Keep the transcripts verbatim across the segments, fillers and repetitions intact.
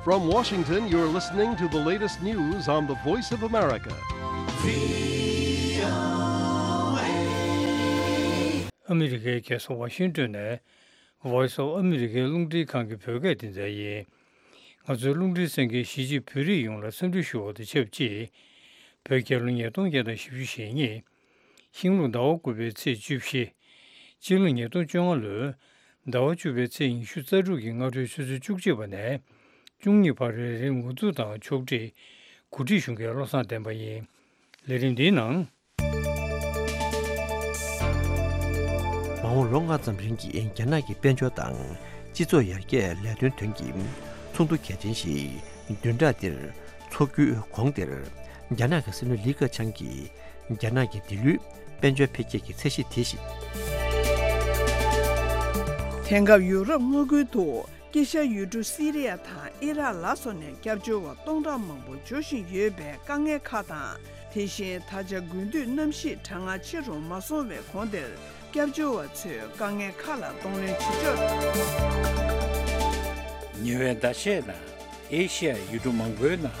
From Washington, you're listening to the latest news on the Voice of America. ཨ་མི་རི་ཀའི་རྒྱལ་ས་ཝ་ཤིང་ཏོན་ནས་Voice of America རླུང་འཕྲིན་ཁང་གི་བོད་སྐད་སྡེ་ཚན་ཡིན། ང་ཚོའི་རླུང་འཕྲིན་གསན་མཁན་གཞིས་བྱེས་བོད་རིགས་ཡོངས་ལ་འཚམས་འདྲི་ཞུ་བ་དང་ཆབས་ཅིག་བོད་རྒྱལ་ལོ་ཉིས་སྟོང་བརྒྱ་དང་བཞི་བཅུ་ཞེ་གཉིས། ཤིང་ལུག་ཟླ་བ་དགུ་པའི་ཚེས་བཅུ་བཞི། སྤྱི་ལོ་ཉིས་སྟོང་བཅོ་ལྔ་ལོའི་ཟླ་བ་བཅུ་པའི་ཚེས་ཉི་ཤུ་རྩ་དྲུག་གི་སྔ་དྲོའི་ཆུ་ཚོད་བཅུ་གཅིག་པ་ནས་བཅུ་གཉིས་བར་རེ་རེའི་ངོ་ཚུགས་དང་ཕྱོགས་སྒྲིག་གོ་སྒྲིག་ཞུ་མཁན་བློ་བཟང་བསྟན་པ་ཡིན། ལས་རིམ་འདིའི་ནང་། མ་འོངས་ལོ་ལྔ་ཙམ་རིང་གི་རྒྱ་ནག་གི་དཔལ་འབྱོར་དང་སྤྱི་ཚོགས་ཡར་རྒྱས་ལས་དོན་དོན་གྱི་ཚོགས་འདུ་གལ་ཆེན་ཞིག་བདུན་ཕྲག་འདིར་འཚོགས་རྒྱུའི་གོང་དེར། རྒྱ་ནག་གི་སྲིད་བློན་ལི་ཁེ་ཆང་གིས་རྒྱ་ནག་གི་འདི་ལོའི་དཔལ་འབྱོར་འཕེལ་རྒྱས་ཀྱི་ཚད་གཞི་དེ་བཞིན། དེང་སྐབས་ཡུ་རོབ་མངའ་ཁུལ་དུ་དཀྱིལ་ཤར་ཡུལ་གྲུ་སི་རི་ཡ་དང་ཨི་རག་ལ་སོགས་ནས་སྐྱབས་བཅོལ་བ་སྟོང་ཕྲག་མང་པོ་འབྱོར་བཞིན་ཡོད་པའི་དཀའ་ངལ་ཁག་དང་། དེ་བཞིན་ད་ཆ་དགུན་དུས་གནམ་གཤིས་གྲང་ངར་ཆེ་རུ་མ་སོང་བའི་གོང་དེར་སྐྱབས་བཅོལ་བ་ཚོས་དཀའ་ངལ་ཁག་ལ་གདོང་ལེན་བྱེད་ཕྱོགས། ཉེ་བའི་ཟླ་ཤས་ནང་ཨེ་ཤི་ཡ་ཡུལ་གྲུ་མང་པོའི་ནང་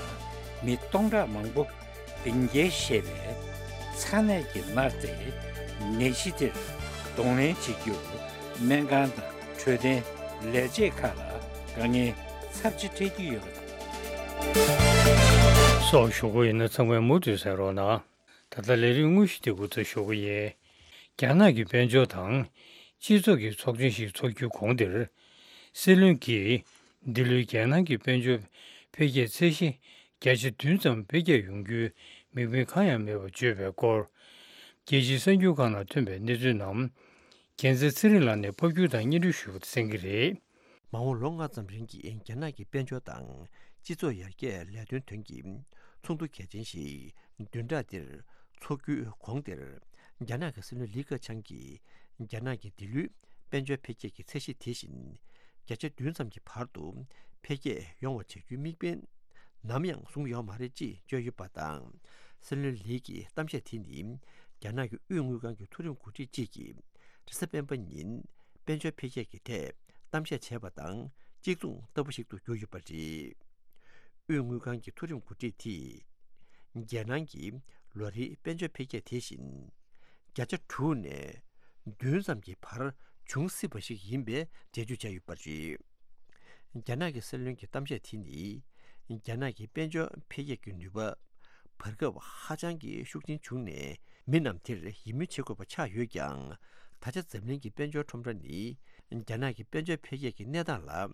མི་སྟོང་ཕྲག་མང་པོ་སྡིངས་རྒྱལ་ཞེས་པའི་ཚ་ནད་ཀྱིས་མནར་ཏེ། ནད་གཞི་དེར་གདོང་ལེན་བྱེད་རྒྱུར་སྨན་ཁང་དང་འཕྲོད་བསྟེན་ལས་བྱེད་ཁག་ལ་དཀའ་ངལ་ཚབས་ཆེ་འཕྲད་ཀྱི་ཡོད་པ་དང་། སོགས་ཞུ་གི་ཡིན་ན་ཚང་མས་མུ་མཐུད་གསན་རོགས་གནང་། ད་ལྟ་ལས་རིམ་དངོས་གཞི་དེ་འགོ་འཛུགས་ཞུ་གི་ཡིན། རྒྱ་ནག་གི་དཔལ་འབྱོར་དང་སྤྱི་ཚོགས་ཀྱི་ཚོགས་ཆེན་ཞིག་འཚོགས་རྒྱུའི་གོང་དེར། སྲིད་བློན་གྱིས་འདི་ལོའི་རྒྱལ་ནང་གི་དཔལ་འབྱོར་འཕེལ་རྒྱས་ཚད་གཞི་བརྒྱ་ཆ་བདུན་ཙམ་འཕེལ་རྒྱས་ཡོང་རྒྱུའི་དམིགས་འབེན་གང་ཡང་མེད་པར་བརྗོད་པའི་སྐོར། རྒྱལ་སྤྱིའི་གསར་འགྱུར་ཁག་ནང་ཐོན་པའི་གནས་ཚུལ་རྣམས། རྒྱལ་མཚན་ཚེ་རིང་ལགས་ནས་ཕབ་སྒྱུར་དང་སྙན་སྒྲོན་ཞུས་པ་གསན་གྱི་རེད། མ་འོངས་ལོ་ལྔ་ཙམ་རིང་གི་རྒྱ་ནག་གི་དཔལ་འབྱོར་དང་སྤྱི་ཚོགས་ཡར་རྒྱས་ལས་དོན་དོན་གྱི་ཚོགས་འདུ་གལ་ཆེན་ཞིག་བདུན་ཕྲག་འདིར་འཚོགས་རྒྱུའི་གོང་དེར། རྒྱ་ནག་གི་སྲིད་བློན་ལི་ཁེ་ཆང་གིས་རྒྱ་ནག་གི་འདི་ལོའི་དཔལ་འབྱོར་འཕེལ་རྒྱས་ཀྱི་ཚད་གཞི་དེ་བཞིན་བརྒྱ་ཆ་བདུན་ཙམ་གྱི་བར་དུ་འཕེལ་རྒྱས་ཡོང་བ་བྱ་རྒྱུའི་དམིགས་འབེན་ནམ་ཡང་བཟུང་ཡོད་མ་རེད་ཅེས་བརྗོད་ཡོད་པ་དང་། སྲིད་བློན་ལི་གི་གཏམ་བཤད་དེ་ནི་རྒྱ་ནག་གི་དབུས་དངུལ་ཁང་གི་མཐོ་རིམ་འགོ་ཁྲིད་ཅིག་གིས། རེས་གཟའ་སྤེན་པ་ཉིན་དཔལ་འབྱོར་འཕེལ་རྒྱས་ཀྱི་ཐད་གཏམ་བཤད་བྱས་པ་དང་གཅིག་མཚུངས་ལྟ་བུ་ཞིག་ཏུ་གྱུར་ཡོད་པ་རེད། དབུས་དངུལ་ཁང་གི་མཐོ་རིམ་འགོ་ཁྲིད་དེས། རྒྱལ་ནང་གི་ལོ་རེའི་དཔལ་འབྱོར་འཕེལ་རྒྱས་དེ་བཞིན་བརྒྱ་ཆ་དྲུག་ནས་བདུན་ཙམ་གྱི་བར་འབྱུང་སྲིད་པ་ཞིག་ཡིན་པའི་འགྲེལ་བརྗོད་བྱས་ཡོད་པ་རེད། རྒྱ་ནག་གི་སྲིད་བློན་གྱི་གཏམ་བཤད་དེ་ནི། རྒྱ་ནག་གི་དཔལ་འབྱོར་འཕེལ་རྒྱས་ཀྱི་ནུས་པ་བར་སྐབས་ཧ་ཅང་གི་ཤུགས་ཆེན་བྱུང་ནས། མི་རྣམས་དེར་ཡིད་སྨོན་བྱེད་དགོས་པ་ཆགས་ཡོད་ཀྱང་། ད་ཆ་འཛམ་གླིང་གི་དཔལ་འབྱོར་ཁྲོམ་ར་ནི། རྒྱ་ནག་གི་དཔལ་འབྱོར་འཕེལ་རྒྱས་ཀྱི་གནས་སྟངས་ལ་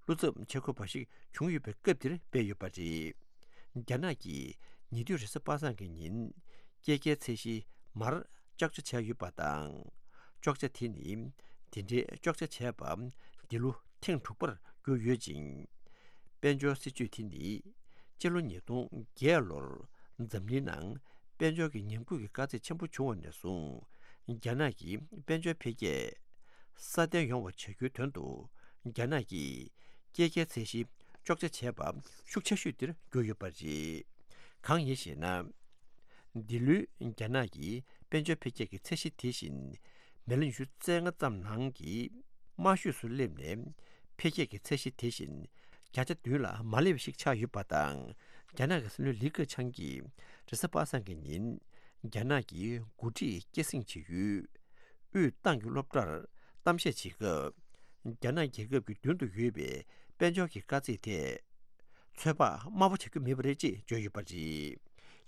བློ་འཚབ་བྱེད་དགོས་པ་ཞིག་བྱུང་ཡོད་པའི་སྐབས་འདིར་སྤེལ་ཡོད་པ་རེད། རྒྱ་ནག་གིས་ཉེ་དུས་རེས་གཟའ་པ་སངས་ཀྱི་ཉིན། སྐྱེད་ཀའི་ཚད་གཞི་མར་གཅོག་ཆ་བྱས་ཡོད་པ་དང་། གཅོག་ཆ་དེ་ནི་དེ་འདྲའི་གཅོག་ཆ་བྱས་པ་འདི་ལོ་ཐེངས་དྲུག་པར་གྱུར་ཡོད་ཅིང་། དཔལ་འབྱོར་སྲིད་ཇུས་དེ་ནི་སྤྱི་ལོ་ཉིས་སྟོང་བརྒྱད་ལོར་འཛམ་གླིང་ནང་དཔལ་འབྱོར་གྱི་ཉམས་རྒུད་ཀྱི་དཀའ་ཚེགས་ཆེན་པོ་བྱུང་བ་ནས་བཟུང་། རྒྱ་ནག་གི་དཔལ་འབྱོར་འཕེལ་རྒྱས་སྲ་བརྟན་ཡོང་བ་བྱ་རྒྱུའི་དོན་དུ་རྒྱ་ནག་གིས་སྐྱེད་ཀའི་ཚད་གཞི་གཅོག་ཆ་བྱས་པ་ཤུགས་ཆེ་ཤོས་དེར་གྱུར་ཡོད་པ་རེད། གང་ཡིན་ཞེ་ན། འདི་ལོའི་རྒྱ་ནག་གི་དཔལ་འབྱོར་འཕེལ་རྒྱས་ཀྱི་ཚད་གཞི་དེ་བཞིན་མི་ལོ་ཉི་ཤུ་རྩ་ལྔ་ཙམ་ནང་གི་དམའ་ཤོས་སུ་སླེབས་ནས། འཕེལ་རྒྱས་ཀྱི་ཚད་གཞི་དེ་བཞིན་བརྒྱ་ཆ་བདུན་ལ་མ་སླེབས་པ་ཞིག་ཆགས་ཡོད་པ་དང་། རྒྱ་ནག་གི་སྲིད་བློན་ལི་ཁེ་ཆང་གིས་རེས་གཟའ་པ་སངས་ཀྱི་ཉིན་རྒྱ་ནག་གི་འགོ་ཁྲིད་སྐྱེད་སྲིང་བྱེད་ཡུལ། དབུས་ཏང་གི་སློབ་གྲྭར་གཏམ་བཤད་བྱེད་སྐབས། རྒྱ་ནག་རྒྱལ་ཁབ་ཀྱི་མདུན་དུ་ཡོད་པའི་དཔལ་འབྱོར་གྱི་དཀའ་ཚེགས་ཐད། ཚོད་དཔག་དམའ་པོ་བྱ་རྒྱུ་མེད་པ་རེད་ཅེས་བརྗོད་ཡོད་པ་རེད།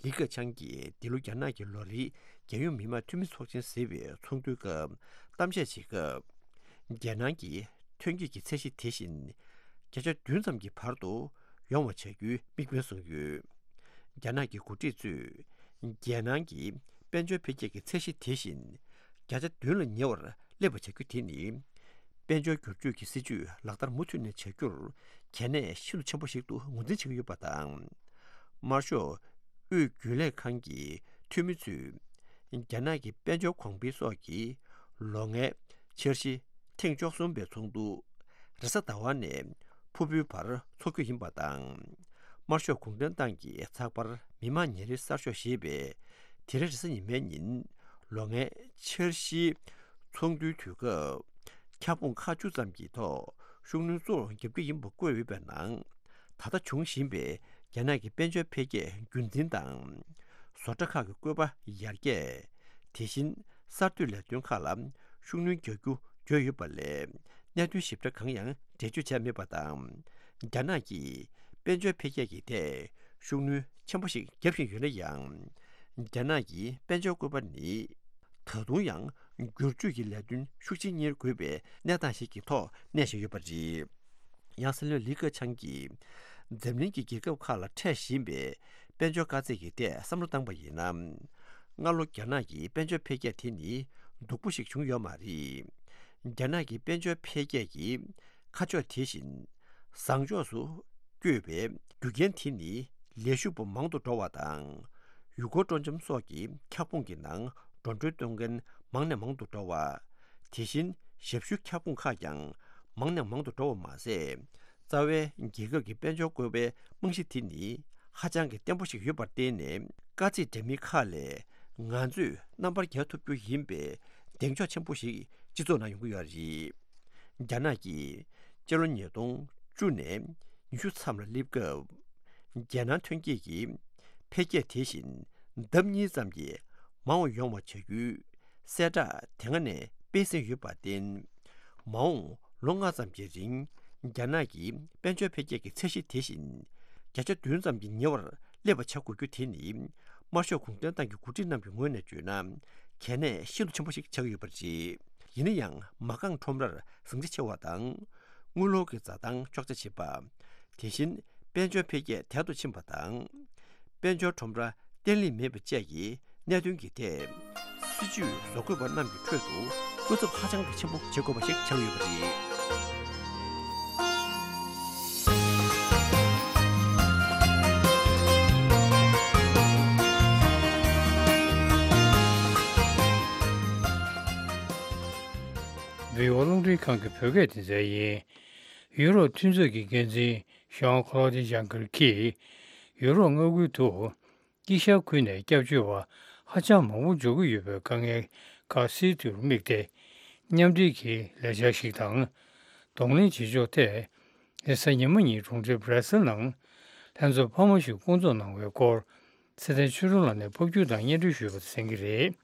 ལི་ཁེ་ཆང་གིས་འདི་ལོ་རྒྱ་ནག་གི་ལོ་རེའི་རྒྱལ་ཡོངས་མི་དམངས་འཐུས་མི་ཚོགས་ཆེན་ཟེར་བའི་ཚོགས་འདུའི་སྐབས་གཏམ་བཤད་བྱེད་སྐབས། རྒྱལ་ནང་གི་ཐོན་སྐྱེད་ཀྱི་ཚད་གཞི་དེ་བཞིན་བརྒྱ་ཆ་བདུན་ཙམ་གྱི་བར་དུ་ཡོང་བ་བྱ་རྒྱུའི་དམིགས་འབེན་བཟུང་ཡོད། རྒྱ་ནག་གི་འགོ་ཁྲིད་ཚོས་རྒྱལ་ནང་གི་དཔལ་འབྱོར་འཕེལ་རྒྱས་ཀྱི་ཚད་གཞི་དེ་བཞིན་བརྒྱ་ཆ་བདུན་ལ་ཉེ་བར་སླེབས་པ་བྱ་རྒྱུ་དེ་ནི། དཔལ་འབྱོར་བསྒྱུར་བཅོས་ཀྱི་སྲིད་ཇུས་ལག་བསྟར་མུ་མཐུད་ནས་བྱ་རྒྱུར་གལ་གནད་ཤིན་ཏུ་ཆེན་པོ་ཞིག་ཏུ་ངོས་འཛིན་བྱེད་ཀྱི་ཡོད་པ་དང་། དམར་ཤོག་དབུས་རྒྱུན་ལས་ཁང་གི་འཐུས་མི་ཚོས་རྒྱ་ནག་གི་དཔལ་འབྱོར་གོང་འཕེལ་སོགས་ཀྱི་ལོ་ལྔའི་འཆར་གཞི་ཐེངས་བཅུ་གསུམ་པའི་ཚོགས་འདུ་རེས་གཟའ་ཟླ་བ་ནས་ཕུར་བུའི་བར་འཚོགས་རྒྱུ་ཡིན་པ་དང་། དམར་ཤོག་གུང་ཁྲན་ཏང་གི་ཚགས་པར་མི་དམངས་ཉིན་རེའི་གསར་ཤོག་ཞེས་པས་དེ་རིང་རེས་གཟའ་ཉི་མའི་ཉིན་ལོ་ལྔའི་འཆར་གཞིའི་ཚོགས་འདུའི་དུས་སྐབས་ཁྱབ་ཁོངས་ཁག་བཅུ་ཙམ་གྱི་ཐོག་ཤུགས་སྣོན་གཙོ་བོར་བརྒྱབ་ཀྱི་ཡིན་པ་བཀོད་ཡོད་པའི་ནང་ ད་ལྟ་འབྱུང་བཞིན་པའི་རྒྱ་ནག་གི་དཔལ་འབྱོར་འཕེལ་རྒྱས་རྒྱུན་འཛིན་དང་། བཟོ་གྲྭ་ཁག་གི་བཀོད་པ་ཡར་རྒྱས། དེ་བཞིན་གསར་གཏོད་ལས་དོན་ཁག་ལ་ཤུགས་སྣོན་རྒྱག་རྒྱུ་བརྗོད་ཡོད་པ་ལས། གནད་དོན་ཞིབ་ཕྲ་གང་ཡང་འགྲེལ་བརྗོད་བྱས་མེད་པ་དང་། རྒྱ་ནག་གིས་དཔལ་འབྱོར་འཕེལ་རྒྱས་ཀྱི་ཐད་ཤུགས་སྣོན་ཆེན་པོ་ཞིག་བརྒྱབ་བཞིན་ཡོད་ན་ཡང་། རྒྱ་ནག་གི་དཔལ་འབྱོར་བཀོད་པ་ནི་ད་དུང་ཡང་བསྒྱུར་བཅོས་ཀྱི་ལས་དོན་ཤུགས་ཆེན་གཉེར་དགོས་པའི་གནས་སྟངས་ཤིག་གི་ཐོག་གནས་བཞིན་ཡོད་པ་རེད། ཡང་སྲིད་བློན་ལི་ཁེ་ཆང་གིས་འཛམ་གླིང་གི་རྒྱལ་ཁབ་ཁག་ལ་འཕྲད་བཞིན་པའི་དཔལ་འབྱོར་དཀའ་ཚེགས་ཀྱི་ཐད་བསམ་བློ་བཏང་པ་ཡིན་ན། སྔ་ལོ་རྒྱ་ནག་གི་དཔལ་འབྱོར་འཕེལ་རྒྱས་དེ་ནི་སྡུག་པོ་ཞིག་བྱུང་ཡོད་མ་རེད། རྒྱ་ནག་གི་དཔལ་འབྱོར་འཕེལ་རྒྱས་ཀྱི་ཁ་ཕྱོགས་དེ་བཞིན་བཟང་ཕྱོགས་སུ་བསྐྱོད་པའི་རྒྱུ་རྐྱེན་དེ་ནི་ལས་ཞུགས་པ་མང་དུ་འགྲོ་བ་དང་། ཡུལ་སྐོར་སྤྲོ་འཆམ་སོགས་ཀྱི་ཁྱབ་ཁོངས་ཀྱི་ནང་འགྲོ་གྲོན་གཏོང་མཁན་མང་ནས་མང་དུ་འགྲོ་བ། དེ་བཞིན་ཞབས་ཞུའི་ཁྱབ་ཁོངས་ཁག་ཀྱང་མང་ནས་མང་དུ་འགྲོ་བ་མ་ཟད། རྩ་བའི་རྒྱལ་ཁབ་ཀྱི་དཔལ་འབྱོར་བཀོད་པའི་རྨང་གཞི་དེ་ནི་ཧ་ཅང་གི་བརྟན་པོ་ཞིག་ཡོད་པར་བརྟེན་ནས། དཀའ་ཚེགས་འདྲ་མིན་ཁག་ལས་ང་ཚོས་རྣམ་པར་རྒྱལ་ཐུབ་རྒྱུ་ཡིན་པའི་གདེང་འཇོག་ཆེན་པོ་ཞིག་སྤྱི་ཚོགས་ནང་ཡོང་གི་ཡོད་རེད། རྒྱ་ནག་གིས་སྤྱི་ལོ་ཉིས་སྟོང་བཅུ་ནས་ཉི་ཤུ་མཚམས་ལ་སླེབས་སྐབས། རྒྱལ་ནང་ཐོན་སྐྱེད་ཀྱི་འཕེལ་རྒྱས་དེ་བཞིན་ལྡབ་གཉིས་ཙམ་གྱིས་མང་བ་ཡོང་བ་བྱ་རྒྱུའི་གསལ་བསྒྲགས་དེ་སྔ་ནས་སྤེལ་ཟིན་ཡོད་པར་བརྟེན། མ་འོངས་ལོ་ལྔ་ཙམ་གྱི་རིང་རྒྱ་ནག་གི་དཔལ་འབྱོར་འཕེལ་རྒྱས་ཀྱི་ཚད་གཞི་དེ་བཞིན་བརྒྱ་ཆ་བདུན་ཙམ་གྱིས་ཉེ་བར་སླེབས་པ་བྱ་དགོས་རྒྱུ་དེ་ནི། དམར་ཤོག་གུང་ཁྲན་ཏང་གི་འགོ་ཁྲིད་རྣམས་ཀྱི་ངོས་ནས་བརྗོད་ན་གལ་གནད་ཤིན་ཏུ་ཆེན་པོ་ཞིག་ཆགས་ཀྱི་ཡོད་པ་རེད། ཡིན་ན་ཡང་མ་རྐང་ཁྲོམ་རར་ཟིང་ཆ་ཆེ་བ་དང་། དངུལ་ལོར་གྱི་འཛའ་ཐང་གཅོག་ཆ་ཆེ་བ། དེ་བཞིན་དཔལ་འབྱོར་འཕེལ་རྒྱས་དལ་དུ་ཕྱིན་པ་དང་། དཔལ་འབྱོར་ཁྲོམ་ར་བརྟན་ལྷིང་མེད་པ་བཅས་ཀྱི་གནད་དོན་གྱི་ཐད། སྲིད་ཇུས་བཟོ་བཀོད་པ་རྣམས་ཀྱི་ཁྲོད་དུ་སྐུ་ཚབ་ཧ་ཅང་གི་ཆེན་པོ་བྱེད་དགོས་པ་ཞིག་ཆགས་ཡོད་པ་རེད། བྷི་ཨོ་རླུང་འཕྲིན་ཁང་གི་བོད་སྐད་སྡེ་ཚན་ཡིན། ཡུ་རོབ་མཐུན་ཚོགས་ཀྱི་འགན་འཛིན་ཞང་ཁོ་ལོ་ཌི་ཇང་གར་གྱིས། ཡུ་རོབ་མངའ་ཁུལ་དུ་དཀྱིལ་ཤར་ཁུལ་ནས་སྐྱབས་བཅོལ་བ་ཧ་ཅང་མང་པོ་འབྱོར་གྱི་ཡོད་པའི་དཀའ་ངལ་ཁག་སེལ་རྒྱུར་དམིགས་ཏེ། མཉམ་འབྲེལ་གྱི་ལས་འཆར་ཞིག་དང་། གདོང་ལེན་བྱེད་ཕྱོགས་ཐད། རེས་གཟའ་ཉི་མ་ཉིན་གྲོང་ཁྱེར་སྦྲ་སེལ་ནང་ལྷན་ཚོགས་འཕར་མ་ཞིག་བསྐོང་ཚོགས་གནང་བའི་སྐོར། ཚེ་བརྟན་ཆོས་སྒྲོན་ལགས་ནས་ཕབ་སྒྱུར་དང་སྙན་སྒྲོན་ཞུས་པ་གསན་གྱི་རེད།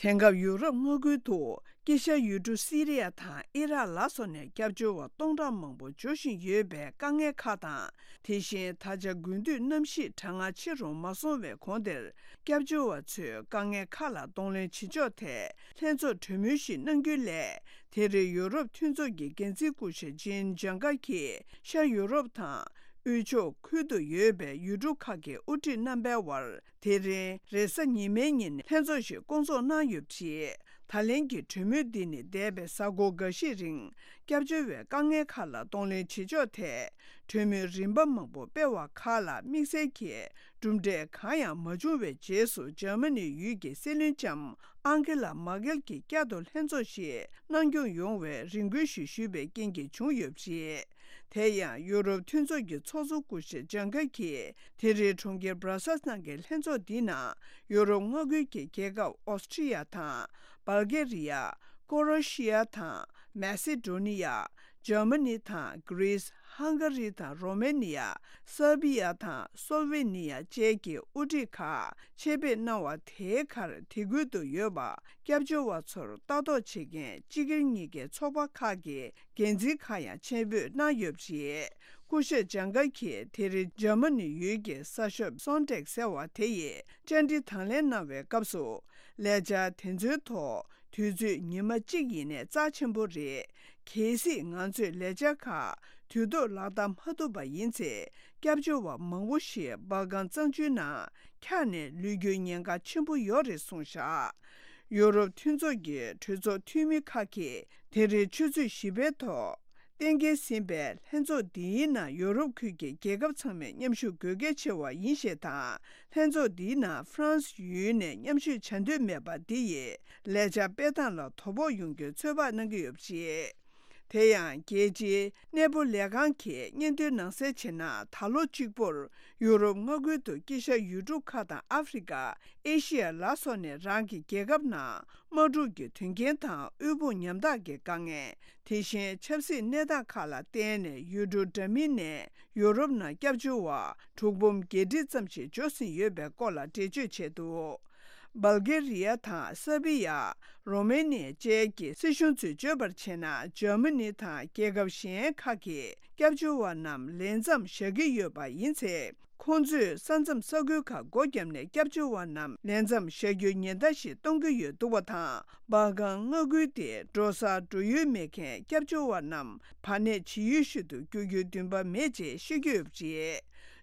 དེང་སྐབས་ཡུ་རོབ་མངའ་ཁུལ་དུ་དཀྱིལ་ཤར་ཡུལ་གྲུ་སི་རི་ཡ་དང་ཨི་རག་ལ་སོགས་ནས་སྐྱབས་བཅོལ་བ་སྟོང་ཕྲག་མང་པོ་འབྱོར་བཞིན་ཡོད་པའི་དཀའ་ངལ་ཁག་དང་། དེ་བཞིན་ད་ཆ་དགུན་དུས་གནམ་གཤིས་གྲང་ངར་ཆེ་རུ་མ་སོང་བའི་གོང་དེར། སྐྱབས་བཅོལ་བ་ཚོའི་དཀའ་ངལ་ཁག་ལ་གདོང་ལེན་བྱེད་ཕྱོགས་ཐད་ལྷན་ཚོགས་གྲོས་མོལ་ཞིག་གནང་རྒྱུའི་སླད། དེ་རིང་ཡུ་རོབ་མཐུན་ཚོགས་ཀྱི་འགན་འཛིན་སྐུ་ཞབས་ཇིན་ཇང་གར་གྱིས་ཤར་ཡུ་རོབ་དང་། དབུས་ཕྱོགས་ཁུལ་དུ་ཡོད་པའི་ཡུལ་གྲུ་ཁག་གི་དབུ་ཁྲིད་རྣམ་པའི་དབར། དེ་རིང་རེས་གཟའ་ཉི་མའི་ཉིན་ལྷན་ཚོགས་ཤིག་བསྐོང་ཚོགས་གནང་ཡོད་པ་རེད། ད་ལན་གྱི་གྲོས་མོལ་འདི་ནི་འདས་པའི་གཟའ་འཁོར་འགའ་ཤས་རིང་སྐྱབས་བཅོལ་བའི་དཀའ་ངལ་ཁག་ལ་གདོང་ལེན་བྱེད་ཕྱོགས་ཐད་གྲོས་མོལ་རིམ་པ་མང་པོ་སྤེལ་བ་ཁག་ལ་དམིགས་བསལ་གྱི་གྲུབ་འབྲས་གང་ཡང་མ་བྱུང་བའི་རྗེས་སུ། འཇར་མ་ནི་ཡུལ་གྱི་སྲིད་བློན་ལྕམ་ཨང་ཀེ་ལ་མར་ཀེལ་གྱིས་བསྐྱར་དུ་ལྷན་ཚོགས་ཤིག་གནང་སྐྱོང་ཡོང་བའི་རེ་སྐུལ་ཞིག་ཞུས་པའི་རྐྱེན་གྱིས་བྱུང་ཡོད་པ་རེད། དེ་ཡང་ཡུ་རོབ་མཐུན་ཚོགས་ཀྱི་ཚོགས་གཙོ་སྐུ་ཞབས་ཇང་གར་གྱིས་དེ་རིང་གྲོང་ཁྱེར་སྦྲ་སལ་ནང་གི་ལྷན་ཚོགས་འདིའི་ནང་ཡུ་རོབ་མངའ་ཁུལ་གྱི་རྒྱལ་ཁབ་ཨོ་སི་ཀྲི་ཡ་དང་། སྦལ་གེ་རི་ཡ། ཀོ་རོ་ཤི་ཡ་དང་། མེ་སི་ཌོ་ནི་ཡ། འཇར་མ་ནི་དང་། གྷི་རིས། ཧང་ག་རི་དང་། རོ་མེ་ནི་ཡ། སར་བི་ཡ་དང་། སོལ་ཝེ་ནི་ཡ་བཅས་ཀྱི་དབུ་ཁྲིད་ཁག་ཆེད་ཕེབས་གནང་བ་དེའི་ཁར་དེ་ཁུལ་དུ་ཡོད་པ་སྐྱབས་བཅོལ་བ་ཚོར་ལྟ་རྟོག་བྱེད་མཁན་སྤྱི་སྒེར་གཉིས་ཀའི་ཚོགས་པ་ཁག་གི་འགན་འཛིན་ཁག་ཡང་ཆེད་ཕེབས་གནང་ཡོད་པ་རེད། སྐུ་ཞབས་ཇང་གར་གྱིས་དེ་རིང་འཇར་མ་ནི་ཡུལ་གྱི་གསར་ཤོག་སོན་ཊེག་ཟེར་བ་དེ་ཡིས་བཅར་འདྲི་དང་ལེན་གནང་བའི་སྐབས་སུ། ལས་འཆར་དེ་ཚོའི་ཐོག་དུས་ཚོད་ཉི་མ་གཅིག་ཡིན་ནའི་རྩ་ཆེན་པོ་རེད། གལ་སྲིད་ང་ཚོས་ལས་འཆར་ཁག་དུས་ཐོག་ལག་བསྟར་མ་ཐུབ་པ་ཡིན་ཚེ། སྐྱབས་བཅོལ་བ་མང་པོ་ཞིག་སྦལ་ཀན་གཙང་ཆུའི་ནང་འཁྱགས་ནས་ལུས་རྒྱུའི་ཉེན་ཁ་ཆེན་པོ་ཡོད་རེད་གསུངས་བཞག་ཡུ་རོབ་མཐུན་ཚོགས་ཀྱི་གྲོས་ཚོགས་འཐུས་མི་ཁག་གིས་དེ་རིང་ཆུ་ཚོད་བཞི་པའི་ཐོག་གཏན་འཁེལ་ཟིན་པའི་ལྷན་ཚོགས་འདིའི་ནང་ཡོ་རོབ་ཁུལ་གྱི་རྒྱལ་ཁབ་ཚང་མས་མཉམ་ཞུགས་དགོས་གལ་ཆེ་བ་ཡིན་ཞེས་དང་། ལྷན་ཚོགས་འདིའི་ནང་ཧྥ་རན་སི་ཡུལ་ནས་མཉམ་ཞུགས་བྱ་འདོད་མེད་པ་འདི་ཡིས་ལས་འཆར་སྤེལ་སྟངས་ལ་དོ་ཕོག་ཡོང་རྒྱུའི་ཚོད་དཔག་གནང་གི་ཡོད་པ་རེད། དེ་ཡང་རྒྱལ་སྤྱིའི་གནས་སྤོ་ལས་ཁང་གིས་སྙན་ཐོའི་ནང་གསལ་བྱས་ན། ད་ལོ་གཅིག་པུར་ཡུ་རོབ་མངའ་ཁུལ་དུ་དཀྱིལ་ཤར་ཡུལ་གྲུ་ཁག་དང་ཨ་ཧྥེ་རི་ཀ། ཨེ་ཤི་ཡ་ལ་སོགས་ནས་རང་གི་རྒྱལ་ཁབ་ནང་དམག་འཁྲུག་གི་དོན་རྐྱེན་དང་། དབུལ་ཕོངས་ཉམ་ཐག་གི་དཀའ་ངལ། དེ་བཞིན་ཆབ་སྲིད་གནས་སྟངས་ཁག་ལ་བརྟེན་ནས་ཡུལ་གྲུ་འདྲ་མིན་ནས་ཡུ་རོབ་ནང་སྐྱབས་བཅོལ་བ་དྲུག་འབུམ་བརྒྱད་ཁྲི་ཙམ་ཞིག་འབྱོར་ཟིན་ཡོད་པའི་སྐོར་ལ་འགྲེལ་བརྗོད་བྱས་འདུག་བལ་གེ་རི་ཡ་དང་སར་བི་ཡ། རོ་མེ་ནི་ཡ་བཅས་ཀྱི་སྲིད་གཞུང་ཚོས་བརྗོད་པར་བྱས་ན། འཇར་མ་ནི་དང་རྒྱལ་ཁབ་གཞན་ཁག་གིས་སྐྱབས་བཅོལ་བ་རྣམས་ལས་མཚམས་བཞག་གི་ཡོད་པ་ཡིན་ཚེ། ཁོང་ཚོས་ས་མཚམས་ས་ཁུལ་ཁག་སྒོ་བརྒྱབ་ནས་སྐྱབས་བཅོལ་བ་རྣམས་ལས་མཚམས་བཞག་རྒྱུའི་ཉེན་བརྡ་ཞིག་གཏོང་གི་ཡོད་འདུག་པ་དང་། སྦར་ཁང་མངའ་ཁུལ་དེ་འགྲོ་སར་འགྲོ་ཡུལ་མེད་མཁན་སྐྱབས་བཅོལ་བ་རྣམས་བར་གནས་ཇི་ཡོད་བཞིན་དུ་བསྐྱོད་རྒྱུའི་འདུན་པ་མེད་ཅེས་བཤད་ཀྱི་ཡོད་པ་རེད།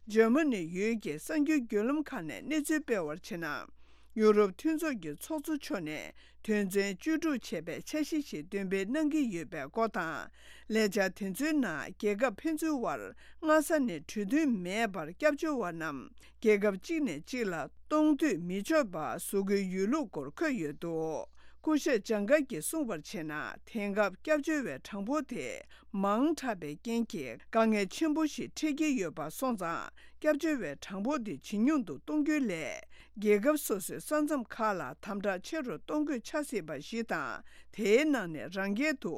འཇར་མ་ནི་ཡུལ་གྱི་གསར་འགྱུར་བརྒྱུད་ལམ་ཁག་ནས་གནས་ཚུལ་སྤེལ་བར་བྱས་ན། ཡུ་རོབ་མཐུན་ཚོགས་ཀྱི་ཚོགས་གཙོ་མཆོག་ནས་དོན་ཚན་བཅུ་དྲུག་ཅེས་པའི་འཆར་གཞི་ཞིག་འདོན་སྤེལ་གནང་གི་ཡོད་པའི་སྐོར་དང་། ལས་འཆར་དེ་ཚོའི་ནང་རྒྱལ་ཁབ་ཕན་ཚུན་དབར་སྔ་ས་ནས་གྲོས་མཐུན་མེད་པར་སྐྱབས་བཅོལ་བ་རྣམས་རྒྱལ་ཁབ་གཅིག་ནས་གཅིག་ལ་གཏོང་སྡོད་མི་ཆོག་པ་བཟོ་དགོས་ཡོད་ལུགས་སྐོར་འཁོད་ཡོད་འདུག་སྐུ་ཞབས་ཇང་ག་གིས་གསུངས་པར་བྱས་ན། དེང་སྐབས་སྐྱབས་བཅོལ་བའི་གྲངས་འབོར་དེ་མང་དྲགས་པའི་རྐྱེན་གྱིས་དཀའ་ངལ་ཆེན་པོ་ཞིག་འཕྲད་ཀྱི་ཡོད་པ་སོང་ཙང་། སྐྱབས་བཅོལ་བའི་གྲངས་འབོར་དེ་ཇེ་ཉུང་དུ་གཏོང་རྒྱུའི་སླད། རྒྱལ་ཁབ་སོ་སོའི་ས་མཚམས་ཁག་ལ་དམ་དྲག་ཆེ་རུ་གཏོང་དགོས་ཆགས་སྲིད་པ་ཞིག་དང་། དེའི་ནང་ནས་རང་རྒྱལ་དུ་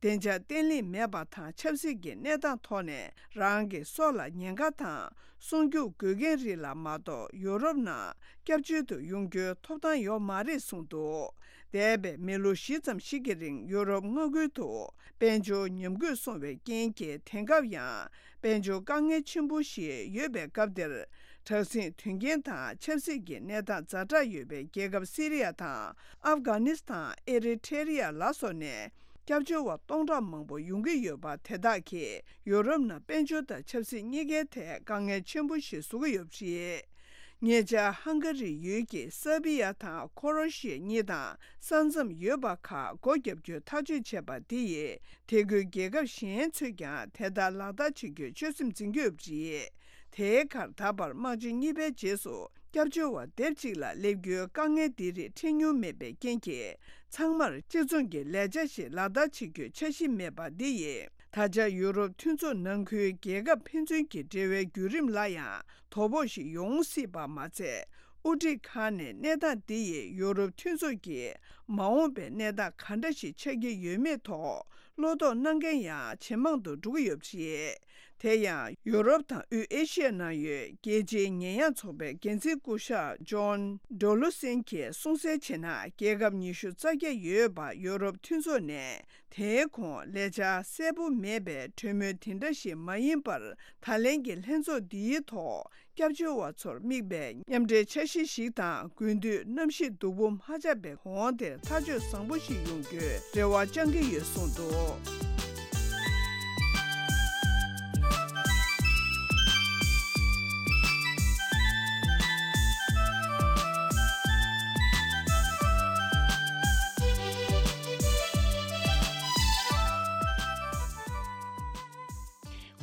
བདེ་འཇགས་བརྟན་ལྷིང་མེད་པ་དང་། ཆབ་སྲིད་ཀྱི་གནས་སྟངས་ཐོག་ནས་རང་གི་སྲོག་ལ་ཉེན་ཁ་དང་། སྲུང་སྐྱོབ་དགོས་མཁན་རིགས་ལ་མ་གཏོགས་ཡུ་རོབ་ནང་སྐྱབས་བཅོལ་དུ་ཡོང་རྒྱུའི་ཐོབ་ཐང་ཡོད་མ་རེད་གསུངས་འདུག་འདས་པའི་མི་ལོ་བཞི་ཙམ་ཞིག་གི་རིང་ཡུ་རོབ་མངའ་ཁུལ་དུ་དཔལ་འབྱོར་ཉམས་རྒུད་སོང་བའི་རྐྱེན་གྱིས། དེང་སྐབས་ཡང་དཔལ་འབྱོར་དཀའ་ངལ་ཆེན་པོ་ཞིག་ཡོད་པའི་སྐབས་འདིར། དྲག་ཟིང་དོན་རྐྱེན་དང་ཆབ་སྲིད་ཀྱི་གནས་སྟངས་ཛ་དྲག་ཡོད་པའི་རྒྱལ་ཁབ་སི་རི་ཡ་དང་ཨབ་གྷ་ནི་སི་ཐན། ཨེ་རི་ཐེ་རི་ཡ་ལ་སོགས་ནས། སྐྱབས་བཅོལ་བ་སྟོང་ཕྲག་མང་པོ་ཡོང་གི་ཡོད་པ། དེ་དག་གིས་ཡུ་རོབ་ནང་དཔལ་འབྱོར་དང་ཆབ་སྲིད་གཉིས་ཀའི་ཐད་དཀའ་ངལ་ཆེན་པོ་ཞིག་བཟོ་གི་ཡོད་པ་རེད། ཉེ་ཆར་ཧང་ག་རི་ཡུལ་གྱི་སར་བི་ཡ་དང་ཁོ་རོ་ཤི་ཡ་གཉིས་དང་ས་མཚམས་ཡོད་པ་ཁག་སྒོ་བརྒྱབ་རྒྱུའི་ཐག་གཅོད་བྱས་པ་འདི་ཡིས། དེ་ཁུལ་རྒྱལ་ཁབ་གཞན་ཚོས་ཀྱང་དེ་ལྟར་ལག་བསྟར་བྱེད་རྒྱུའི་ཆོད་སེམས་འཛིན་གྱི་ཡོད་པ་རེད། དེའི་ཁར་ད་བར་དམག་ཆེན་གཉིས་པའི་རྗེས་སུ། སྐྱབས་བཅོལ་བ་སྡེབ་གཅིག་ལ་སླེབས་རྒྱུའི་དཀའ་ངལ་འདི་རིགས་འཕྲད་མྱོང་མེད་པའི་རྐྱེན་གྱིས། ཚང་མར་གཅིག་མཚུངས་ཀྱི་ལས་འཆར་ཞིག་ལག་བསྟར་བྱེད་རྒྱུའི་འཆར་གཞི་མེད་པ་འདི་ཡིས། ད་ཆ་ཡུ་རོབ་མཐུན་ཚོགས་ནང་ཁུལ་རྒྱལ་ཁབ་ཕན་ཚུན་གྱི་འབྲེལ་བའི་བརྒྱུད་རིམ་ལ་ཡང་དོ་ཕོག་ཞིག་ཡོང་སྲིད་པ་མ་ཚད། དབུ་ཁྲིད་ཁག་ནས་གནས་སྟངས་འདི་ཡིས་ཡུ་རོབ་མཐུན་ཚོགས་ཀྱི་མ་འོངས་པའི་གནས་སྟངས་ག་འདྲ་ཞིག་ཆགས་ཀྱི་ཡོད་མེད་ཐོག་བློ་དོགས་གནང་མཁན་ཡང་ཇེ་མང་དུ་འགྲོ་གི་ཡོད་པ་རེད། དེ་ཡང་ཡུ་རོབ་དང་དབུས་ཨེ་ཤི་ཡ་ནང་ཡོད་རྒྱལ་སྤྱིའི་ཉེས་ཡངས་ཚོགས་པའི་འགན་འཛིན་སྐུ་ཞབས་ཇོན་ཌོ་ལུ་སེན་གྱིས་གསུངས་གསལ་བྱས་ན། རྒྱལ་ཁབ་ཉི་ཤུ་རྩ་བརྒྱད་ཡོད་པ་ཡུ་རོབ་མཐུན་ཚོགས་ནས་དེའི་གོང་ལས་འཆར་གསལ་པོ་མེད་པའི་གྲོས་མོལ་དེ་འདྲ་ཞིག་མ་ཡིན་པར། ད་ལན་གྱི་ལྷན་ཚོགས་འདིའི་ཐོག་སྐྱབས་བཅོལ་བ་ཚོར་དམིགས་པའི་མཉམ་འབྲེལ་འཆར་གཞི་ཞིག་དང་། དགུན་དུས་གནམ་གཤིས་སྡུག་པོ་མ་ཆགས་པའི་གོང་དེར་ཐག་གཅོད་བཟང་པོ་ཞིག་ཡོང་རྒྱུའི་རེ་བ་བཅང་གི་ཡོད་གསུངས་འདུག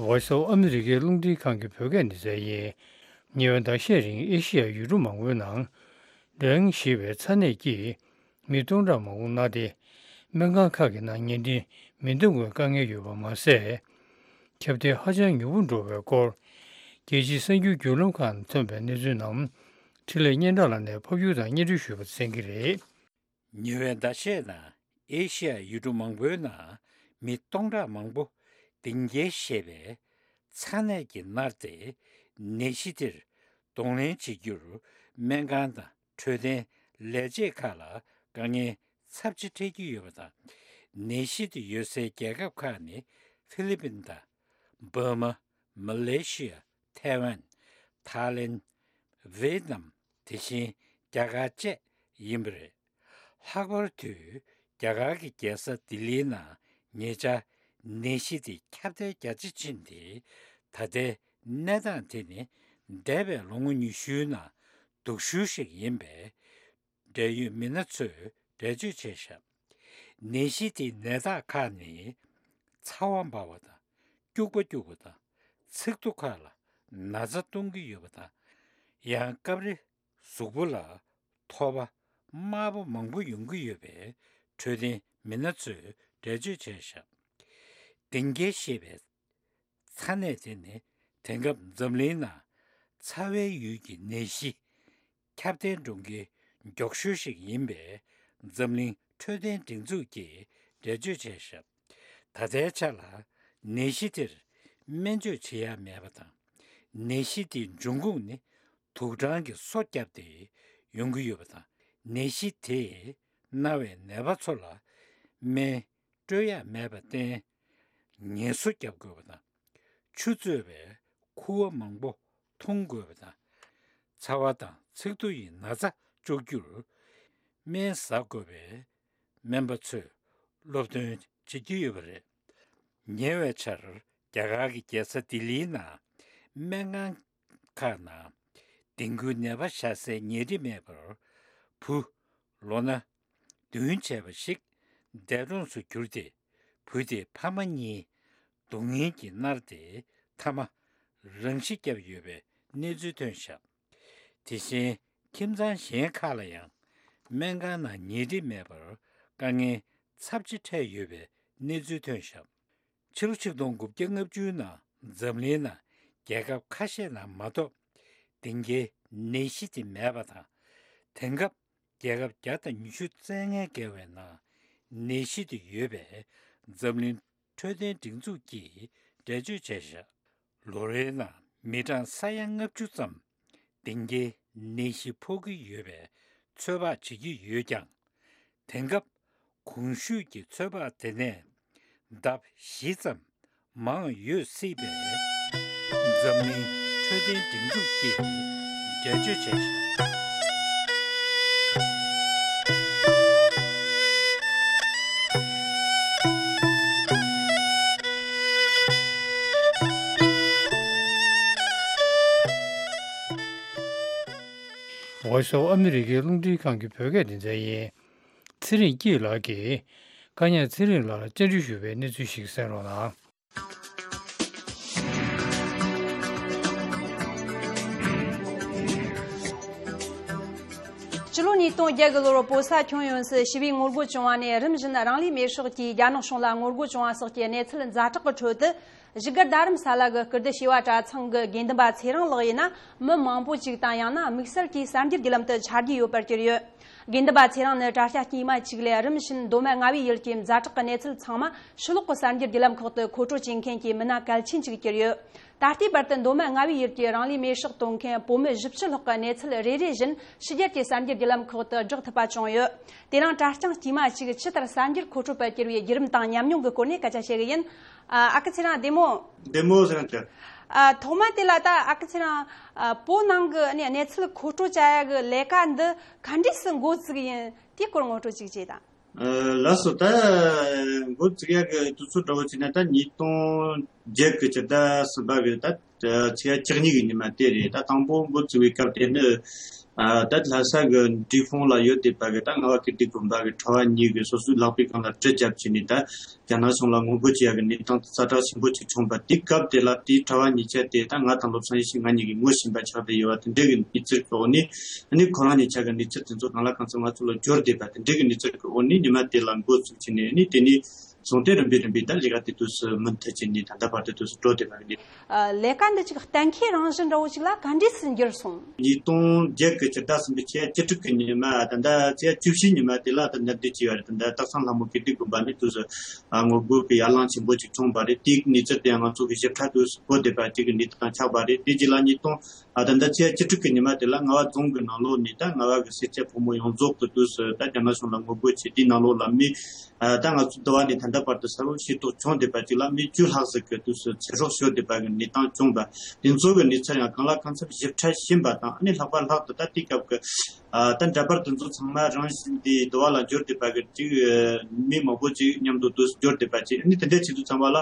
Voice of America རླུང་འཕྲིན་ཁང་གི་བོད་སྐད་སྡེ་ཚན་ཡིན། ཉེ་བའི་ཟླ་ཤས་རིང་ཨེ་ཤི་ཡའི་ཡུལ་གྲུ་མང་པོའི་ནང་ཌེང་ཞེས་པའི་ཚ་ནད་ཀྱིས་མི་སྟོང་ཕྲག་མང་པོ་མནར་ཏེ། སྨན་ཁང་ཁག་གི་ནང་ཉལ་ཁྲི་མི་འདང་བའི་དཀའ་ངལ་ཡོད་པ་མ་ཟད། ཁྱབ་གདལ་ཧ་ཅང་མྱུར་པོ་འགྲོ་བའི་སྐོར། རྒྱལ་སྤྱིའི་གསར་འགྱུར་བརྒྱུད་ལམ་ཁག་ནས་ཐོན་པའི་གནས་ཚུལ་རྣམས། འཕྲིན་ལས་སྙན་གྲགས་ལགས་ནས་ཕབ་སྒྱུར་དང་སྙན་སྒྲོན་ཞུས་པ་གསན་གྱི་རེད། ཉེ་བའི་ཟླ་ཤས་ནང་ཨེ་ཤི་ཡའི་ཡུལ་གྲུ་མང་པོའི་ནང་མི་སྟོང་ཕྲག་མང་པོ་ཌེང་གི་ཞེས་པའི་ཚ་ནད་ཀྱིས་མནར་ཏེ། ནད་གཞི་དེར་གདོང་ལེན་བྱེད་རྒྱུར་སྨན་ཁང་དང་འཕྲོད་བསྟེན་ལས་བྱེད་ཁག་ལ་དཀའ་ངལ་ཚབས་ཆེ་འཕྲད་ཀྱི་ཡོད་པ་དང་། ནད་གཞི་དེ་ཡོད་སའི་རྒྱལ་ཁབ་ཁག་ནི་ཧྥི་ལི་པིན་དང་། འབར་མ། མ་ལེ་ཤི་ཡ། ཐའེ་ཝན། ཐའི་ལེན། ཝེ་ཏི་ནམ། དེ་བཞིན་རྒྱ་གར་བཅས་ཡིན་པ་རེད། ལྷག་པར་དུ་རྒྱ་གར་གྱི་རྒྱལ་ས་ལྡི་ལིའི་ནང་ཉེ་ཆར་ནད་གཞི་དེ་ཁྱབ་གདལ་རྒྱ་ཆེ་ཕྱིན་ཏེ། ད་ལྟའི་གནས་སྟངས་དེ་ནི་འདས་པའི་ལོ་ངོ་ཉི་ཤུའི་ནང་སྡུག་ཤོས་ཤིག་ཡིན་པས། འབྲེལ་ཡོད་མི་སྣ་ཚོས་འགྲེལ་བརྗོད་བྱས་བཞག་ནད་གཞི་དེའི་ནད་རྟགས་ཁག་ནི། ཚ་བ་འབར་བ་དང་། སྐྱུག་པ་སྐྱུག་པ་དང་། ཚིགས་ཐོ་ཁག་ལ་ན་ཚ་གཏོང་གི་ཡོད་པ་དང་། ཡང་སྐབས་རེ་གཟུགས་པོ་ལ་ཐོ་བ་དམར་པོ་མང་པོ་ཡོང་གི་ཡོད་པའི་འཕྲོད་བསྟེན་མི་སྣ་ཚོས་འགྲེལ་བརྗོད་བྱས་བཞག་གཏིང་སྐྱེལ་ཞེས་པའི་ཚ་ནད་དེ་ནི་དེང་སྐབས་འཛམ་གླིང་ནང་ཚ་བའི་ཡུལ་གྱི་ནད་གཞི་ཁྱབ་གདལ་འགྲོ་མཁན་མགྱོགས་ཤོས་ཤིག་ཡིན་པས་འཛམ་གླིང་འཕྲོད་བསྟེན་སྒྲིག་འཛུགས་ཀྱིས་འགྲེལ་བརྗོད་བྱས་ཤག་ད་ལྟའི་ཆ་ལ་ནད་གཞི་དེར་སྨན་བཅོས་བྱེད་ཡ་མེད་པ་དང་། ནད་གཞི་དེའི་འབྱུང་ཁུངས་ནི་དུག་སྦྲང་གིས་སོ་བརྒྱབ་སྟེ་ཡོང་གི་ཡོད་པ་དང་། ནད་གཞི་དེས་མནར་བའི་ནད་པ་ཚོ་ལ་སྨན་སྤྲོད་ཡ་མེད་པར་བརྟེན། ངལ་གསོ་བརྒྱབ་དགོས་པ་དང་། ཆུ་གཙོས་པའི་ཁུ་བ་མང་པོ་འཐུང་དགོས་པ་དང་། ཚ་བ་དང་ཚིགས་ཐོ་ཡི་ན་ཚ་གཅོག་རྒྱུར་སྨན་ཟ་དགོས་པའི་སྨན་པ་ཚོས་སློབ་སྟོན་བྱེད་ཀྱི་ཡོད་པ་རེད། ཉེ་བའི་ཆར་རྒྱ་གར་གྱི་རྒྱལ་ས་ལྡི་ལིའི་ནང་སྨན་ཁང་ཁག་ནང་ཌེང་གུའི་ནད་པ་བཞག་སའི་ཉལ་ཁྲི་མེད་པར་བུ་ལོ་ན་བདུན་བྱས་པ་ཞིག་འདས་གྲོངས་སུ་གྱུར་ཏེ། བུ་དེའི་ཕ་མ་གཉིས་སྡུག་བསྔལ་གྱིས་མནར་ཏེ་མཐའ་མ་རང་ཤི་བརྒྱབ་ཡོད་པའི་གནས་ཚུལ་ཐོན་བཞག་དེ་བཞིན་ཁྱིམ་ཚང་གཞན་ཁག་ལ་ཡང་སྨན་ཁང་ནང་ཉལ་ཁྲི་མེད་པར་དཀའ་ངལ་ཚབས་ཆེ་འཕྲད་ཡོད་པའི་གནས་ཚུལ་ཐོན་བཞག་ཕྱི་ལོ་ཆིག་སྟོང་དགུ་བརྒྱ་ལྔ་བཅུ་ནང་འཛམ་གླིང་ནང་རྒྱལ་ཁབ་ཁ་ཤས་ནང་མ་གཏོགས་ཌེང་གུའི་ནད་གཞི་དེ་མེད་པ་དང་། དེང་སྐབས་རྒྱལ་ཁབ་བརྒྱ་དང་ཉི་ཤུ་རྩ་ལྔ་བརྒལ་བའི་ནང་ནད་གཞི་དེ་ཡོད་པས་འཛམ་གླིང་འཕྲོད་བསྟེན་སྒྲིག་འཛུགས་ཀྱིས་འགྲེལ་བརྗོད་བྱས་བཞག་ལོ་རེའི་ནང་མི་གྲངས་ས་ཡ་ལྔ་བཅུ་ཙམ་ཌེང་གུའི་ནད་གཞི་ཕོག་གི་ཡོད་པའི་ཚོད་དཔག་བྱེད་ཀྱི་ཡོད་ཀྱང་། དེང་སྐབས་གོང་ཞུས་ཀྱི་ཚོད་དཔག་དེ་ནས་ལྡབ་བཞི་ཙམ་མང་ཡོད་སྲིད་པས་འཛམ་གླིང་འཕྲོད་བསྟེན་སྒྲིག་འཛུགས་ཀྱིས་འགྲེལ་བརྗོད་བྱས་ཤིང་། Voice of America་རླུང་འཕྲིན་ཁང་གི་བོད་སྐད་སྡེ་ཚན་ཡིན། ཚེ་རིང་སྐྱིད་ལགས་ཀྱིས་བཀའ་ཉག་ཚེ་རིང་ལགས་ལ་བཅར་འདྲི་ཞུས་པའི་གནས་ཚུལ་ཞིག་གསན་རོགས་གནང་། སྤྱི་ལོ་ཉིས་སྟོང་བརྒྱད་གི་ལོར་བོད་ས་ཁྱོན་ཡོངས་སུ་ཞི་བའི་ངོ་རྒོལ་བྱུང་བ་ནས་རིམ་བཞིན་རང་ལུས་མེར་སྲེག་གིས་རྒྱ་ནག་གཞུང་ལ་ངོ་རྒོལ་བྱུང་བ་སོགས་ཀྱི་གནས་ཚུལ་ཛ་དྲག་གི་ཁྲོད་དུ། བཞུགས་སྒར་རྡ་རམ་ས་ལ་གི་སྐུ་སྡེ་བྱེ་བ་གྲྭ་ཚང་གི་དགེ་འདུན་པ་ཚེ་རིང་ལགས་ཡིན་ན། མི་མང་པོ་ཅིག་དང་ཡང་ན་དམིགས་བསལ་གྱིས་གསར་འགྱུར་བརྒྱུད་ལམ་དུ་ཆ་རྒྱུས་ཡོད་པར་གྱུར་ཡོད། དགེ་འདུན་པ་ཚེ་རིང་ནི་གྲྭ་ཤག་དཀྱུས་མ་གཅིག་ལས་རིམ་བཞིན་མདོ་སྨད་མངའ་བདག་ཡུལ་གྱི་ཛ་དྲག་གི་གནས་ཚུལ་ཚང་མ་ཕྱི་ལོགས་ཀྱི་གསར་འགྱུར་བརྒྱུད་ལམ་ཁག་ཏུ་མཁོ་སྤྲོད་བྱེད་མཁན་གྱི་མི་སྣ་གལ་ཆེན་ཅིག་གྱུར་ཡོད། ད་ལྟའི་བར་དུ་མདོ་སྨད་མངའ་བདག་ཡུལ་གྱི་རང་ལུས་མེར་སྲེག་གཏོང་མཁན་བོད་མི་བཞི་བཅུ་ལྷག་གི་གནས་ཚུལ་རེ་རེ་བཞིན་ཕྱི་རྒྱལ་གྱི་གསར་འགྱུར་བརྒྱུད་ལམ་ཁག་ཏུ་བསྒྲགས་ཐུབ་པ་བྱུང་ཡོད། དེ་རིང་གྲྭ་རྐྱང་དཀྱུས་མ་གཅིག་ཇི་ལྟར་གསར་འགྱུར་མཁོ་སྤྲོད་པར་གྱུར་བའི་བརྒྱུད་རིམ་དང་ཉམས་མྱོང་གི་སྐོར་ནས་སྐད་ཆ་བཤད་གི་ཡིན། ཨ་ཨ་ཁུ་ཚེ་རིང་བདེ་མོ། བདེ་མོ་ཟེར་ན་ཅི། ཨ་ཐོག་མ་དེ་ལ་ད་ཨ་ཁུ་ཚེ་རིང་ཨ་བོད་ནང་གི་ནས་གནས་ཚུལ་མཁོ་སྤྲོད་བྱ་ཡ་གི་ལས་ཀ་འདི་ག་འདྲས་སུ་འགོ་བཙུགས་ཡིན་དེའི་སྐོར་ངོ་སྤྲོད་ཅིག་བྱེད་དང་། ཨ་ལགས་སོ། ད་འགོ་བཙུགས་ཡ་གི་དུས་ཚོད་འདྲ་བོ་བྱས་ན་ད་ཉིས་སྟོང་བརྒྱད་གི་སྤྱི་ཟླ་གསུམ་པ་གི་ད་ཚེས་བཅུ་གཉིས་གི་ཉི་མ་དེ་རེད། ད་དང་པོ་འགོ་བཙུགས་པའི་སྐབས་དེ་ནི་ཨ་ད་ལྷ་ས་གི་འབྲས་སྤུངས་ལ་ཡོད་བསྡད་པ་གི་ད་རྔ་བ་ཀིརྟི་དགོན་པ་གི་གྲྭ་བ་གཉིས་གི་སོ་སོའི་ལག་པའི་སྒང་ལ་གྲི་བརྒྱབ་བྱས་ནས་ད། རྒྱ་ནག་གཞུང་ལ་ངོ་རྒོལ་བྱེད་ཡག་གི་གནས་སྟངས་ཛ་དྲག་ཆེན་པོ་ཅིག་བྱུང་བ་དེའི་སྐབས་དེ་ལ་དེའི་གྲྭ་བ་གཉིས་ཆ་དེ་ད་ང་དང་བློ་བཟང་ཡེ་ཤེས་ང་གཉིས་ཀྱིས་ངོ་ཤེས་པ་ཆགས་བསྡད་ཡོད་པ་དེ་འདྲའི་གི་གནས་ཚུལ་གི་འོག་ནས་ཨ་ནི་ཁོ་རང་གཉིས་ཆ་གི་གནས་ཚུལ་དེ་ཚོ་གང་ལ་གང་འཚམ་ང་ཚོ་ལ་འབྱོར་བསྡད་པ་དེ་འདྲའི་གི་གནས་ཚུལ་གི་འོག་ནས་ཉི་མ་དེ་ལ་འགོ་བཙུགས་བྱས་ནས་ཨ་ནི་དེ་ནས་བཟུང་སྟེ་རིམ་པས་རིམ་པས་ད་ལས་ཀ་དེ་དུས་སུ་མུ་མཐུད་བྱས་ནས་ད་ལྟ་བར་དུ་དུས་སུ་འགྲོ་བསྡད་པ་རེད། ལས་ཀ་འདི་ཅིག་གཏན་འཁེལ་རང་བཞིན་འདྲ་བོ་ཅིག་ལ་ག་འདྲས་སུ་འགྱུར་སོང་། ཉིས་སྟོང་བརྒྱད་ཀྱི་ཕྱི་ཟླ་གསུམ་པའི་ཚེས་བཅུ་དྲུག་གི་ཉི་མ་ད་ལྟ་ཚེས་བཅུ་བཞི་ཉི་མ་དེ་ལ་ད་ལྟ་འདི་བྱས་པ་རེད། ད་ལྟ་སྟག་ཚང་ལྷ་མོ་ཀིརྟི་དགོན་པ་ནས་དུས་སུ་ངོ་རྒོལ་གྱི་ཡར་ལངས་ཆེན་པོ་ཅིག་བྱུང་བ་རེད། དེའི་གནས་ཚུལ་དེ་ཡང་ང་ཚོ་གི་ཞིབ་ཕྲ་དུས་སུ་གོ་བསྡད་པ་ཅིག་གི་གནས་ཚུལ་དང་ཆགས་པ་རེད། དེ་རྗེས་ལ་ཉིས་སྟོང་ད་ལྟ་ཚེས་བཅུ་དྲུག་གི་ཉི་མ་དེ་ལ་རྔ་བ་རྫོང་གི་ནང་ལོགས་ནས་ད་རྔ་བ་གི་སེར་སྐྱ་ཕོ་མོ་ཡོངས་རྫོགས་ཀྱི་དུས་སུ་ད་རྒྱ་ནག་གཞུང་ལ་ངོ་རྒོལ་བྱས། དེའི་ནང་ལོགས་ལ་མི། ཨ་ད་ང་ཚོ་འདི་བ་ནས་ད་ལྟ་བར་དུ་གསལ་པོ་ཤེས་རྟོགས་བྱུང་བསྡད་པ་ཅིག་ལ་མི་བཅུ་ལྷག་ཙམ་གྱི་དུས་སུ་ཚེ་སྲོག་ཤོར་བསྡད་པ་གི་གནས་སྟངས་བྱུང་བ་དེ་ཚོ་གི་གནས་ཚུལ་ཡང་གང་ལ་གང་འཚམ་ཞིབ་ཕྲ་ཤེས་པ་དང་ཨ་ནི་ལྷག་པར་ལྷག་ཏུ་ད་དེའི་སྐབས་ཀྱི་ཨ་ད་འདྲ་པར་དེ་ཚོ་ཚང་མ་རང་བཞིན་དེ་འདི་བ་ལ་འབྱོར་བསྡད་པ་གི་ཅིག་མི་མང་པོ་ཅིག་མཉམ་དུ་དུས་སུ་འབྱོར་བསྡད་པ་ཅིག་ཨ་ནི་དེ་འདྲའི་ཆེད་དུ་ཚང་མ་ལ་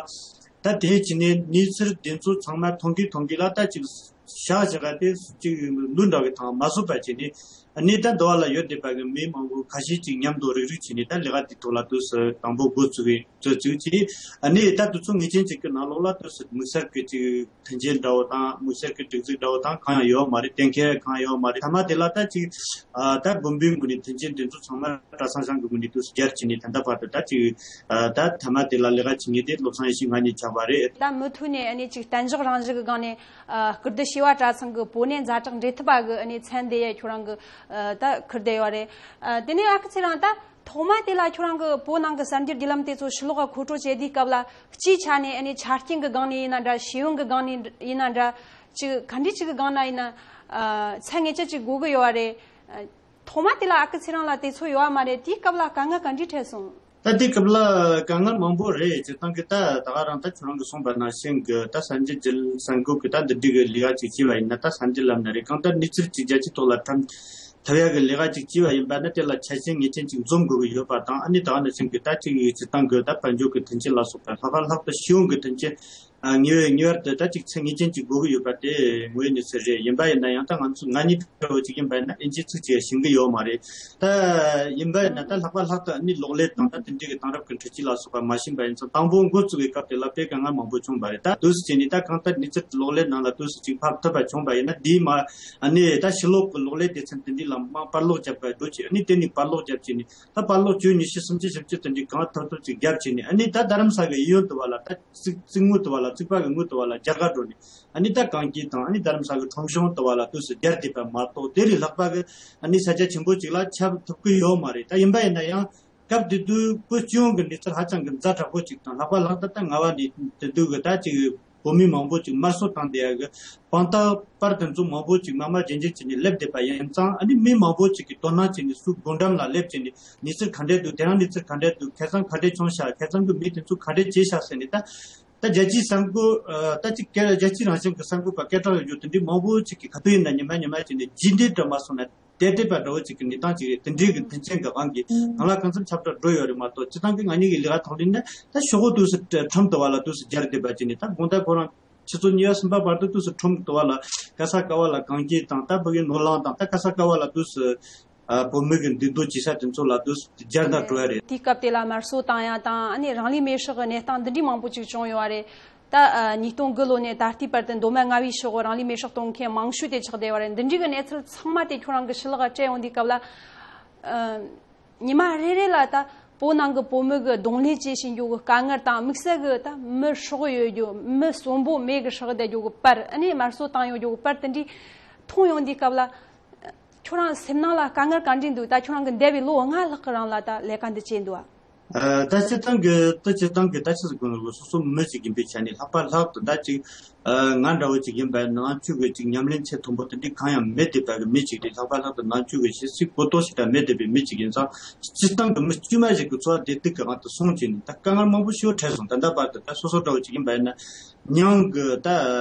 ད་དེའི་ཕྱི་ནས་གནས་ཚུལ་དེ་ཚོ་ཚང་མ་མཐོང་གི་མཐོང་གི་ལ་ད་ཅིག་བཞག་བཞག་ག་དེ་ཅིག་ལུས་འདྲ་བའི་ཐང་མ་བཟོད་པ་བྱས་ནས། ཨ་ནི་ད་འདི་བ་ལ་ཡོད་བསྡད་པ་གི་མི་མང་པོ་ཁ་ཤས་ཅིག་མཉམ་དུ་རུག་རུག་བྱས་ནས་ད་ལས་ཀ་དེ་ཐོག་ལ་དུས་སུ་དང་པོ་འགོ་བཙུགས་གི་བཙུགས་བཙུགས་ཀྱིས། ཨ་ནི་ད་དུས་ཚོད་ངེས་ཅན་ཅིག་གི་ནང་ལོགས་ལ་དུས་སུ་དམིགས་བསལ་གི་ཅིག་མཐུན་རྐྱེན་འདྲ་བོ་དང་དམིགས་བསལ་གི་སྒྲིག་འཛུགས་འདྲ་བོ་དང་གང་ཡང་ཡོད་མ་རེད། གཏན་འཁེལ་གང་ཡང་ཡོད་མ་རེད། མཐའ་མ་དེ་ལ་ད་ཅིག་ཨ་ད་དགོན་པའི་ངོས་ནས་མཐུན་རྐྱེན་དེ་ཚོ་ཚང་མ་གྲྭ་ཚང་ཚང་གི་ངོས་ནས་དུས་སུ་སྦྱར་བྱས་ནས་ད་ལྟ་བར་དུ་ད་ཅིག་ཨ་ད་མཐའ་མ་དེ་ལ་ལས་ཀ་བྱེད་མཁན་དེ་བློ་བཟང་ཡེ་ཤེས་ང་གཉིས་ཆགས་པ་རེད། ད་མུ་མཐུད་ནས་ཨ་ནི་ཅིག་གཏན་འཇགས་རང་བཞིན་གི་སྒང་ནས། ཨ། སྐུ་བསྡུ་བྱེ་བ་གྲྭ་ཚང་གི་བོད་གནས་ཛ་དྲག་འབྲེལ་མཐུད་པ་གི་ཨ་ནི་མཚན་དེ་ཡ་ཁྱོད་རང་གི་ཨ་ད་ཁུར་བསྡད་ཡོད་རེད། ཨ། དེ་ནས་ཨ་ཁུ་ཚེ་རིང་། ད་ཐོག་མ་དེ་ལ་ཁྱོད་རང་གི་བོད་ནང་གི་གསར་འགྱུར་བརྒྱུད་ལམ་དེ་ཚོ་ཕྱི་ལོགས་ལ་མཁོ་སྤྲོད་བྱེད་དུས་སྐབས་ལ། སྤྱིའི་ཆ་ནས་ཨ་ནི་ཆ་རྐྱེན་གི་སྒང་ནས་ཡིན་ན་འདྲ། ཤེས་ཡོན་གི་སྒང་ནས་ཡིན་ན་འདྲ། ཅིག་ག་འདྲ་ཅིག་གི་སྒང་ན་ཡིན་ན། ཨ། ཚད་ངེས་ཅན་ཅིག་དགོས་གི་ཡོད་རེད། ཨ། ཐོག་མ་དེ་ལ་ཨ་ཁུ་ཚེ་རིང་ལ་དེ་ཚོ་ཡོད་མ་རེད། དེའི་སྐབས་ལ་དཀའ་ངལ་ག་འདྲ་འཕྲད་སོང་། ད་དེ་སྐབས་ལ་དཀའ་ངལ་མང་པོ་རེད། སྤྱིར་བཏང་གི་ད་ད་ག་རང་ད་ཁྱོད་རང་གིས་གསུངས་པ་ནང་བཞིན་གི་ད་གསར་འགྱུར་བརྒྱུད་གསར་འགོད་གི་ད་འདི་འདྲའི་གི་ལས་ཀ་ཅིག་བྱས་པ་ཡིན་ན། ད་གསར་འགྱུར་ལབ་ན་རེད། གང་ལྟར་གནས་ཚུལ་ཅིག་རྒྱལ་སྤྱིའི་ཐོག་ལ་ཐོན་ཐུབ་ཡག་གི་ལས་ཀ་ཅིག་བྱས་པ་ཡིན་པ་ན། དེ་ལ་ཆ་རྐྱེན་ངེས་ཅན་ཅིག་འཛོམས་དགོས་ཀྱི་ཡོད་པ་དང་། ཨ་ནི་ད་ག་ནང་བཞིན་གི་ད་ཅིག་སྤྱིར་བཏང་གི་ད་དཔལ་འབྱོར་གི་མཐུན་རྐྱེན་ལ་སོགས་པ་ལྷག་པར་ལྷག་ཏུ་ཤེས་ཡོན་གི་མཐུན་རྐྱེན། ཨ། ངེས་པར་ངེས་པར་དུ་ད་ཅིག་ཚད་ངེས་ཅན་ཅིག་དགོས་ཀྱི་ཡོད་པ་དེ་ངོས་ནས་ཟེར་རེད། ཡིན་པ་ཡིན་ན་ཡང་ད་ང་ཚོ་ང་གཉིས་འདྲ་བོ་ཅིག་ཡིན་པ་ཡིན་ན་ཨིན་ཇིའི་ཚིག་ཅིག་ཤེས་ཀྱི་ཡོད་མ་རེད། ད་ཡིན་པ་ཡིན་ན་ད་ལྷག་པར་ལྷག་ཏུ་ཨ་ནི་གློག་ཀླད་དང་ད་དེ་འདྲའི་གི་དེང་རབས་ཀྱི་འཕྲུལ་ཆས་ལ་སོགས་པ་མ་ཤེས་པ་ཡིན་ཙང་། དང་པོ་འགོ་བཙུགས་པའི་སྐབས་དེ་ལ་དཔེ་དཀའ་ངལ་མང་པོ་བྱུང་བ་རེད། ད་དུས་སུ་བྱས་ནས་ད་གང་ལྟར་གནས་ཚུལ་གློག་ཀླད་ནང་ལ་དུས་སུ་ཅིག་ཕབ་ཐུབ་པ་བྱུང་བ་ཡིན་ན། དེའི་མ་ཨ་ནི་ད་ཕྱི་ལོགས་ཀྱི་གློག་ཀླད་སྡེ་ཚན་དེ་འདྲའི་ལ་མར་པར་ལོག་བརྒྱབ་པ་འགྲོ་བྱས། ཨ་ནི་དེ་ནས་པར་ལོག་བརྒྱབ་བྱས་ནས། ད་པར་ལོག་བཅུ་ཉི་ཤུ་སུམ་ཅུ་བཞི་བཅུ་དེ་འདྲའི་གང་ཐུབ་ཐུབ་ཅིག་བརྒྱབ་བྱས་ནས། ཨ་ནི་ད་རྡ་རམ་ས་གི་གཡས་གཡོན་དུ་བ་ལ་ད་རྩིག་རྩིག་ངོས་དུ་བ་ལ། རྩིག་པ་གི་ངོས་དུ་བ་ལ་རྒྱ་གར་འགྲོ་ནས། ཨ་ནི་ད་གངས་སྐྱིད་དང་ཨ་ནི་རྡ་རམ་ས་གི་ཁྲོམ་གཞུང་དུ་བ་ལ་དུས་སུ་སྦྱར་བསྡད་པ་མ་གཏོགས། དེ་ལས་ལྷག་པ་གི་ཨ་ནི་ས་རྒྱ་ཆེན་པོ་ཅིག་ལ་ཁྱབ་ཐུབ་ཀྱི་ཡོད་མ་རེད། ད་ཡིན་པ་ཡིན་ན་ཡང་སྐབས་དེ་དུས་བོད་སྤྱི་ཡོངས་ཀྱི་གནས་ཚུལ་ཧ་ཅང་གི་ཛ་དྲག་པོ་ཅིག་དང་། ལྷག་པར་ལྷག་ཏུ་ད་རྔ་བ་ནས་དེ་དུས་གི་ད་ཅིག་བོད་མི་མང་པོ་ཅིག་དམར་གསོད་བཏང་བསྡད་ཡག་གི་དཔང་རྟགས་པར་དེ་ཚོ་མང་པོ་ཅིག་དམར་དམར་རྗེན་རྗེན་བྱས་ནས་སླེབས་བསྡད་པ་ཡིན་ཙང་། ཨ་ནི་མི་མང་པོ་ཅིག་གིས་དོ་སྣང་བྱས་ནས་སུ་སྒོ་འགྲམ་ལ་སླེབས་བྱས་ནས་གནས་ཚུལ་ག་འདྲས་འདུག་དེ་རིང་གནས་ཚུལ་ག་འདྲས་འདུག་ཁ་སང་ག་འདྲས་བྱུང་ཤག་ཁ་སང་གི་མི་དེ་ཚོ་ག་འདྲས་བྱས་ཤག་ཟེར་ནས། ད་ད་རྒྱལ་སྤྱིའི་གསར་འགོད། ཨ། ད་ཅིག་སྐད། རྒྱལ་སྤྱི་རང་བཞིན་གྱི་གསར་འགོད་པ་སྐད་གྲགས་ཡོད་རྒྱུ་དེ་འདྲའི་མང་པོ་ཅིག་གིས་ག་དུས་ཡིན་ན་ཉི་མ་ཉི་མ་བྱས་ནས་རྗེས་འདེད་འདྲ་མ་སོང་ན་དེ་འདྲས་པ་འདྲ་བོ་ཅིག་གི་གནས་སྟངས་ཅིག་རེད། དེ་འདྲའི་གི་མཐུན་རྐྱེན་གྱི་དབང་གིས་ནང་ལ་གང་འཚམ་ཁྱབ་བསྒྲགས་འགྲོ་ཡོད་རེད་མ་གཏོགས། སྤྱིར་བཏང་གི་ང་གཉིས་ཀྱི་ལས་ཀ་ཐོག་ནས་ན། ད་ཤོག་བུ་དུས་སུ་ཁྲོམ་དུ་བ་ལ་དུས་སུ་སྦྱར་བསྡད་པ་བྱས་ནས། ད་དགོང་དག་ཁོ་རང་ཆུ་ཚོད་གཉིས་པ་གསུམ་པ་བར་དུ་དུས་སུ་ཁྲོམ་དུ་བ་ལ་ག་ས་ག་བ་ལ་གངས་སྐྱིད་དང་། ད་ཕ་གི་ནོར་གླིང་དང་། ད་ག་ས་ག་བ་ལ་དུས་སུ། ཨ། བོད་མི་གི་འདུས་སྡོད་བྱེད་ས་དེ་ཚོ་ལ་དུས་སུ་སྦྱར་ནས་འགྲོ་ཡ་རེད། དེའི་སྐབས་དེ་ལ་དམར་གསོད་བཏང་ཡ་དང་། ཨ་ནི་རང་ལུས་མེར་སྲེག་གི་གནས་སྟངས་འདི་འདྲའི་མང་པོ་ཅིག་བྱུང་ཡོད་རེད། ད། ཨ། ཉིས་སྟོང་དགུ་ལོ་ནས་ད་ལྟའི་བར་དུ་མདོ་སྨད་རྔ་བའི་ཕྱོགས་རང་ལུས་མེར་སྲེག་གཏོང་མཁན་མང་ཤོས་དེ་ཆགས་བསྡད་ཡོད་རེད། འདི་འདྲའི་གི་གནས་ཚུལ་ཚང་མ་དེ་ཁྱོད་རང་གི་ཕྱི་ལོགས་ལ་སྤྲད་ཡོང་དུས་སྐབས་ལ། ཨ། ཉི་མ་རེ་རེ་ལ་ད་བོད་ནང་གི་བོད་མི་གི་གདོང་ལེན་བྱེད་བཞིན་རྒྱུ་གི་དཀའ་ངལ་དང་། དམིགས་བསལ་གི་ད་མི་སྲོག་ཡོད་རྒྱུ། མི་གསོན་པོ་མེ་གིས་སྲེག་བསྡད་རྒྱུ་གི་པར། ཨ་ནི་དམར་གསོད་བཏང་ཡོད་རྒྱུ་གི་པར་དེ་འདྲའི་མཐོང་ཡོང་དུས་སྐབས་ལ། ཁྱོད་རང་སེམས་ནང་ལ་དཀའ་ངལ་ག་འདྲ་འདུག་ད་ཁྱོད་རང་གི་འདས་པའི་ལོ་ལྔ་ལྷག་གི་རིང་ལ་ད་ལས་ཀ་འདི་བྱས་འདུག་ཨ། ཨ། ད་སྤྱིར་བཏང་གི། ད་སྤྱིར་བཏང་གི་ད་ཆི་ཟེར་དགོས་ནོ། སོ་སོ་མི་ཞིག་ཡིན་པའི་ཆ་ནས་ལྷག་པར་ལྷག་ཏུ་ད་ཅིག་ཨ། ང་འདྲ་བོ་ཅིག་ཡིན་པ་ཡིན་ན་ནང་ཆོས་ཀྱི་ཅིག་ཉམས་ལེན་ཚད་མཐོན་པོ་དེ་འདྲའི་གང་ཡང་མེད་བསྡད་པ་གི་མི་ཞིག་རེད། ལྷག་པར་ལྷག་ཏུ་ནང་ཆོས་ཀྱི་ཤེས་ཚད་གོ་རྟོགས་ཞིག་ད་མེད་བསྡད་པའི་མི་ཞིག་ཡིན་ཙང་། སྤྱིར་བཏང་གི་མི་དཀྱུས་མ་ཞིག་གི་འཚོ་བ་བདེ་སྡུག་གི་དབང་དུ་སོང་བྱས་ནས་ད་དཀའ་ངལ་མང་པོ་ཞིག་འཕྲད་སོང་། ད་ལྟ་བར་དུ་ད་སོ་སོ་འདྲ་བོ་ཅིག་ཡིན་པ་ཡིན་ན། མྱང་གི་ད་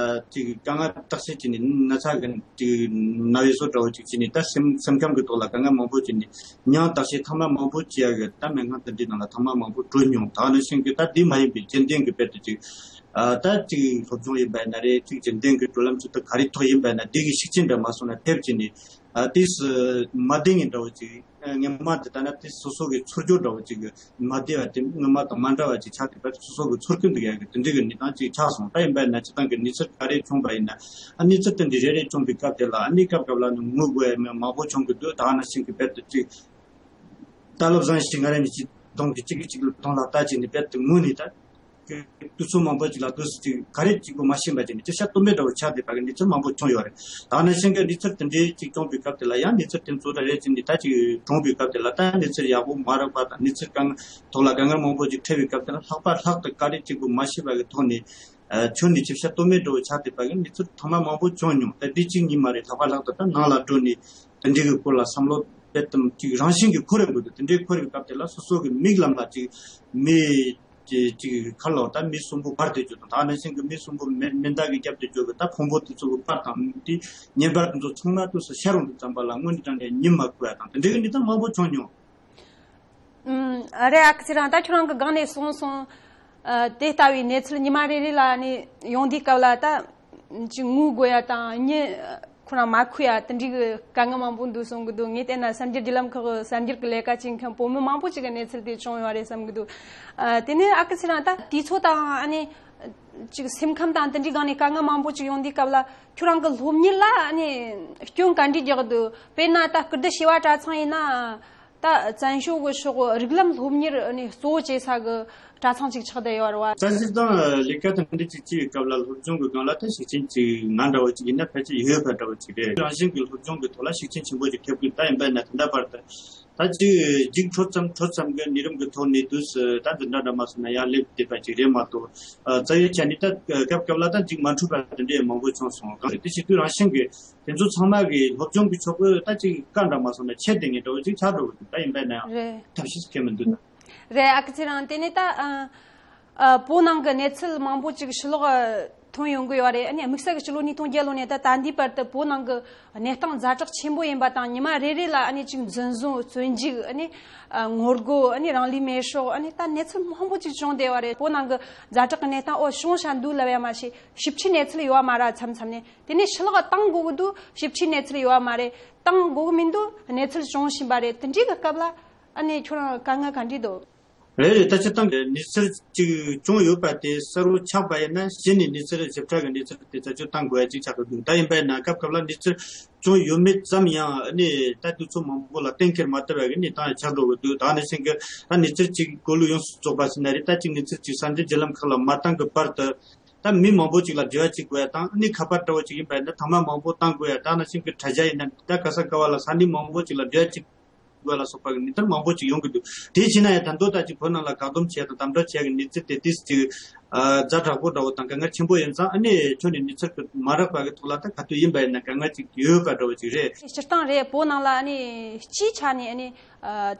ཅིག་དཀའ་ངལ་བརྟག་དཔྱད་བྱས་ནས་ན་ཚ་གི་ཅིག་ན་བའི་བཟོ་འདྲ་བོ་ཅིག་བྱས་ནས། ད་སེམས་སེམས་ཁམས་ཀྱི་ཐོག་ལ་དཀའ་ངལ་མང་པོ་བྱས་ནས། མྱང་བརྟག་དཔྱད་ཐེངས་མ་མང་པོ་བྱེད་ཡ་གི་ད་སྨན་ཁང་དེ་འདྲའི་ནང་ལ་ཐེངས་མ་མང་པོ་འགྲོ་མྱོང་། ད་ནི་ཤིང་གི་ད་དེ་མ་ཡིན་པའི་རྒྱུན་ལྡན་གྱི་དཔེར་དུ་ཅིག་ཨ། ད་ཅིག་སློབ་སྦྱོང་ཡིན་པ་ཡིན་ན་རེད། ཅིག་རྒྱུན་ལྡན་གྱི་བགྲོད་ལམ་ཅིག་ད་ག་རེ་ཐོག་ཡིན་པ་ཡིན་ན། དེ་གི་ཤུགས་རྐྱེན་འདྲ་མ་སོང་ན་ཐེབས་བྱས་ནས། ཨ། དུས་སུ་མ་བདེ་ངེས་འདྲ་བོ་ཅིག་ཨ། སྔོན་མ་དེ་ལྟ་ན་དེ་སོ་སོ་གི་ཚོར་སྦྱོར་འདྲ་བོ་ཅིག་མ་བདེ་བ་དེ་སྔོན་མ་དང་མ་འདྲ་བ་ཅིག་ཆགས་བསྡད་པ། སོ་སོ་གི་ཚོར་སྐྱེན་འདུག་ཡ་གི་དེ་འདྲའི་གི་གནས་སྟངས་ཅིག་ཆགས་སོང་། ད་ཡིན་པ་ཡིན་ན་སྤྱིར་བཏང་གི་གནས་ཚུལ་ག་རེ་བྱུང་བ་ཡིན་ན། ཨ། གནས་ཚུལ་དེ་འདྲའི་རེ་རེ་བྱུང་བའི་སྐབས་དེ་ལ། ཨ་ནི་སྐབས་སྐབས་ལ་ནི་ངུ་དགོས་ཡ་མང་པོ་བྱུང་གི་འདུག་ད་ནང་བཞིན་གི་དཔེར་དུ་ཅིག་ད་བློ་བཟང་ཞིག་ང་རང་གཉིས་ཅིག་གདོང་གི་གཅིག་གིས་གཅིག་ལ་གདོང་ལ་ལྟ་བྱས་ནས་དཔེར་དུ་ངུས་ནས། ད་དུས་ཚོད་མང་པོ་ཅིག་ལ་དུས་སུ་ཅིག་ག་རེ་གཅིག་པུ་མ་ཤེས་པ་བྱས་ནས་ཅིག་ཤ་སྟོན་པའི་འདྲ་བོ་ཆགས་བསྡད་པ་གི་གནས་ཚུལ་མང་པོ་བྱུང་ཡོད་རེད། ད་ནང་བཞིན་གྱི་གནས་ཚུལ་དེ་འདྲའི་ཅིག་བྱུང་བའི་སྐབས་དེ་ལ་ཡང་། གནས་ཚུལ་དེ་ཚོ་རེ་རེ་བྱས་ནས་ད་ཅིག་གྲོངས་པའི་སྐབས་དེ་ལ། ད་གནས་ཚུལ་ཡག་པོ་མ་རག་པ་དང་། གནས་ཚུལ་གང་ཐོག་ལ་དཀའ་ངལ་མང་པོ་ཅིག་འཕྲད་པའི་སྐབས་དེ་ལ། ལྷག་པར་ལྷག་ཏུ་ག་རེ་གཅིག་པུ་མ་ཤེས་པ་གི་ཐོག་ནས། ཨ། ཁྱོན་ནས་ཅིག་ཤ་སྟོན་པའི་འདྲ་བོ་ཆགས་བསྡད་པ་གི་གནས་ཚུལ་ཐེངས་མ་མང་པོ་བྱུང་མྱོང་། ད་དེ་གཅིག་གཉིས་མ་རེད། ལྷག་པར་ལྷག་ཏུ་ད་ནང་ལ་འགྲོ་ནས་དེ་འདྲའི་གི་སྐོར་ལ་བསམ་བློ་དཔེ་དམ་ཅིག་རང་བཞིན་གྱིས་འཁོར་རེ་དགོས་འདུག་དེ་འདྲའི་འཁོར་བའི་སྐབས་དེ་ལ་སོ་སོ་གི་མིག་ལམ་ལ་ཅིག་མི་ཅིག་ཅིག་ཁ་ལོ་ད་མི་གསོན་པོ་འབར་ཏེ་འགྲོ་དང་། ད་ནང་བཞིན་གྱི་མི་གསོན་པོ་མེ་མེ་མདའ་གིས་བརྒྱབ་སྟེ་འགྲོ་གི་ད་ཕུང་པོ་དེ་ཚོ་གི་པར་དང་དེ་ཉེ་འབར་དེ་ཚོ་ཚང་མ་དུས་སུ་ཤར་འོང་དུས་ཙམ་པ་ལ་དངོས་གནས་དྲང་གནས་ཉིམ་མ་ཁུག་ཡ་དང་། དེ་འདྲའི་གི་གནས་སྟངས་མང་པོ་བྱུང་མྱོང་། ཨུམ། རེད། ཨ་ཁུ་ཚེ་རིང་། ད་ཁྱོད་རང་གི་སྒང་ནས་གསུངས་སོང་། ཨ། དེ་ལྟ་བུའི་གནས་ཚུལ་ཉི་མ་རེ་རེ་ལ་ནི་ཡོང་དུས་སྐབས་ལ་ད་ཅིག་ངུ་དགོས་ཡ་དང་། མྱི་ ཁོ་རང་མ་ཁུ་ཡ་དེ་འདྲའི་གི་དཀའ་ངལ་མང་པོ་འདུག་གསུང་གི་འདུག་ངས་བལྟས་ན་གསར་འགྱུར་བརྒྱུད་ལམ་ཁག་གི་གསར་འགྱུར་གི་ལས་ཀ་བྱེད་མཁན་བུ་མོ་མང་པོ་ཅིག་གི་གནས་ཚུལ་དེ་བྱུང་ཡོད་རེད་བསམ་གི་འདུག་ཨ། དེ་ནས་ཨ་ཁུ་ཚེ་རིང་ད་དུས་ཚོད་དང་ཨ་ནི་ཅིག་སེམས་ཁམས་དང་དེ་འདྲའི་སྒང་ནས་དཀའ་ངལ་མང་པོ་ཅིག་ཡོང་དུས་སྐབས་ལ་ཁྱོད་རང་གི་སློབ་གཉེར་ལ་ཨ་ནི་སྐྱོན་ག་འདྲས་རྒྱག་གི་འདུག་དཔེར་ན་ད་སྐུ་ལྡི་བྱེས་པ་གྲྭ་ཚང་ཡིན་ན། ད་བཙན་བྱོལ་གི་ཕྱོགས་རིགས་ལམ་སློབ་གཉེར་ནས་གཙོ་བོ་བྱེད་ས་གི་གྲྭ་ཚང་ཅིག་ཆགས་བསྡད་ཡོད་རེད་བ། བཙན་བྱོལ་དང་ལས་ཀ་དང་འདི་ཅིག་བྱེད་པའི་སྐབས་ལ་སློབ་སྦྱོང་གི་སྒང་ལ་ད་ཤུགས་རྐྱེན་ཅིག་ང་འདྲ་བོ་ཅིག་ཡིན་ན་ཕལ་ཆེར་ཡོད་པ་འདྲ་བོ་ཅིག་རེད། རང་བཞིན་གྱི་སློབ་སྦྱོང་གི་ཐོག་ལ་ཤུགས་རྐྱེན་ཆེན་པོ་ཅིག་ཐེབས་ཀྱི་ད་ཡིན་པ་ཡིན་ན་ད་ལྟ་བར་དུ་ད་ཅིག་རྒྱུགས་འཕྲོད་ཙམ་འཕྲོད་ཙམ་གྱི་གནས་རིམ་གྱི་ཐོག་ནས་དུས་སུ་ད་འདི་འདྲ་འདྲ་མ་སོང་ན་ཡར་སླེབས་བསྡད་པ་ཅིག་རེད་མ་གཏོགས། རྩ་བའི་ཆ་ནས་ད་སྐབས་སྐབས་ལ་ད་ཅིག་མ་འཕྲོད་པ་དེ་འདྲའི་མང་པོ་བྱུང་སོང་། གང་རེད་དེ་བྱེད་དུས་རང་བཞིན་གྱི། དེ་ཚོ་ཚང་མ་གི་སློབ་སྦྱོང་གི་ཕྱོགས་ཀྱི་ད་ཅིག་བཀའ་འདྲ་མ་སོང་ན་ཆེད་དེ་ངེས་འགྲོ་ཅིག་ཆགས་འགྲོ་གི་འདུག་ད་ཡིན་པས་ན་ཡང་རེད། ཐབས་ཤེས་སྐྱེ་མི་འདུག་ན། རེད། ཨ་ཁུ་ཚེ་རིང་དེ་ནས་ད་ཨ། ཨ། བོད་ནང་གི་གནས་ཚུལ་མང་པོ་ཅིག་ཕྱི་ལོགས་ཐོན་ཡོང་གི་ཡོད་རེད། ཨ་ནི་དམིགས་བསལ་གྱི་ཕྱི་ལོ་ཉིས་སྟོང་བརྒྱད་ལོ་ནས་ད་ད་ལྟའི་བར་དུ་བོད་ནང་གི་གནས་སྟངས་ཛ་དྲག་ཆེན་པོ་ཡིན་པ་དང་ཉི་མ་རེ་རེ་ལ་ཨ་ནི་ཅིག་འཛིན་བཟུང་བཙོན་འཇུག་ཨ་ནི་ངོ་རྒོལ་ཨ་ནི་རང་ལུས་མེར་སྲེག་ཨ་ནི་ད་གནས་ཚུལ་མང་པོ་ཅིག་བྱུང་བསྡད་ཡོད་རེད། བོད་ནང་གི་ཛ་དྲག་གི་གནས་སྟངས་འོ་བྱུང་བཞིན་འདུག་ལབ་ཡ་མ་ཤེས། ཞིབ་ཕྲའི་གནས་ཚུལ་ཡོད་པ་མ་རེད། མཚམས་མཚམས་ནས་དེ་ནས་ཕྱི་ལོགས་བཏང་དགོས་ཀྱི་འདུག་ཞིབ་ཕྲའི་གནས་ཚུལ་ཡོད་པ་མ་རེད། བཏང་དགོས་ཀྱི་མི་འདུག་གནས་ཚུལ་བྱུང་བཞིན་པ་རེད། དེ་འདྲའི་གི་སྐབས་ལ་ཨ་ནི་ཁྱོད་རང་དཀའ་ངལ་ག་འདྲས་འདུག་རེད་རེད། ད་སྤྱིར་བཏང་གི་གནས་ཚུལ་ཅིག་བྱུང་ཡོད་པ་དེ་གསལ་བོ་ཆགས་པ་ཡིན་ན་གཞི་ནས་གནས་ཚུལ་ཞིབ་ཕྲ་གི་གནས་ཚུལ་དེ་རྩད་གཅོད་གཏང་དགོས་ཡ་ཅིག་ཆགས་ཀྱི་འདུག་ད་ཡིན་པ་ཡིན་ན་སྐབས་སྐབས་ལ་གནས་ཚུལ་བྱུང་ཡོད་མེད་ཙམ་ཡང་ཨ་ནི་ད་དུས་ཚོད་མང་པོ་ལ་གཏན་འཁེལ་མ་ཐུབ་པ་གི་གནས་སྟངས་ཆགས་འགྲོ་གི་འདུག་ད་ནི་ཕྱིན་གི་ད་གནས་ཚུལ་ཅིག་གོ་ལུགས་ཡོངས་སུ་རྫོགས་པ་ཟེར་ན་རེད། ད་ཅིག་གནས་ཚུལ་ཅིག་གསར་འགྱུར་བརྒྱུད་ལམ་ཁག་ལ་མ་བཏང་གི་བར་དུ། ད་མི་མང་པོ་ཅིག་ལ་འབྲེལ་བ་བྱེད་དགོས་ཡ་དང་ཨ་ནི་ཁ་པར་འདྲ་བོ་ཅིག་ཡིན་པ་ཡིན་ན་ཐེངས་མ་མང་པོ་བཏང་དགོས་ཡ། ད་ནང་བཞིན་གྱི་དྲ་རྒྱ་ཡིན་ན་ད་ག་ས་ག་བ་ལ་ས་གནས་མང་པོ་ཅིག་ལ་འབྲེལ་བ་བྱེད་དགོས་ལ་སོགས་པ་གི་གནས་སྟངས་མང་པོ་ཅིག་ཡོང་གི་འདུག་དེ་བྱས་ན་ཡང་ད་དུང་ད་ཅིག་བོད་ནང་ལ་བཀག་སྡོམ་བྱས་དང་དམ་དྲག་བྱས་ཀྱི་གནས་ཚུལ་དེ་ཏིས་ཅིག་ཛ་དྲག་པོ་འདྲ་བོ་དང་དཀའ་ངལ་ཆེན་པོ་ཡིན་ཙང་ཨ་ནི་ཁྱོན་ནས་གནས་ཚུལ་གི་མ་རག་པ་གི་ཐོག་ལ་ད་ག་དུས་ཡིན་པ་ཡིན་ན་དཀའ་ངལ་ཅིག་ཡོད་པ་འདྲ་བོ་ཅིག་རེད། སྤྱིར་བཏང་རེད། བོད་ནང་ལ་ཨ་ནི་སྤྱིའི་ཆ་ནས་ཨ་ནི་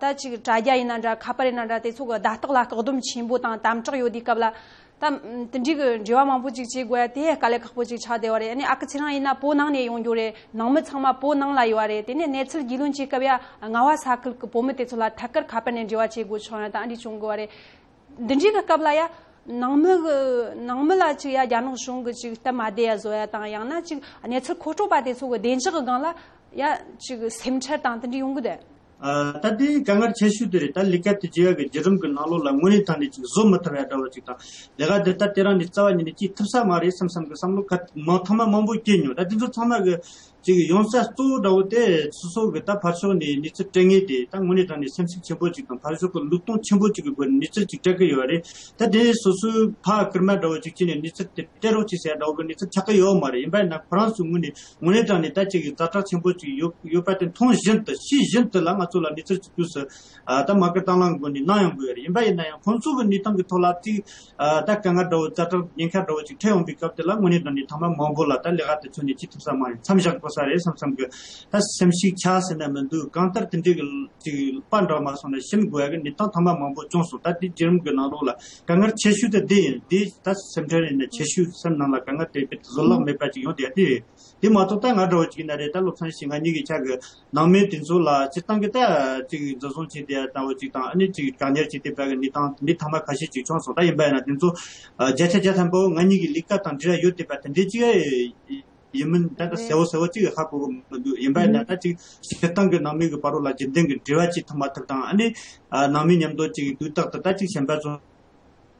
ད་ཅིག་དྲ་རྒྱ་ཡིན་ན་འདྲ་ཁ་པར་ཡིན་ན་འདྲ་དེ་ཚོ་གི་བརྡ་རྟགས་ལ་བཀག་སྡོམ་ཆེན་པོ་དང་དམ་དྲག་ཡོད་དུས་སྐབས་ལ། ད་དེ་འདྲའི་གི་འབྲེལ་བ་མང་པོ་ཅིག་བྱེད་དགོས་ཡ་དེ་དཀའ་ལས་ཁག་པོ་ཅིག་ཆགས་བསྡད་པ་རེད། ཨ་ནི་ཨ་ཁུ་ཚེ་རིང་ཡིན་ན་བོད་ནང་ནས་ཡོང་རྒྱུ་རེད། ནང་མི་ཚང་མ་བོད་ནང་ལ་ཡོད་པ་རེད། དེ་ནས་གནས་ཚུལ་རྒྱུས་ལོན་བྱེད་སྐབས་ཡ་རྔ་བ་ས་ཁུལ་གི་བོད་མི་དེ་ཚོ་ལ་ཐད་ཀར་ཁ་པར་ནས་འབྲེལ་བ་བྱེད་དགོས་བྱུང་ཡ་དང་ཨ་འདྲ་བྱུང་དགོས་པ་རེད། འདི་འདྲའི་གི་སྐབས་ལ་ཡ་ནང་མི་གི་ནང་མི་ལ་ཅིག་ཡ་རྒྱ་ནག་གཞུང་གི་ཅིག་སྟབས་མ་བདེ་ཡ་བཟོ་ཡ་དང་ཡང་ན་ཅིག་གནས་ཚུལ་མཁོ་སྤྲོད་པ་དེ་ཚོ་གི་བདེ་འཇགས་གི་སྒང་ལ་ཡ་ཅིག་སེམས་ཁྲལ་དང་དེ་འདྲ་ཡོང་གི་འདུག་ཨ། ད་དེ་དཀའ་ངལ་ཆེ་ཤོས་དེ་རེད། ད་ལས་ཀ་དེ་བྱེད་ཡག་གི་བརྒྱུད་རིམ་གྱི་ནང་ལོགས་ལ་དངོས་གནས་དྲང་གནས་ཅིག་བཟོ་མི་ཐུབ་ཡ་འདྲ་བོ་ཅིག་དང་། ལས་ཀ་དེ་ད་དེ་རང་ནས་རྩ་བ་ཉིད་ནས་བྱེད་ཐུབ་ས་མ་རེད་བསམ་བསམ་གི་བསམ་བློ་ག་མང་ཐེངས་མ་མང་པོ་སྐྱེས་མྱོང་། ད་དེ་ཚོ་ཚང་མ་གི་ཅིག་ཡོང་ས་གཙོ་བོ་འདྲ་བོ་དེ་སོ་སོ་གི་ད་ཕར་ཕྱོགས་ནས་གནས་ཚུལ་སྤྲད་མཁན་དེ་ད་དངོས་གནས་དྲང་གནས་སེམས་ཤུགས་ཆེན་པོ་ཅིག་དང་ཕར་ཕྱོགས་གི་ལུགས་མཐུན་ཆེན་པོ་ཅིག་གི་སྒོ་ནས་གནས་ཚུལ་ཅིག་སྤྲད་གི་ཡོད་རེད། ད་དེ་སོ་སོའི་ཕ་སྐུལ་མ་འདྲ་བོ་ཅིག་བྱས་ནས་གནས་ཚུལ་དེ་སྤྲད་རོགས་བྱེད་ཟེར་འདྲ་བོ་གི་གནས་ཚུལ་ཆགས་གི་ཡོད་མ་རེད། ཡིན་པ་ཡིན་ན་ཁོ་རང་ཚོའི་ངོས་ནས་དངོས་གནས་དྲང་གནས་ད་ཅིག་གི་ཛ་དྲག་ཆེན་པོ་ཅིག་ཡོད་ཡོད་པ་དེ་མཐོང་བཞིན་དུ་ཤེས་བཞིན་དུ་ལ་ང་ཚོ་ལ་གནས་ཚུལ་ཅིག་དུས་སུ་ཨ་ད་མ་སྐུལ་དང་བླངས་སྒོ་ནས་གནང་ཡོང་གི་ཡོད་རེད། ཡིན་པ་ཡིན་ན་ཡང་ཁོང་ཚོ་གི་གནས་སྟངས་ཀྱི་ཐོག་ལ་ཅིག་ཨ་ད་དཀའ་ངལ་འདྲ་བོ་ཛ་དྲག་ཉེན་ཁ་འདྲ་བོ་ཅིག་འཕྲད་ཡོང་པའི་སྐབས་དེ་ལ་དངོས་གནས་དྲང་གནས་ཐེངས་མ་མང་པོ་ལ་ད་ལས་ཀ་དེ་ཚོ་ནས་ཅིག་ཐུབ་ས་མ་རེད། མཚམས་བཞག་དགོས་ས་རེད་བསམ་བསམ་གི་ད་སེམས་ཤུགས་ཆག་ཟེར་ན་མི་འདུག་གང་ལྟར་དེ་འདྲའི་གི་ཅིག་དཔའ་འདྲ་མ་སོང་ན་ཞིམ་དགོས་ཡ་གི་གནས་སྟངས་ཐེངས་མ་མང་པོ་བྱུང་སོང་། ད་དེ་བརྒྱུད་རིམ་གི་ནང་ལོགས་ལ་དཀའ་ངལ་ཆེ་ཤོས་དེ་འདི་ཡིན། འདི་ད་སེམས་ཁྲལ་ཡིན་ན་ཆེ་ཤོས་སེམས་ནང་ལ་དཀའ་ངལ་དེ་བཟོད་གླགས་མེད་པ་ཅིག་ཡོང་དེ་ཡ་དེ་རེད། དེ་མ་གཏོགས་ད་ང་འདྲ་བོ་ཅིག་ཡིན་ན་རེད། ད་བློ་བཟང་ཞིག་ང་གཉིས་ཀྱི་ཆ་གི་ནང་མི་དེ་ཚོ་ལ་སྤྱིར་བཏང་གི་ད་ཅིག་འཛིན་བཟུང་བྱས་ཏེ་ལྟ་བུ་ཅིག་དང་ཨ་ནི་ཅིག་བཀག་ཉར་བྱས་ཏེ་བཀག་གི་གནས་སྟངས་འདི་ཐེངས་མ་ཁ་ཤས་ཅིག་བྱུང་སོང་། ད་ཡིན་པ་ཡིན་ན་དེ་ཚོ་བརྒྱ་ཆ་བརྒྱ་ཐམ་པ་ང་གཉིས་ཀྱི་ལས་ཀ་དང་འབྲེལ་བ་ཡོད་བསྡད་པ་དེ་འདྲའི་ཅིག་ཡིན་མིན་ད་ལྟ་གསལ་བོ་གསལ་བོ་ཅིག་ཧ་གོ་གི་མི་འདུག་ཡིན་པ་ཡིན་ན་ད་ཅིག་སྤྱིར་བཏང་གི་ནང་མི་གི་བར་ལ་རྒྱུན་ལྡན་གྱི་འབྲེལ་བ་ཅིག་ཐུབ་མ་ཐུབ་དང་ཨ་ནི་ནང་མི་མཉམ་དུ་ཅིག་དུས་རྟག་ཏུ་ད་ཅིག་གཞན་པ་ཚོ་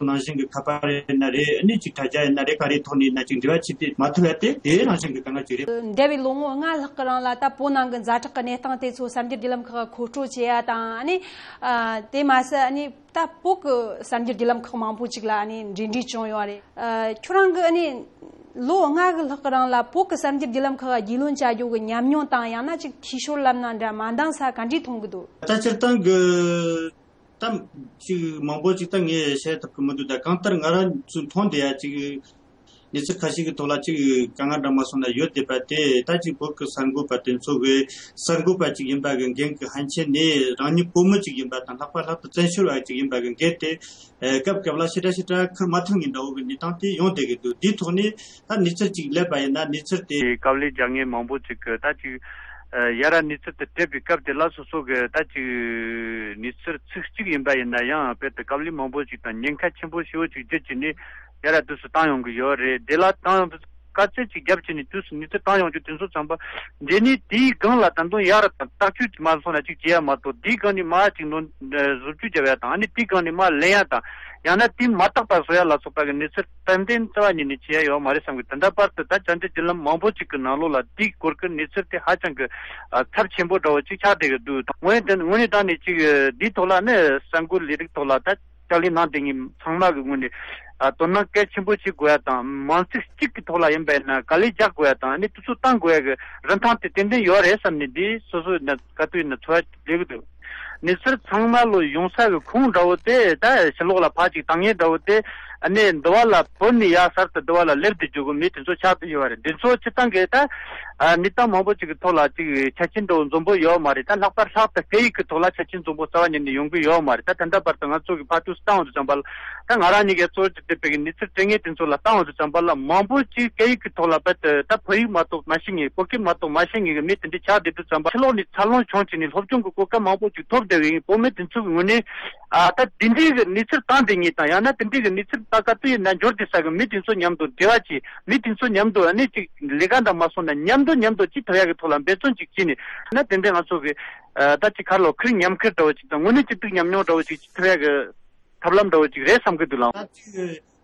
ནང་བཞིན་གྱི་ཁ་པར་ཡིན་ན་རེད། ཨ་ནི་ཅིག་དྲ་རྒྱ་ཡིན་ན་རེད། ག་རེའི་ཐོག་ནས་ཡིན་ན་ཅིག་འབྲེལ་བ་བྱེད་དེ་མ་ཐུབ་ཡ་དེ་དེ་ནང་བཞིན་གྱི་དཀའ་ངལ་ཅིག་རེད། འདས་པའི་ལོ་ངོ་ལྔ་ལྷག་གི་རིང་ལ་ད་བོད་ནང་གི་ཛ་དྲག་གི་གནས་སྟངས་དེ་ཚོ་གསར་འགྱུར་བརྒྱུད་ལམ་ཁག་གིས་མཁོ་སྤྲོད་བྱེད་ཡ་དང་ཨ་ནི་ཨ་དེ་མ་ཟད་ཨ་ནི་ད་བོད་གི་གསར་འགྱུར་བརྒྱུད་ལམ་ཁག་མང་པོ་ཅིག་ལ་ཨ་ནི་འབྲེལ་འདྲིས་བྱུང་ཡོད་རེད། ཨ་ཁྱོད་རང་གི་ཨ་ནི་ལོ་ལྔ་གི་ལྷག་གི་རིང་ལ་བོད་གི་གསར་འགྱུར་བརྒྱུད་ལམ་ཁག་གི་རྒྱུས་ལོན་བྱ་རྒྱུ་གི་ཉམས་མྱོང་དང་ཡང་ན་ཅིག་འཐུས་ཤོར་ལབ་ན་འདྲ་མ་འདང་ས་ག་འདྲས་མཐོང་གི་འདུག་ད་སྤྱིར་བཏང་གི་ད་ཅིག་མང་པོ་ཅིག་ད་ངས་བཤད་ཐུབ་ཀྱི་མི་འདུག་ད་གང་ལྟར་ང་རང་ཚོས་མཐོང་བསྡད་ཡ་ཅིག་གནས་ཚུལ་ཁ་ཤས་ཀྱི་ཐོག་ལ་ཅིག་དཀའ་ངལ་འདྲ་མ་སོང་ན་ཡོད་བསྡད་པ་དེ་ད་ཅིག་བོད་ཀྱི་གསར་འགོད་པ་དེ་ཚོ་གི་གསར་འགོད་པ་ཅིག་ཡིན་པ་གི་འགན་གྱི་ཧན་ཆེན་ནས་རང་ཉིད་བོད་མི་ཅིག་ཡིན་པ་དང་ལྷག་པར་ལྷག་ཏུ་བཙན་བྱོལ་བ་ཅིག་ཡིན་པ་གི་འགན་དེ་སྐབས་སྐབས་ལ་ཞེ་དྲག་ཞེ་དྲག་འཁུར་མ་ཐུབ་མཁན་འདྲ་བོ་གི་གནས་སྟངས་དེ་ཡོང་བསྡད་ཀྱི་འདུག་དེའི་ཐོག་ནས་ད་གནས་ཚུལ་ཅིག་སླེབས་པ་ཡིན་ན་གནས་ཚུལ་དེ་དཀའ་ལས་རྒྱག་མཁན་མང་པོ་ཅིག་གི་ད་ཅིག་ཨ་ཡ་ར་གནས་ཚུལ་དེ་སྤྲད་པའི་སྐབས་དེ་ལ་སོ་སོ་གི་ད་ཅིག་གནས་ཚུལ་ཚིག་གཅིག་ཡིན་པ་ཡིན་ན་ཡང་དཔེ་དེ་དཀའ་ལས་མང་པོ་ཅིག་དང་ཉེན་ཁ་ཆེན་པོ་ཞེ་པོ་ཅིག་བརྒྱུད་བྱས་ནས་ཡ་ར་དུས་སུ་བཏང་ཡོང་གི་ཡོད་རེད། དེ་ལ་བཏང་ཡོང་དུས་ ལྟ་ཚད་ཅིག་བརྒྱབ་བྱས་ནས་དུས་སུ་ནུས་ཚད་བཏང་ཡོང་རྒྱུ་དེ་ཚོ་ཙམ་པ། འདི་ནི་དེའི་སྒང་ལ་ད་དུང་ཡར་དང་བརྟག་དཔྱད་མ་སོང་ན་ཅིག་བྱེད་ཡ་མ་གཏོགས། དེའི་སྒང་ནས་མར་ཅིག་ནོར་བཟོ་བཅོས་བརྒྱབ་ཡ་དང་། ཨ་ནི་དེའི་སྒང་ནས་མར་ལེན་ཡ་དང་། ཡང་ན་དེ་མ་བརྟག་པ་བཟོ་ཡ་ལ་སོགས་པ་གི་གནས་ཚུལ་ཏན་ཏན་རྩ་བ་ཉིད་ནས་བྱེད་ཡ་ཡོད་མ་རེད་བསམ་གི། ད་ལྟ་བར་དུ་ད་བཅར་འདྲི་བརྒྱུད་ལམ་མང་པོ་ཅིག་གི་ནང་ལོགས་ལ་དེའི་སྐོར་གྱི་གནས་ཚུལ་དེ་ཧ་ཅང་གི་ཨ་ཚབས་ཆེན་པོ་འདྲ་བོ་ཅིག་ཆགས་བསྡད་གི་འདུག་དངོས་དོན་དངོས་གནས་དྲང་ནས་ཅིག་འདིའི་ཐོག་ལ་ནི་གསར་འགོད་ལས་རིགས་ཐོག་ལ་ད་ཕྱག་ལས་གནང་བསྡད་མཁན་ཚང་མ་གི་ངོས་ནས་ཨ་དོ་སྣང་གལ་ཆེན་པོ་བྱེད་དགོས་ཡ་དང་། མང་ཚིག་གཅིག་གི་ཐོག་ལ་ཡིན་པ་ཡིན་ན་དཀའ་ལས་རྒྱག་དགོས་ཡ་དང་། ཨ་ནི་དུས་ཚོད་བཏང་དགོས་ཡ་གི་རིན་ཐང་དེ་ཏན་ཏན་ཡོད་རེད་བསམ་ནས། འདི་སོ་སོ་ཡིན་ན་ག་དུས་ཡིན་ན་ཚོར་བ་སླེབས་གི་འདུག་གནས་ཚུལ་ཚང་མ་ལོ་ཡོང་ས་གི་ཁུངས་འདྲ་བོ་དེ་ད་ཕྱི་ལོགས་ལ་ཕར་ཅིག་བཏང་མཁན་འདྲ་བོ་དེ། ཨ་ནི་འདི་བ་ལ་བུད་ནས་ཡར་གསར་དུ་འདི་བ་ལ་སླེབས་ཏེ་འཇུག་གི་མི་དེ་ཚོ་ཆགས་བསྡད་ཡོད་རེད། འདི་ཚོ་སྤྱིར་བཏང་གི་ད་ཨ་གནས་སྟངས་མང་པོ་ཅིག་གི་ཐོག་ལ་ཅིག་ཆ་རྐྱེན་འདྲ་བོ་འཛོམས་པོ་ཡོད་མ་རེད། ད་ལྷག་པར་ལྷག་ཏུ་སྐད་ཡིག་གི་ཐོག་ལ་ཆ་རྐྱེན་འཛོམས་པོ་རྩ་བ་ཉིད་ནས་ཡོང་གི་ཡོད་མ་རེད། ད་ད་ལྟ་བར་དུ་ང་ཚོ་གི་ཕར་དུས་སུ་བཏང་བ་དུས་ཙམ་པ་ལ། ད་ང་རང་ཉིད་ཀྱིས་གཙོ་བོ་བྱས་པའི་གི་གནས་ཚུལ་སྤྲད་མཁན་དེ་ཚོ་ལ་བཏང་བ་དུས་ཙམ་པ་ལ་མང་པོ་ཅིག་སྐད་ཡིག་གི་ཐོག་ལ་རྦད་དེ་ད་བོད་ཡིག་མ་གཏོགས་མ་ཤེས་མཁན། བོད་སྐད་མ་གཏོགས་མ་ཤེས་མཁན་གི་མི་དེ་འདྲ་ཆགས་བསྡད་དུས་ཙམ་པ། ཕྱི་ལོགས་ནས་འཚར་ལོངས་བྱུང་བྱས་ནས་སློབ་སྦྱོང་གི་གོ་སྐབས་མང་པོ་ཅིག་ཐོབ་བསྡད་པའི་བོད་མི་དེ་ཚོ་གི་ངོས་ནས་ཨ་ད་དེ་འདྲའི་གི་གནས་ཚུལ་བཏང་བསྡད་མཁན་དང་། ཡང་ན་དེ་འདྲའི་གི་གནས་ཚུལ་ད་ག་དུས་ཡིན་ན་འབྱོར་བསྡད་ས་གི་མི་དེ་ཚོ་མཉམ་དུ་འབྲེལ་བ་བྱས། མི་དེ་ཚོ་མཉམ་དུ་ཨ་ནི་ཅིག་ལས་ཀ་འདྲ་མ་སོང་ན་མཉམ་དུ་མཉམ་དུ་ཅིག་ཐུབ་ཡག་གི་ཐོག་ལ་འབད་བརྩོན་ཅིག་བྱས་ནས། ཨ་ནི་དེ་འདྲའི་ང་ཚོ་གི་ཨ་ད་ཅིག་ག་རེ་ལབ། ཁེར་མཉམ་ཁེར་འདྲ་བོ་ཅིག་དང་། དངོས་གནས་གཅིག་སྡུད་ཉམས་མྱོང་འདྲ་བོ་ཅིག་ཅིག་ཐུབ་ཡག་གི་ཐབས་ལམ་འདྲ་བོ་ཅིག་རེད་བསམ་གི་འདུག་ལགས། ད་ཅིག་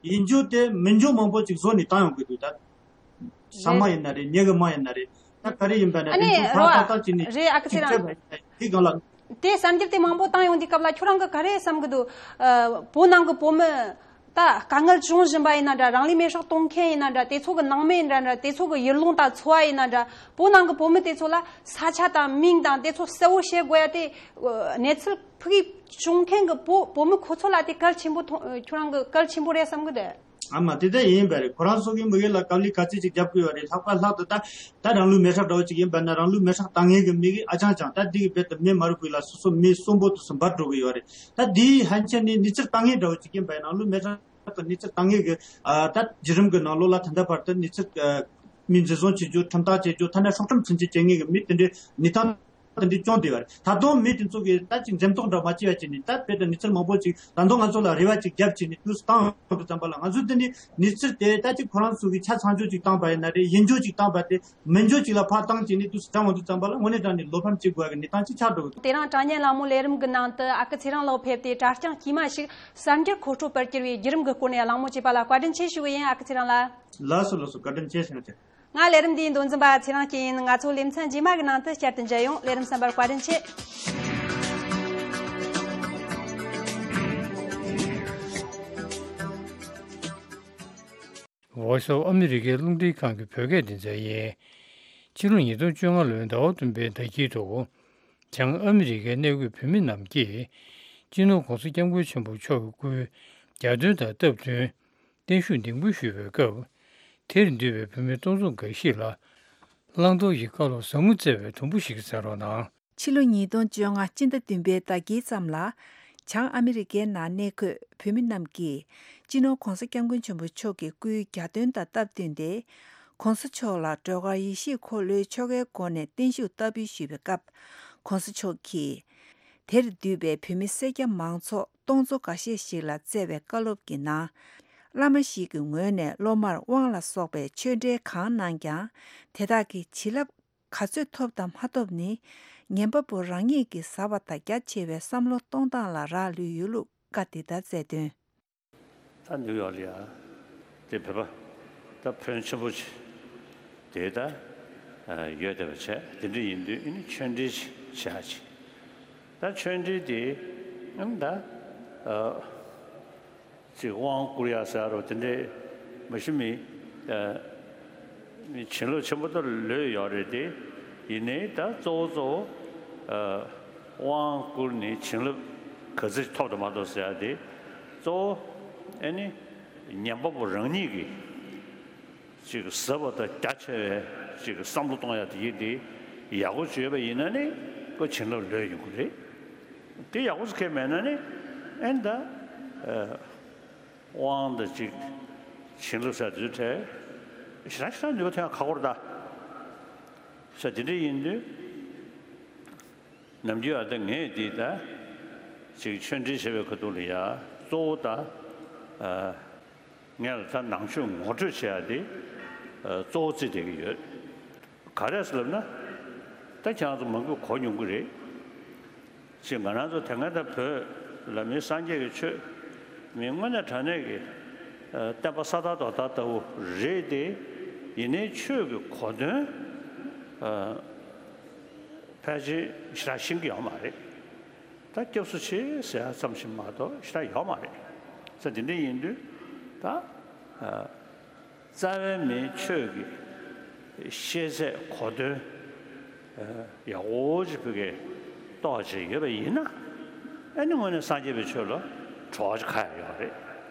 ཡིན་རྒྱུ་དེ་མིན་རྒྱུ་མང་པོ་ཅིག་བཟོ་ནས་བཏང་ཡོང་གི་འདུག་ད་ཟ་མ་ཡིན་ན་རེད། ཉལ་གི་མ་ཡིན་ན་རེད། ད་ག་རེ་ཡིན་པ་ན་ཨ་དེ་ནི་ཚོ་ཕར་རོ། ཏག་ཏག་བྱས་ནས་རེད། ཨ་ཁུ་ཚེ་ཅིག་རང་སྤྲད་པ་ཡིན་ན་དེ་སྒང་ལ། དེ་གསར་འགྱུར་དེ་མང་པོ་བཏང་ཡོང་དུས་སྐབས་ལ་ཁྱོད་རང་གི་ག་རེ་བསམ་གི་འདུག་ཨ། བོད་ནང་གི་བོད་མི་ད་དཀའ་ངལ་བྱུང་བཞིན་པ་ཡིན་ན་འདྲ། རང་ལུས་མེར་སྲེག་གཏོང་མཁན་ཡིན་ན་འདྲ། དེ་ཚོ་གི་ནང་མི་ཡིན་ན་འདྲ། དེ་ཚོ་གི་ཡུལ་ལུང་དང་འཚོ་བ་ཡིན་ན་འདྲ། བོད་ནང་གི་བོད་མི་དེ་ཚོ་ལ་ས་ཆ་དང་མིང་དང་དེ་ཚོ་གསལ་བོ་བཤད་དགོས་ཡ་དེ། ཨ། གནས་ཚུལ་ཕུགས་ཀྱི་བྱུང་མཁན་གྱི་བོད་བོད་མི་ཁོ་ཚོ་ལ་དེ་གལ་ཆེན་པོ་མཐོང་། ཁྱོད་རང་གི་གལ་ཆེན་པོ་རེད་བསམ་གི་འདུག་ཨ་མ་དེ་ལྟ་ཡིན་པ་རེད། ཁོ་རང་ཚོ་གི་མི་གི་ལ་དཀའ་ལས་ག་ཚད་ཅིག་རྒྱབ་དགོས་ཡོད་རེད། ལྷག་པར་ལྷག་ཏུ་ད་ད་རང་ལུས་མེར་སྲེག་འདྲ་བོ་ཅིག་ཡིན་པ་ན་རང་ལུས་མེར་སྲེག་བཏང་མཁན་གི་མི་གི་ཨ་ཅང་ཅང་ད་འདི་གི་རྦད་དེ་མི་མ་རུ་གུ་ལ་སོ་སོ་མི་གསོན་པོ་དུ་སུ་འབར་འགྲོ་གི་ཡོད་རེད། ད་འདིའི་ཧན་ཆེན་ནི་གནས་ཚུལ་བཏང་མཁན་འདྲ་བོ་ཅིག་ཡིན་པ་ཡིན་རང་ལུས་མེར་སྲེག་གི་གནས་ཚུལ་བཏང་མཁན་གི་ཨ་ད་བརྒྱུད་རིམ་གི་ནང་ལོགས་ལ་ད་ལྟ་བར་དུ་གནས་ཚུལ་ཨ་མི་འཛིན་བཟུང་བྱེད་རྒྱུ། ཁྲིམས་ཐག་བཅད་རྒྱུ། ཐ་ན་སྲོག་ཁྲིམས་ཚུན་ཆད་བཅད་མཁན་གི་མི་དེ་འདྲའི་གནས་སྟངས་དེ་འདྲའི་བྱུང་བསྡད་པ་རེད། ད་དུང་མི་དེ་ཚོ་གིས་ད་ཅིག་འཛེམ་དོགས་འདྲ་མ་བྱེད་པ་བྱས་ནས་ད་དཔེ་དང་གནས་ཚུལ་མང་པོ་ཅིག་ད་དུང་ང་ཚོ་ལ་རེ་བ་ཅིག་བརྒྱབ་བྱས་ནས་དུས་སུ་བཏང་ཡོང་དུས་ཙམ་པ་ལ་ང་ཚོས་དེ་ནི་གནས་ཚུལ་དེ་ད་ཅིག་ཁོ་རང་ཚོ་གིས་ཆ་ཚང་འཇོག་ཅིག་བཏང་པ་ཡིན་ན་རེད། ཡིན་འཇོག་ཅིག་བཏང་པ་དེ་མིན་འཇོག་ཅིག་ལ་ཕར་བཏང་བྱས་ནས་དུས་སུ་དྲན་ཡོང་དུས་ཙམ་པ་ལ་དངོས་གནས་དྲང་གནས་བློ་ཕམ་བྱེད་དགོས་པ་གི་གནས་སྟངས་ཅིག་ཆགས་འགྲོ་གི་འདུག་དེ་རིང་དྲ་བརྙན་གླེང་མོལ་ལས་རིམ་གི་ནང་དུ་ཨ་ཁུ་ཚེ་རིང་ལགས་ཕེབས་ཏེ་དྲ་རྐྱང་དཀྱུས་མ་ཞིག་གསར་འགྱུར་མཁོ་སྤྲོད་པར་གྱུར་བའི་བརྒྱུད་རིམ་གི་སྐོར་ནས་གླེང་མོལ་བྱས་པ་ལ་བཀའ་དྲིན་ཆེ་ཞུ་གི་ཡིན། ཨ་ཁུ་ཚེ་རིང་ལགས། ལགས་སོ་ལགས་སོ། བཀའ་དྲིན་ཆེ་ཞུ་ཡིན། ང་ལས་རིམ་འདིའི་མདོ་འཛིན་པ་ཚེ་རིང་སྐྱིད་ཡིན། ང་ཚོ་ལེ་ཚན་རྗེས་མ་གི་ནང་དུ་བསྐྱར་དུ་མཇལ་ཡོང་། ལས་རིམ་གསན་པར་བཀའ་དྲིན་ཆེ། Voice of America རླུང་འཕྲིན་ཁང་གི་བོད་སྐད་སྡེ་ཚན་ཡིན། ཕྱི་ལོ་ཉིས་སྟོང་བཅོ་ལྔ་ལོའི་ཟླ་བ་བདུན་པའི་ཟླ་དཀྱིལ་དུ། བྱང་ཨ་མི་རི་ཀའི་གནས་འཁོད་བོད་མི་རྣམས་ཀྱིས་སྤྱི་ནོར་༧གོང་ས་༧སྐྱབས་མགོན་ཆེན་པོ་མཆོག་གི་སྐུའི་གྱ་སྟོན་དང་སྟབས་བསྟུན། བརྟན་བཞུགས་ལྡིང་དཔོན་ཞུས་པའི་སྐབས། དེར་འདུས་པའི་བོད་མི་སྟོང་ཚོ་འགའ་ཞིག་ལ་བླང་དོར་གྱི་བཀའ་སློབ་ཟབ་མོ་སྩལ་བའི་དུམ་བུ་ཞིག་གསན་རོགས་གནང་། ཕྱི་ལོ་ཉིས་སྟོང་བཅོ་ལྔ་སྤྱི་ཟླ་བདུན་པའི་ཟླ་དཀྱིལ་ཙམ་ལ། བྱང་ཨ་མི་རི་ཀའི་ནང་གནས་འཁོད་བོད་མི་རྣམས་ཀྱིས་སྤྱི་ནོར་༧གོང་ས་༧སྐྱབས་མགོན་ཆེན་པོ་མཆོག་གི་སྐུའི་གྱ་སྟོན་དང་སྟབས་བསྟུན་ཏེ། ༧གོང་ས་མཆོག་ལ་སྒྲོལ་དཀར་ཡེ་ཤེས་འཁོར་ལོའི་ཆོ་གའི་སྒོ་ནས་བརྟན་བཞུགས་བསྟར་འབུལ་ཞུས་པའི་སྐབས། ༧གོང་ས་མཆོག་གིས། དེར་འདུས་པའི་བོད་མི་སེར་སྐྱ་མང་ཚོགས་སྟོང་ཚོ་འགའ་ཤས་ཤིག་ལ་སྩལ་བའི་བཀའ་སློབ་ཀྱི་ནང་། བླ་མ་ཞིག་གི་ངོས་ནས་སློབ་མར་དབང་ལ་སོགས་པའི་ཆོས་འབྲེལ་གང་གནང་ཀྱང་། དེ་དག་གི་བྱིན་རླབས་ག་ཚོད་ཐོབ་དང་མ་ཐོབ་ནི། ཉན་པ་པོ་རང་ཉིད་ཀྱིས་ཟབ་པ་དང་རྒྱ་ཆེ་བའི་བསམ་བློ་གཏོང་སྟངས་ལ་རག་ལུས་ཡོད་ལུགས་བཀའ་འདི་ལྟར་སྩལ་དོན། ད་ནིའུ་ཡོག་ལ་ཡ་དེ་བོད་པ་ད་ཕོན་ཆེན་པོ་ཅིག་དེ་ད་ཡོད་བསྡད་པ་བྱས། དེ་འདྲ་ཡིན་དུས་ཨ་ནི་ཆོས་འབྲེལ་ཅིག་བྱ་ཅིག་ད་ཆོས་འབྲེལ་དེ་ཨ་ནི་ད་ཅིག་དབང་བསྐུར་ཡ་ཟེར་རོ། དེ་འདྲའི་མ་གཞི་མི་ཨ་བྱིན་རླབས་ཆེན་པོ་ད་ལོས་ཡོད་རེད་དེ། ཡིན་ནའི་ད་གཙོ་བོ་གཙོ་བོ་ཨ་དབང་བསྐུར་ནས་བྱིན་རླབས་ག་ཚོད་ཐོབ་དང་མ་ཐོབ་ཟེར་ཡ་དེ་གཙོ་བོ་ཨ་ནི་ཉན་པ་པོ་རང་ཉིད་ཀྱིས་ཅིག་ཟབ་པ་དང་རྒྱ་ཆེ་བའི་ཅིག་བསམ་བློ་གཏོང་ཡ་དེ་ཡིན་དེ། ཡག་པོ་བྱས་པ་ཡིན་ན་ནི་ཁོ་བྱིན་རླབས་ལོས་ཡོང་གི་རེད། དེ་ཡག་པོ་ཁེལ་མེད་ན་ནི་ཨེ་ད་ཨ་དབང་དང་ཅིག་བྱིན་རླབས་ཟེར་དུས་ཐད་ཞེ་དྲག་ཞེ་དྲག་ནུས་པ་ཐོན་ཡ་ཁག་པོ་རེད་ད། ས་དེ་འདྲ་ཡིན་དུས། ནམ་རྒྱུན་ཨ་ད་ངས་འདི་ད་ཅིག་ཆོས་འབྲེལ་བྱེད་པའི་ཁ་ཐུག་ལ་ཡ་གཙོ་བོ་ད་ཨ་ངས་ལ་ད་ནང་ཆོས་ངོ་སྤྲོད་བྱེད་ཡ་དེ་ གཙོ་བོ་བརྩིས་བསྡད་ཀྱི་ཡོད། ག་རེ་ཟེར་ལབ་ན། ད་ཁྱེད་རང་ཚོ་མང་པོས་གོ་མྱོང་གི་རེད། ཅེས་ང་རང་ཚོ་དེ་སྔ་ད་བོད་ལ་མི་སངས་རྒྱས་ཀྱི་ཆོས་མི་དངོས་གནས་དྲང་གནས་ཀྱི་བསྟན་པ་ས་དར་རྡོ་དར་ལྟ་བུ་རེད་དེ། ཡིན་ནའི་ཆོས་ཀྱི་གོ་དོན་ཕལ་ཆེར་ཞེ་དྲག་ཤེས་ཀྱི་ཡོད་མ་རེད། ད་སྐྱབས་སུ་མཆི་ཟེར་ཡ་ཙམ་ཞིག་མ་གཏོགས་ཞེ་དྲག་ཡོད་མ་རེད། ས་འདི་འདྲ་ཡིན་དུས་ད། རྩ་བའི་མིའི་ཆོས་ཀྱི་ཤེས་ཚད་གོ་དོན་ཡག་པོ་ཅིག་བོད་སྐད་རྟོགས་བྱས་ཡོད་པ་ཡིན་ན། ཨ་ནི་དངོས་གནས་སངས་རྒྱས་པའི་ཆོས་ལ་བྲོ་བ་ཅིག་ཁ་ཡོད་རེད།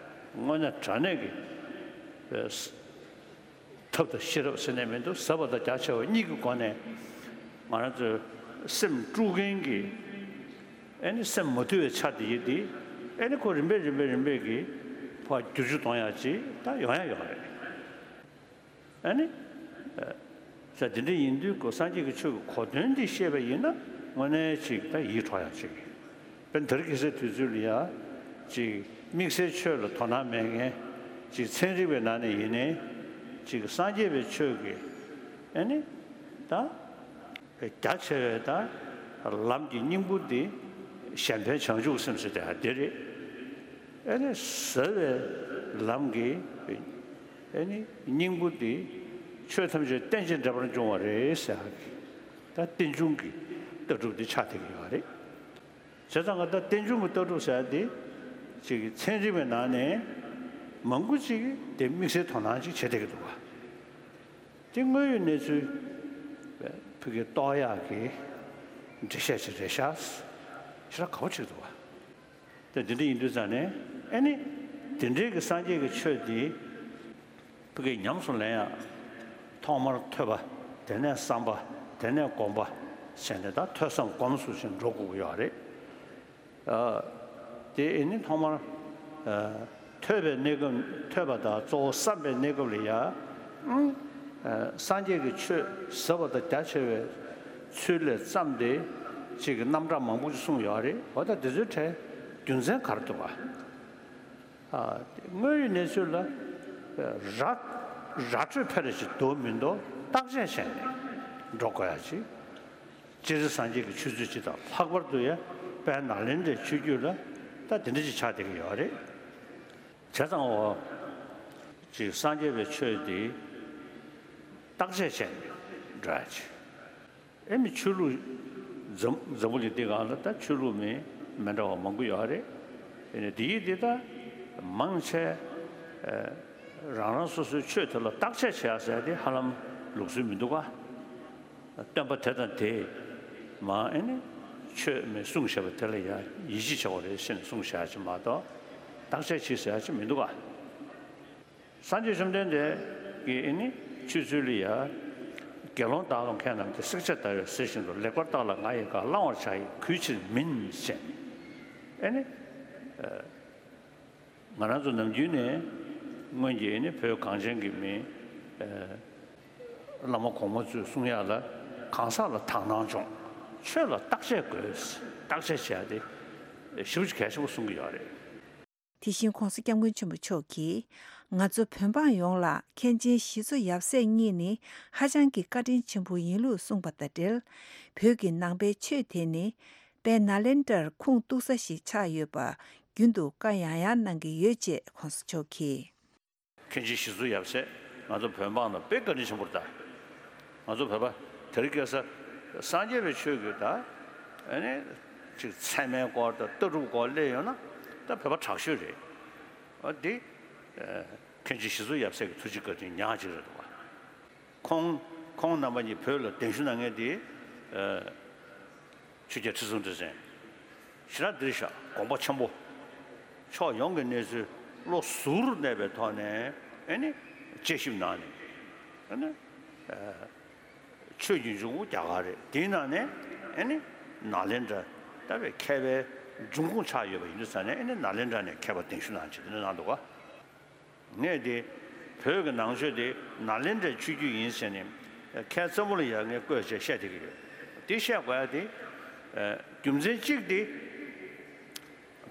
དངོས་གནས་དྲང་གནས་ཀྱི་ཐབས་དང་ཤེས་རབ་ཟེར་ནས་མི་འདུག་ཟབ་པ་དང་རྒྱ་ཆེ་བ་གཉིས་ཀྱི་སྒོ་ནས་ང་རང་ཚོའི་སེམས་དཀྲུག་མཁན་གྱི། ཨེ་ནི་སེམས་མ་དུལ་བའི་ཆ་དེ་ཡིན་དེ། ཨེ་ནི་ཁོ་རིམ་པས་རིམ་པས་རིམ་པས་ཀྱིས་ཕར་བསྒྱུར་བཅོས་གཏོང་ཡག་ཅིག་ད་ཡོང་ཡག་ཡོད་རེད། ཨེ་ནི། ས་དེ་འདྲ་ཡིན་དུས་ཁོ་སངས་རྒྱས་ཀྱི་ཆོས་ཀྱི་གོ་དོན་འདི་ཤེས་པ་ཡིན་ན་དངོས་གནས་ཅིག་ད་ཡིད་འཕྲོག་ཡག་ཅིག་དཔེར་ན་དེ་རིང་ཁ་སང་དུས་ཚོད་ལ་ཡ། ཅིག་དམིགས་བསལ་ཆོས་ལ་དོ་སྣང་མེད་མཁན། ཅིག་ཚན་རིག་པའི་ནང་ནས་ཡིན་ནའི། ཅིག་སངས་རྒྱས་པའི་ཆོས་ཀྱི། ཨེ་ནི། ད། རྒྱ་ཆེ་བའི་ད་ལམ་གྱི་སྙིང་པོ་འདི་གཞན་ཕན་བྱང་ཆུབ་སེམས་ཟེར་དེ་ཧ་འདི་རེད། ཨེ་ནི་ཟབ་པའི་ལམ་གྱི་ཨེ་ནི་སྙིང་པོ་འདི་ཆོས་ཐམས་ཅད་རྟེན་ཅིང་འབྲེལ་པར་འབྱུང་བ་རེད་ཟེར་ཡག་གི་ད་རྟེན་འབྱུང་གི་ལྟ་གྲུབ་འདི་ཆགས་བསྡད་ཀྱི་ཡོད་རེད། བྱས་ཙང་ང་ད་རྟེན་འབྱུང་གི་ལྟ་གྲུབ་ཟེར་ཡག་འདི་ཅིག་གི་ཚན་རིག་པའི་ནང་ནས་མང་པོ་ཅིག་གིས་དེ་དམིགས་བསལ་དོ་སྣང་ཅིག་བྱེད་བསྡད་ཀྱི་འདུག་ག་དེ་དངོས་ཡོད་གནས་ཚུལ་ཕ་གི་རྟོགས་ཡག་གི་འགྲེལ་བཤད་ཅིག་རེད་ཤག་ཞེ་དྲག་དགའ་པོ་བྱེད་ཀྱི་འདུག་བ། དེ་འདི་འདྲ་ཡིན་དུས་ཙང་ནས་ཨེ་ནི། དེ་འདྲའི་གི་སངས་རྒྱས་ཀྱི་ཆོས་འདི་ཕ་གི་ཉམས་སུ་ལེན་ཡག་ཐོག་མར་ཐོས་པ། དེ་ནས་བསམ་པ། དེ་ནས་སྒོམ་པ་བྱས་ནས་ད་ཐོས་བསམ་སྒོམ་གསུམ་བྱས་འགྲོ་དགོས་ཀྱི་ཡོད་རེད། ཨ། དེ་ཨེ་ནི་ཐོག་མར། ཨ། ཐོས་པའི་གནས་སྐབས། ཐོས་པ་དང་གཙོ་བོ་བསམ་པའི་གནས་སྐབས་ལ་ཡ། ཨང་། ཨ། སངས་རྒྱས་ཀྱི་ཆོས་ཟབ་པ་དང་རྒྱ་ཆེ་བའི་ཚུལ་ལས་བརྩམས་ཏེ། ཅིག་གི་རྣམ་གྲངས་མང་པོ་ཞིག་གསུངས་ཡོད་རེད། འོ་ད་དེ་ཚོའི་གྲས་རྒྱུ་མཚན་ག་རེ་འདུག་ག་ཨ། དངོས་ཡོད་གནས་ཚུལ་ལ། ར། ར་སྤྲོད་ཕལ་ཆེར་འདུག་མི་འདུག་བརྟག་དཔྱད་བྱས་ནས་འགྲོ་དགོས་ཡག་ཅིག་སྤྱིར་སངས་རྒྱས་ཀྱི་ཆོས་ཚུལ་སྤྱི་དང་ལྷག་པར་དུ་ཡང་དཔལ་ནཱ་ལེནྡྲའི་ཆོས་བརྒྱུད་ལ་ད་དེ་འདྲ་ཞིག་ཆགས་བསྡད་ཀྱི་ཡོད་རེད། བྱས་ཙང་འོ། ཅིག་སངས་རྒྱས་པའི་ཆོས་འདི་བརྟག་དཔྱད་བྱས་ནས་འགྲོ་ཡག་ཅིག་ཨེ་མི་ཆོས་ལུགས་འཛམ་འཛམ་བུ་གླིང་འདི་སྒང་ལ་ད་ཆོས་ལུགས་མི་མི་འདྲ་བ་མང་པོ་ཡོད་རེད། ཡིན་ནའི་འདི་ཡིས་འདི་ད་མང་ཆེ་རང་རང་སོ་སོའི་ཆོས་དེ་ལ་བརྟག་དཔྱད་བྱེད་ཡག་ཟེར་ཡག་དེ་ཧ་ལམ་ལུགས་སྲོལ་མི་འདུག་ག་སྟོན་པ་དེ་དང་དེས་མ་ཨེ་ནི་ཆོས་མི་གསུངས་བཞག་པ་དེ་ལ་ཡང་ཡིད་ཆེས་བྱ་བ་རེད་ཟེར་ནས་གསུངས་བཞག་ཅིག་མ་གཏོགས་བརྟག་དཔྱད་བྱེད་ཟེར་ཡག་ཅིག་མི་འདུག་ག་སངས་རྒྱས་བཅོམ་ལྡན་འདས་ཀྱིས་ཨེ་ནི་ཆོས་ཚུལ་ལ་ཡ། དགེ་སློང་དག་ལ་མཁས་རྣམས་ཀྱིས། བསྲེགས་བཅད་བརྡར་བས་གཟིར་བཞིན་དུ། ལེགས་པར་བརྟགས་ལ་ང་ཡི་བཀའ། བླང་བར་བྱ་ཡི་གུས་ཕྱིར་མིན་ཞེས། ཨེ་ནི། ང་རང་ཚོ་ནམ་རྒྱུན་ནས་སྔོན་གྱི་ཨེ་ནི་བོད་གངས་ཅན་གྱི་མི། བླ་མ་གོང་མ་ཚོས་གསུང་ཡག་ལ་གང་ཟག་ལ་དག་སྣང་སྦྱོང་། ཆོས་ལ་བརྟག་དཔྱད་དགོས། བརྟག་དཔྱད་བྱེད་ཡག་དེ་ཞེ་པོ་ཅིག་གལ་ཆེན་པོ་གསུང་གི་ཡོད་རེད། དེ་བཞིན་༸གོང་ས་༸སྐྱབས་མགོན་ཆེན་པོ་མཆོག་གིས་ང་ཚོ་བོད་འབངས་ཡོངས་ལ་མཁན་ཆེན་ཞི་འཚོ་ཡབ་སྲས་གཉིས་ནི་ཧ་ཅང་གི་བཀའ་དྲིན་ཆེན་པོ་ཡིན་ལུགས་གསུངས་པ་དང་འབྲེལ། བོད་ཀྱི་ནང་པའི་ཆོས་དེ་ནི་དཔལ་ནཱ་ལེནྡྲར་ཁུངས་གཏུགས་ས་ཞིག་ཆགས་ཡོད་པ་རྒྱུན་དུ་བཀའ་ཡང་ཡང་གནང་གི་ཡོད་ཅེས་༸གོང་ས་མཆོག་གིས། མཁན་ཆེན་ཞི་འཚོ་ཡབ་སྲས་ང་ཚོ་བོད་འབངས་ལ་དཔེ་བཀའ་དྲིན་ཆེན་པོ་རེད་ད། ང་ཚོ་བོད་པ་དེ་རིང་ཁ་སང་སངས་རྒྱས་པའི་ཆོས་ཀྱི་ད་ཨ་ནི་ཅིག་ཚད་མའི་སྐོར་དང་ལྟ་གྲུབ་སྐོར་སླེབས་ཡོང་ན་ད་བོད་པ་དྲག་ཤོས་རེད། འོ་འདི་མཁན་ཆེན་ཞི་འཚོ་ཡབ་སྲས་ཀྱི་ཐུགས་རྗེ་བཀའ་དྲིན་ཉག་གཅིག་རེད་འདུག་བ། ཁོང་ཁོང་རྣམ་པ་གཉིས་བོད་ལ་གདན་ཞུ་གནང་མཁན་དེ། ཆོས་རྒྱལ་ཁྲི་སྲོང་ལྡེ་བཙན། ཞེ་དྲག་འདིར་བཞག་དགོངས་པ་ཆེན་པོ། ཕྱོགས་ཡོངས་ཀྱི་གནས་ཚུལ་བློ་གཟུར་གནས་པའི་ཐོག་ནས་ཨེ་ནི་དཔྱད་ཞིབ་གནང་ནས་ཨེ་ནི། ཆོས་ཀྱི་འབྱུང་ཁུངས་རྒྱ་གར་རེད། དེའི་ནང་ནས་ཨེ་ནི་ནཱ་ལེནྡྲ་ལྟ་བུའི་མཁས་པའི་འབྱུང་ཁུངས་ཆགས་ཡོད་པ་ཡིན་དུས་ཙང་ནས་ཨེ་ནི་ནཱ་ལེནྡྲ་ནས་མཁས་པ་གདན་ཞུ་གནང་བྱས་དེ་འདྲ་གནང་འདུག་ག་ངས་དེ་བོད་ཀྱི་ནང་ཆོས་དེ་ནཱ་ལེནྡྲའི་ཆོས་བརྒྱུད་ཡིན་ཟེར་ནས་ཁ་སང་ཙམ་པ་ལ་ཡ་ངས་བཀོད་བྱས་བཤད་བསྡད་ཀྱི་ཡོད། དེ་བཤད་དགོས་ཡ་དེ་རྒྱུ་མཚན་གཅིག་དེ་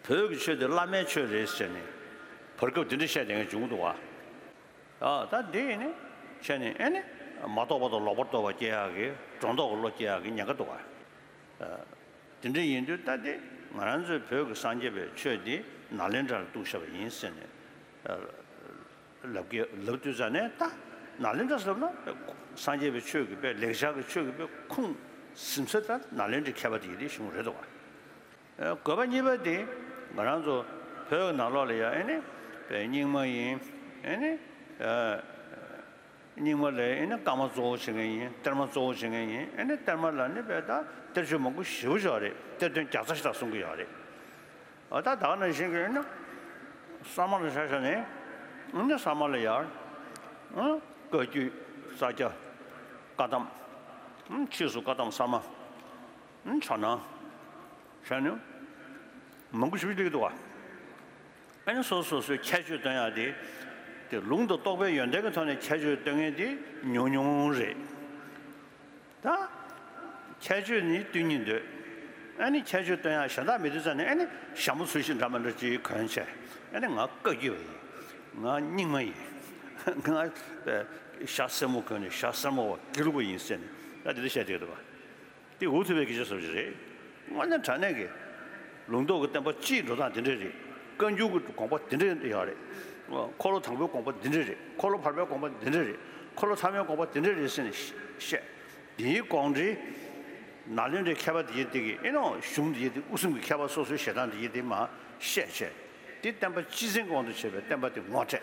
བོད་ཀྱི་ཆོས་དེ་བླ་མའི་ཆོས་རེད་ཟེར་ནས་བར་སྐབས་དེ་འདྲ་བཤད་བསྡད་མཁན་བྱུང་འདུག་བ། ཨ་ད་དེ་ནི་ བྱས་ནས་ཨེ་ནི་མ་རྟོགས་པ་དང་ལོག་པར་རྟོག་པ་སྐྱེ་ཡག་གི་སྒྲོ་འདོགས་ཀྱི་བློ་སྐྱེ་ཡག་གི་ཉེན་ཁ་འདུག་ག། དེ་འདྲ་ཡིན་དུས་ད་དེ་ང་རང་ཚོའི་བོད་ཀྱི་སངས་རྒྱས་པའི་ཆོས་འདི་ནཱ་ལེནྡྲར་གཏུགས་བཞག་པ་ཡིན་ཟེར་ནས་ལབ་ཀྱི་ལབ་དུས་ཙ་ནས། ད་ནཱ་ལེནྡྲ་ཟེར་ན་སངས་རྒྱས་པའི་ཆོས་ཀྱི་དཔེ་ལེགས་སྦྱར་གྱི་ཆོས་ཀྱི་དཔེ་ཁུངས་ཟིན་ས་ད་ནཱ་ལེནྡྲའི་མཁས་པ་དེ་ཡི་དེ་གཞུང་རེད་འདུག་ག། དགོས་པ་གཉིས་པ་དེ་ང་རང་ཚོ་བོད་ནང་ལོགས་ལ་ཡང་ཨེ་ནི་དཔེ་རྙིང་མ་ཡིན། ཨེ་ནི་རྙིང་མ་ལ་ཨེ་ནི་བཀའ་མ་གཙོ་བོ་བྱེད་མཁན་ཡིན། གཏེར་མ་གཙོ་བོ་བྱེད་མཁན་ཡིན། ཨེ་ནི་གཏེར་མ་ལ་ནི་དཔེ་ད་གཏེར་ཆོས་མང་པོ་ཞེ་པོ་ཅིག་ཡོད་རེད། གཏེར་སྟོན་བརྒྱ་རྩ་ཞིག་དང་གསུང་གི་ཡོད་རེད། འོ་ད་ད་ག་ནང་བཞིན་གྱི་ཨེ་ནི་ས་མ་ལ་ཆ་བཞག་ནས་ཨེ་ནི་ས་མ་ལ་ཡར་བཀའ་བརྒྱུད། ས་སྐྱ། བཀའ་གདམས། ཕྱིས་སུ་བཀའ་གདམས་ས་མ། ཕྱག་ན་བྱས་ནས་མང་པོ་ཞིག་སླེབས་འདུག་ག། ཨ་ནི་སོ་སོ་སོའི་ཁྱད་ཆོས་སྟོན་ཡག་དེ། དེ་ལུང་དང་རྟོགས་པའི་ཡོན་ཏན་གྱི་ཐོག་ནས་ཁྱད་ཆོས་སྟོན་མཁན་དེ་ཉུང་ཉུང་རེད། ད་ཁྱད་ཆོས་ནི་སྟོན་སྙིང་འདོད། ཨ་ནི་ཁྱད་ཆོས་སྟོན་ཡག་གཞན་དག་མེད་དུས་ཙ་ནས་ཨ་ནི་ཞྭ་མོ་ཚུལ་བཞིན་འདྲ་མི་འདྲ་ཅིག་གོན་བྱས། ཨ་ནི་ང་བཀའ་བརྒྱུད་པ་ཡིན། ང་རྙིང་མ་ཡིན། ང་ཞྭ་སེར་མོ་གོན་ནས་ཞྭ་སེར་མོ་བ་དགེ་ལུགས་པ་ཡིན་ཟེར་ནས་ད་དེ་འདྲ་བཤད་བསྡད་འདུག་ག། དེ་འུ་ཐུག་པའི་སྐད་ཆ་བཟོ་ཞིག་རེད། དངོས་གནས་དྲང་གནས་ཀྱི་ལུང་རྟོགས་ཀྱི་བསྟན་པ་སྤྱིའི་འགྲོ་སྟངས་དེ་འདྲ་རེད། བཀའ་འགྱུར་གྱི་དགོངས་པ་དེ་འདྲ་ཡོད་རེད། འཁོར་ལོ་དང་པོའི་དགོངས་པ་དེ་འདྲ་རེད། འཁོར་ལོ་བར་པའི་དགོངས་པ་དེ་འདྲ་རེད། འཁོར་ལོ་ཐ་མའི་དགོངས་པ་དེ་འདྲ་རེད་ཟེར་ནས་བཤད། དེའི་དགོངས་འགྲེལ་ནཱ་ལེནྡྲའི་མཁས་པ་དེ་ཡི་དེ་གི་ཨེ་ནོ་གཞུང་དེ་ཡི་དེ་དབུ་གསུམ་གྱི་མཁས་པ་སོ་སོའི་ཞལ་ཐང་དེ་ཡི་དེ་མ་བཤད་བྱས། དེ་བསྟན་པ་སྤྱི་མཚན་གྱི་དབང་དུ་བྱས་པའི་བསྟན་པ་དེ་ངོ་སྤྲད།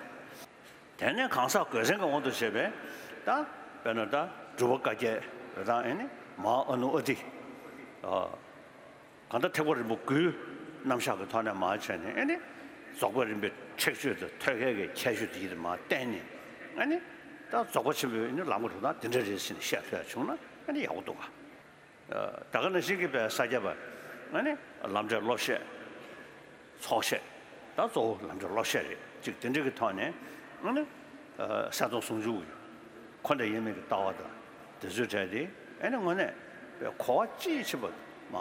དེ་ནས་གང་ཟག་གོས་ཆེན་གྱི་དབང་དུ་བྱས་པའི་ད་དཔེར་ན་ད་འབྲུག་པ་བཀའ་བརྒྱད་རེད། ད་ཨེ་ནི་མ་ཨ་ནུ་ཨ་ཏི། གང་ལྟར་ཐེག་པ་རིམ་པ་དགུའི་རྣམ་གཞག་གི་ཐོག་ནས་མར་བྱས་ནས་ཨེ་ནི་རྫོགས་པ་རིམ་པའི་ཁྲེགས་ཆོད་དང་ཐོད་རྒལ་གྱི་ཁྱད་ཆོས་དེ་ཡིད་དུ་མར་བསྟན་ནས་ཨེ་ནི་ད་རྫོགས་པ་ཆེན་པོའི་ཨེ་ནི་ལམ་གྱི་འགྲོ་སྟངས་དེ་འདྲ་རེད་ཟེར་ནས་བཤད་ཐུབ་ཡ་བྱུང་ན་ཨེ་ནི་ཡག་པོ་འདུག་ག། ད་ག་ནང་བཞིན་གྱི་དཔེ་ས་སྐྱ་པ་ཨེ་ནི་ལམ་འབྲས་སློབ་བཤད། ཚོགས་བཤད། ད་གཙོ་བོ་ལམ་འབྲས་སློབ་བཤད་རེད། ཅིག་དེ་འདྲ་གི་ཐོག་ནས་ཨེ་ནི་གསལ་སྟོང་ཟུང་འཇུག་གི་འཁོར་འདས་དབྱེར་མེད་ཀྱི་ལྟ་བ་དང་དེ་ཚོའི་གྲས་དེ་ཨེ་ནི་དངོས་གནས་དཔེ་གོ་བ་དཔྱིས་ཕྱིན་པ་མ་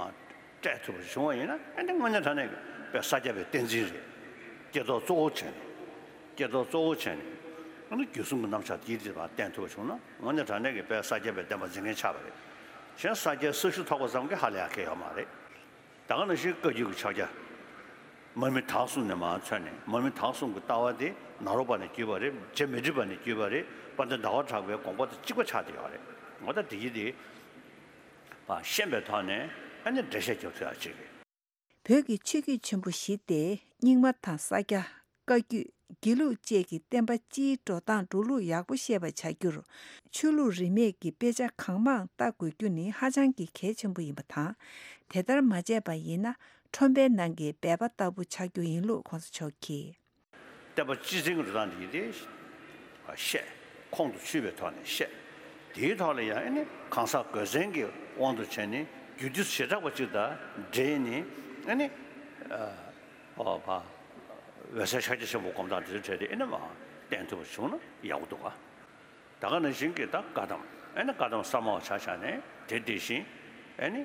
སྤྲད་ཐུབ་པ་བྱུང་བ་ཡིན་ན་ཨེ་ནི་དངོས་གནས་དྲང་གནས་ཀྱི་དཔེ་ས་སྐྱ་པའི་བསྟན་འཛིན་རེད། སྐྱེ་ཐོག་གཙོ་བོ་བྱས་ནས། སྐྱེ་ཐོག་གཙོ་བོ་བྱས་ནས་ཨ་ནི་རྒྱུད་གསུམ་གྱི་རྣམ་གཞག་དེའི་དེ་བ་བསྟན་ཐུབ་པ་བྱུང་ན་དངོས་གནས་དྲང་གནས་ཀྱི་དཔལ་ས་སྐྱ་པའི་བསྟན་པ་འཛིན་མཁན་ཆགས་པ་རེད། གཞན་ས་སྐྱའི་ས་ཞུ་ཐོབ་པ་ཙམ་གྱིས་ཧ་ལས་ཡག་གི་ཡོད་མ་རེད། ད་ག་ནང་བཞིན་བཀའ་བརྒྱུད་ཀྱི་ཕྱག་རྒྱ། མར་མི་དྭགས་གསུམ་ནས་མར་མཚོན་ནས་མར་མི་དྭགས་གསུམ་གྱི་ལྟ་བ་དེ་ནཱ་རོ་པ་ནས་བརྒྱུད་པ་རེད། རྗེ་མི་ཏྲི་པ་ནས་བརྒྱུད་པ་རེད། དཔལ་ལྡན་ཟླ་བ་གྲགས་པའི་དགོངས་པ་དང་གཅིག་པ་ཆགས་བསྡད་ཡོད་རེད། ངོ་ད་དེ་ཡི་དེ་བ་ཤེས་པའི་ཐོག་ནས་ཨ་ནི་འགྲེལ་བཤད་རྒྱབ་ཐུབ་ཡག་ཅིག་རེད། བོད་ཀྱི་ཆོས་བརྒྱུད་ཆེན་པོ་བཞི་སྟེ་རྙིང་མ་དང་ས་སྐྱ། བཀའ་བརྒྱུད། དགེ་ལུགས་བཅས་ཀྱི་བསྟན་པ་སྤྱིའི་འགྲོ་སྟངས་འགྲོ་ལུགས་ཡག་པོ་ཤེས་པར་བྱ་རྒྱུར། ཆོས་ལུགས་རིས་མེད་ཀྱི་དཔེ་ཆ་གང་མང་ལྟ་དགོས་རྒྱུ་ནི་ཧ་ཅང་གི་གལ་ཆེན་པོ་ཡིན་པ་དང་། དེ་ལྟར་མ་བྱས་པ་ཡིན་ན་ཁྲོན་པའི་ནང་གི་སྦལ་པ་ལྟ་བུ་ཆགས་རྒྱུ་ཡིན་ལུགས་གོང་ས་མཆོག་གིས། བསྟན་པ་སྤྱི་མཚན་གྱི་འགྲོ་སྟངས་འདི་ཡིན་ཏེ། བཤད། ཁོང་དུ་ཆུད་པའི་ཐོག་ནས་བཤད། དེའི་ཐོག་ལ་ཡང་ཨེ་ནི་གང་ཟག་གོས་ཆེན་གྱི་དབང་དུ་བྱས་ནས་རྒྱུད་སྡེ་བྱེ་བྲག་པ་གཅིག་དང་འབྲེལ་ནས་ཨེ་ནི། ཨོ་བ། འོད་གསལ་ཤཱཀྱ་ཆེན་པོ་སྒོམ་སྟངས་དེ་ཚོའི་གྲས་དེ་ཨེ་ནི་མ་བསྟན་ཐུབ་པ་བྱུང་ན་ཡག་པོ་འདུག་ག། ད་ག་ནང་བཞིན་གྱི་ད་བཀའ་གདམས་ཨེ་ནི་བཀའ་གདམས་ས་མ་བ་ཆ་བཞག་ནས་དེ་དེ་བཞིན་ཨེ་ནི།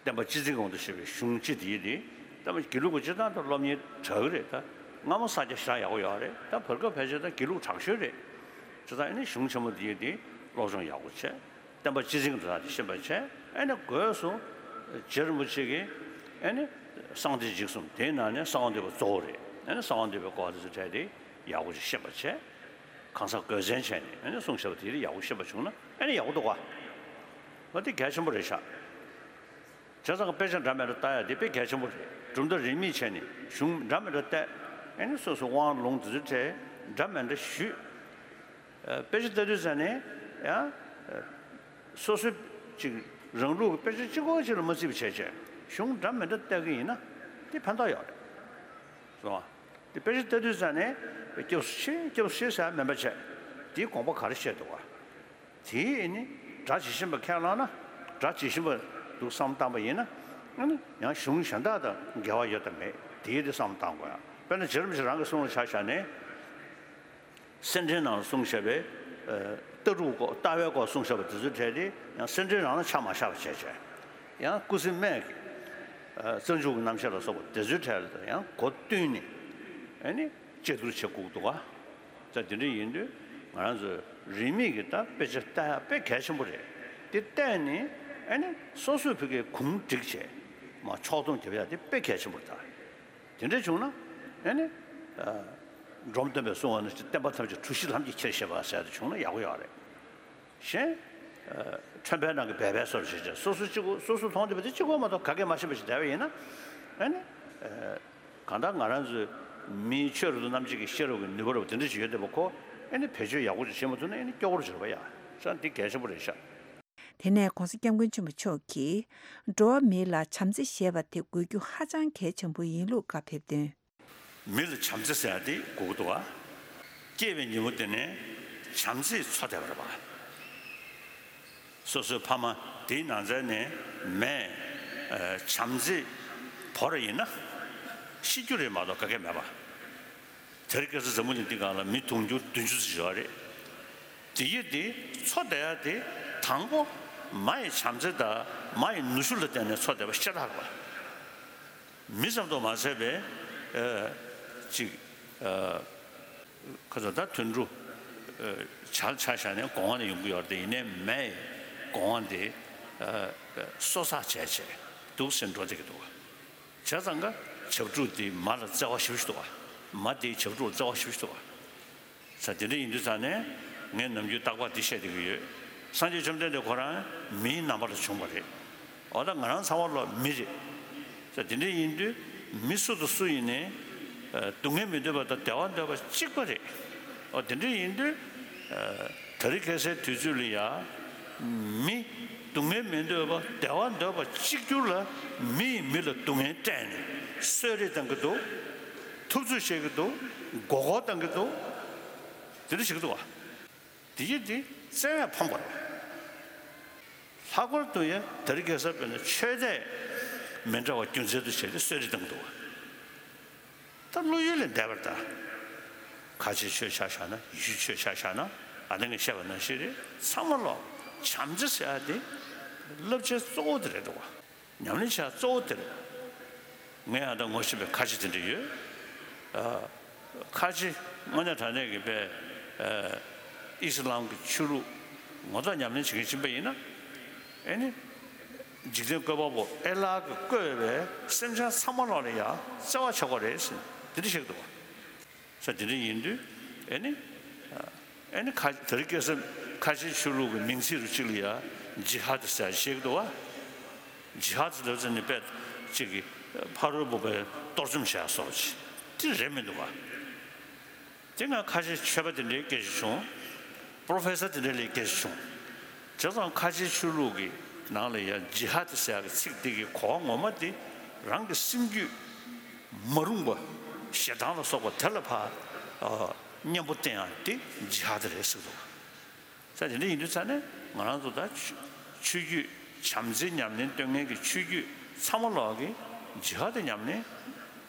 བསྟན་པ་སྤྱི་མཚན་གྱི་དབང་དུ་བྱས་པའི་གཞུང་སྤྱི་དེ་ཡིན་ཏེ། ད་དགེ་ལུགས་པ་སྤྱི་བཏང་དུ་སློབ་གཉེར་དྲག་གི་རེད། ད་སྔ་མོ་ས་སྐྱ་ཞེ་དྲག་ཡག་པོ་ཡོད་རེད། ད་བར་སྐབས་ཕལ་ཆེར་ད་དགེ་ལུགས་དྲག་ཤོས་རེད། བྱས་ཙང་ཨེ་ནི་གཞུང་ཆེན་མོ་དེ་ཡིན་ཏེ་སློབ་སྦྱོང་ཡག་པོ་བྱས། བསྟན་པ་སྤྱི་མཚན་གྱི་འགྲོ་སྟངས་དེ་ཤེས་པ་བྱས། ཨེ་ནི་སྒོས་སུ་རྗེ་རིན་པོ་ཆེ་གིས་ཨེ་ནི་གསང་བདེ་འཇིགས་གསུམ་དེའི་ནང་ནས་གསང་བ་འདུས་པ་གཙོ་བོ་རེད། ཨེ་ནི་གསང་བ་འདུས་པའི་སྐོར་དེ་ཚོ་གྲས་དེ་ཡག་པོ་ཅིག་ཤེས་པ་བྱས། གང་ཟག་གོས་ཆེན་བྱས་ནས་ཨེ་ནི་གསུངས་བཞག་པ་དེ་ཡག་པོ་ཤེས་པ་བྱུང་ན་ཨེ་ནི་ཡག་པོ་འདུག་ག། འོ་དེ་གལ་ཆེན་པོ་རེད་ཤག། བྱས་ཙང་དཔེ་ཆ་འདྲ་མི་འདྲ་ལྟ་ཡ་དེ་དཔེ་གལ་ཆེན་པོ་རེད། གྲུབ་མཐའ་རིས་མེད་བྱས་ནས་གཞུང་འདྲ་མི་འདྲ་བལྟས། ཨེ་ནི་སོ་སོའི་དབང་ལུང་དེ་ཚོའི་གྲས་འདྲ་མི་འདྲ་ཞུས། དཔེ་ཆ་ལྟ་དུས་ཙ་ནས་ཡང་སོ་སོའི་ཅིག་རང་ལུགས་ཀྱི་དཔེ་ཆ་གཅིག་པོ་གཅིག་ལ་མ་བརྩིས་པ་བྱས་བྱས་གཞུང་འདྲ་མི་འདྲ་བལྟ་གི་ཡིན་ན་དེ་ཕན་ཐོགས་ཡོད་རེད། སོང་ང་། དེ་དཔེ་ཆ་ལྟ་དུས་ཙ་ནས་སྐྱབས་སུ་མཆི། སྐྱབས་སུ་མཆི་ཟེར་མིན་པ་བྱས། དེའི་དགོངས་པ་ག་རེ་བཤད་འདུག་ག། དེའི་ནི་སྒྲ་ཇི་བཞིན་པ་ཁས་བླངས་ན་སྒྲ་ཇི་བཞིན་པ་འདུག་བསམ་བཏང་པ་ཡིན་ན་ཨ་ནི་ཡང་གཞུང་གཞན་དག་དང་འགལ་བ་ཡོད་དམ་མེད་དེའི་དེ་བསམ་བཏང་དགོས་ཡ། དཔེར་ན་རྗེ་རིན་པོ་ཆེ་རང་གི་གསུང་ལ་ཆ་བཞག་ནས། སེར་ཕྲེང་ནང་ལ་གསུངས་བཞག་པའི་ལྟ་གྲུབ་སྐོར་ལྟ་བའི་སྐོར་གསུངས་བཞག་པ་དེ་ཚོའི་གྲས་དེ་ཡང་སེར་ཕྲེང་རང་ལ་ཆ་མ་བཞག་པ་བྱས་བྱས། ཡང་ཀུན་གཟིགས་སྨན་གྱི་རྩ་འཇུག་གི་རྣམ་བཤད་ལ་སོགས་པ་དེ་ཚོའི་གྲས་ལ་ཡང་གོ་བསྟུན་ནས་ཨ་ནི་དཔྱད་བསྡུར་བྱེད་དགོས་འདུག་ག། ད་དེ་འདྲ་ཡིན་དུས་ ང་རང་ཚོས་རིས་མེད་ཀྱི་ད་དཔེ་ཆ་ལྟ་ཡག་དཔེ་གལ་ཆེན་པོ་རེད། དེ་བལྟས་ནས་ཨ་ནི་སོ་སོའི་ཕ་གིའི་གུང་བསྒྲིགས་བྱས་མ་ཕྱོགས་སྡོམ་རྒྱབ་ཡག་དེ་དཔེ་གལ་ཆེན་པོ་རེད་ད། དེ་འདྲ་བྱུང་ན་ཨ་ནི་ཨ་འབྲོམ་སྟོན་པས་གསུངས་པ་ནང་བཞིན་བསྟན་པ་ཐམས་ཅད་གྲུ་བཞི་ལྷམ་གྱིས་ཁྱེར་ཞེས་པ་ཟེར་དེ་བྱུང་ན་ཡག་པོ་ཡོད་རེད། གཞན། ཁྲོན་པའི་ནང་གི་སྦལ་པའི་བཟོ་འདྲ་བྱས་བྱས་སོ་སོ་གཅིག་པོ་སོ་སོ་མཐོང་བསྡད་པ་དེ་གཅིག་པོ་མ་གཏོགས་ག་གེ་མ་ཤེས་པ་ཞིག་བསྡད་པ་ཡིན་ན། ཨ་ནི། གང་ལྟར་ང་རང་ཚོའི་མིའི་ཆོས་རབ་ཏུ་རྣམ་འབྱེད་ཀྱི་ཤེས་རབ་ཀྱི་ནུས་པ་རབ་དེ་འདྲ་ཞིག་ཡོད་བསྡད་པ་ཁོ་ཨ་ནི་བེད་སྤྱོད་ཡག་པོ་ཞིག་བྱེད་མ་ཐུབ་ན་ཨ་ནི་སྐྱོ་པོ་རུ་གྱུར་པ་ཡ། ས་འདི་གལ་ཆེན་པོ་རེད་ཤག་དེ་ནས་༸གོང་ས་༸སྐྱབས་མགོན་ཆེན་པོ་མཆོག་གིས་འགྲོ་བ་མི་ལ་བྱམས་བརྩེ་ཞེས་པ་དེ་དགོས་རྒྱུ་ཧ་ཅང་གལ་ཆེན་པོ་ཡིན་ལུགས་བཀའ་ཕེབས་དོན། མི་ལ་བྱམས་བརྩེ་ཟེར་ཡ་དེ་དགོས་ཀྱི་འདུག་བ། སྐྱེས་པའི་ཉིན་མོ་དེ་ནས་བྱམས་བརྩེས་འཚོ་བསྡད་པ་རེད་པ། སོ་སོའི་ཕ་མ་དེའི་ནང་ཚན་ནས་མས་བྱམས་བརྩེས་བོར་བ་ཡིན་ན་ཤི་རྒྱུ་རེད་མ་གཏོགས་ག་གེ་མེད་པ། དེ་རིང་ཁ་སང་འཛམ་བུ་གླིང་འདི་སྒང་ལ་མི་དུང་ཕྱུར་བདུན་ཅུ་ཙམ་ཡོད་རེད། དེ་ཡི་དེ་འཚོ་བསྡད་ཡ་དེ་དང་པོ་མ་ཡི་བྱམས་བརྩེ་དང་མ་ཡི་ནུ་ཞོ་ལ་བརྟེན་ནས་འཚོ་བསྡད་པ་ཤ་སྟག་རེད་པ། མི་ཙམ་དུ་མ་ཟད་པའི་ཨ་ཅིག་ཨ་ཁ་ཚ་ད་དུད་འགྲོ་ཨ་བྱ་ཆ་བཞག་ནས་སྒོ་ང་ནས་ཡོང་གི་ཡོད་རེད་དེ། ཡིན་ནའི་མས་སྒོ་ང་དེ་ཨ་གསོ་ཚགས་བྱས་བྱས་འདུག་ཟེར་འགྲོ་བསྡད་ཀྱི་འདུག་བ། བྱས་ཙང་ཀ་བྱ་ཕྲུག་དེ་མ་ལ་བརྩེ་བ་ཞེ་པོ་ཞིག་འདུག་བ། མ་དེའི་བྱ་ཕྲུག་ལ་བརྩེ་བ་ཞེ་པོ་ཞིག་འདུག་བ། ས་དེ་འདྲ་ཡིན་དུས་ཙང་ནས་ངས་ནམ་རྒྱུན་རྟག་པར་འདི་བཤད་བསྡད་ཀྱི་ཡོད། སངས་རྒྱས་བཅོམ་ལྡན་འདས་ཁོ་རང་མིའི་རྣམ་པ་ལ་བྱུང་བ་རེད། འོ་ད་ང་རང་ཚང་མ་ལོ་མི་རེད། ས་དེ་འདྲ་ཡིན་དུས་མི་སུ་དང་སུ་ཡིན་ནའི་ཨ་སྡུག་བསྔལ་མི་འདོད་པ་དང་བདེ་བ་འདོད་པ་གཅིག་པ་རེད། འོ་དེ་འདྲ་ཡིན་དུས་ཨ་དེ་རིང་ཁ་སང་དུས་ཚོད་ལ་ཡ་མི་སྡུག་བསྔལ་མི་འདོད་པ་བདེ་བ་འདོད་པ་གཅིག་གྱུར་ལ་མི་ཡིས་མི་ལ་སྡུག་བསྔལ་སྤྲད་ནས་གསོད་རེས་གཏང་གི་འདུག་ཐུབ་ཚོད་བྱེད་ཀྱི་འདུག་མགོ་སྐོར་གཏང་གི་འདུག་དེ་འདྲ་བྱེད་ཀྱི་འདུག་བ། དེ་ཡིན་དེ་བཙན་བས་ཕམ་པ་རེད། ལྷག་པར་དུ་ཡང་དེ་རིང་ཁ་སང་དཔེར་ན་ཆོས་དད་མི་འདྲ་བ་རྒྱུ་མཚན་དུ་བྱས་ཏེ་གསོད་རེས་གཏང་གི་འདུག་བ། ད་བློ་ཡུལ་ལས་འདས་པར་ལྟ། ཁ་ཆེའི་ཆོས་ཆ་བཞག་ན་ཡེ་ཤུའི་ཆོས་ཆ་བཞག་ན་ཨ་ནི་ངས་བཤད་པ་ནང་བཞིན་རེད། ཚང་མ་ལོ་བྱམས་བརྩེ་ཟེར་ཡ་དེ་བསླབ་བྱའི་གཙོ་བོ་དེ་རེད་འདུག་བ། ཉམས་ལེན་བྱ་གཙོ་བོ་དེ་རེད། ངས་ཨ་ད་ངོ་ཤེས་པའི་ཁ་ཆེ་དེ་འདྲ་ཡོད། ཨ་ཁ་ཆེ་དངོས་གནས་དྲང་གནས་ཀྱི་པའི་ཨ་ཨི་སི་ལམ་གྱི་ཆོས་ལུགས་ངོ་ཐོག་ཉམས་ལེན་བྱེད་མཁན་ཕྱིན་པ་ཡིན་ན། ཨེ་ནི། འཇིག་རྟེན་བཀོད་པ་པོ་ཨེ་ལ་གིས་བཀོད་པའི་སེམས་ཅན་ཚང་མ་ལོག་ལ་ཡང་བརྩེ་བ་བྱེད་དགོས་རེད་ཟེར་འདི་འདྲ་བཤད་ཀྱི་འདུག་བ། ས་དེ་འདྲ་ཡིན་དུས་ཨེ་ནི། ཨེ་ནི་ཁ་དེ་རིང་ཁ་སང་ཁ་ཆེའི་ཆོས་ལུགས་ཀྱི་མིང་ཚིག་རུ་གཅིག་ལ་ཡང་ཇི་ཧ་དི་ཟེར་བཤད་ཀྱི་འདུག་བ། ཇི་ཧ་དི་ལབ་ཙམ་ནི་དཔེ་གཅིག་གི་ཕ་རོལ་པོ་པའི་གཏོར་བཅོམ་བྱས་སོགས་ཀྱི་དེ་རེད་མི་འདུག་བ། དེ་སྔ་ཁ་ཆེ་ཆོས་པ་དེ་འདྲའི་སྐད་ཆ་བྱུང་། པྲོ་ཕེ་སར་དེ་འདྲ་ལས་སྐད་ཆ་བྱུང་། བྱས་ཙང་ཁ་ཆེའི་ཆོས་ལུགས་ཀྱི་ནང་ལ་ཡང་ཇི་ཧ་དི་ཟེར་ཡག་གི་ཚིག་དེ་གི་གོ་བ་ངོ་མ་དེ་རང་གི་སེམས་རྒྱུད་མ་རུངས་པ་ཞེ་སྡང་ལ་སོགས་པ་དེ་ལ་ཕར་ཨ་གཉེན་པོ་བསྟེན་ཡག་དེ་ཇི་ཧ་དི་རེད་ཟེར་འདུག་ས་དེ་འདྲ་ཡིན་དུས་ཙང་ནས་ང་རང་ཚོ་ད་ཆོས་ཆོས་བརྒྱུད་བྱམས་བརྩེ་ཉམས་ལེན་སྟོན་མཁན་གྱི་ཆོས་བརྒྱུད་ཚང་མ་ལོག་གི་ཇི་ཧ་དི་ཉམས་ལེན།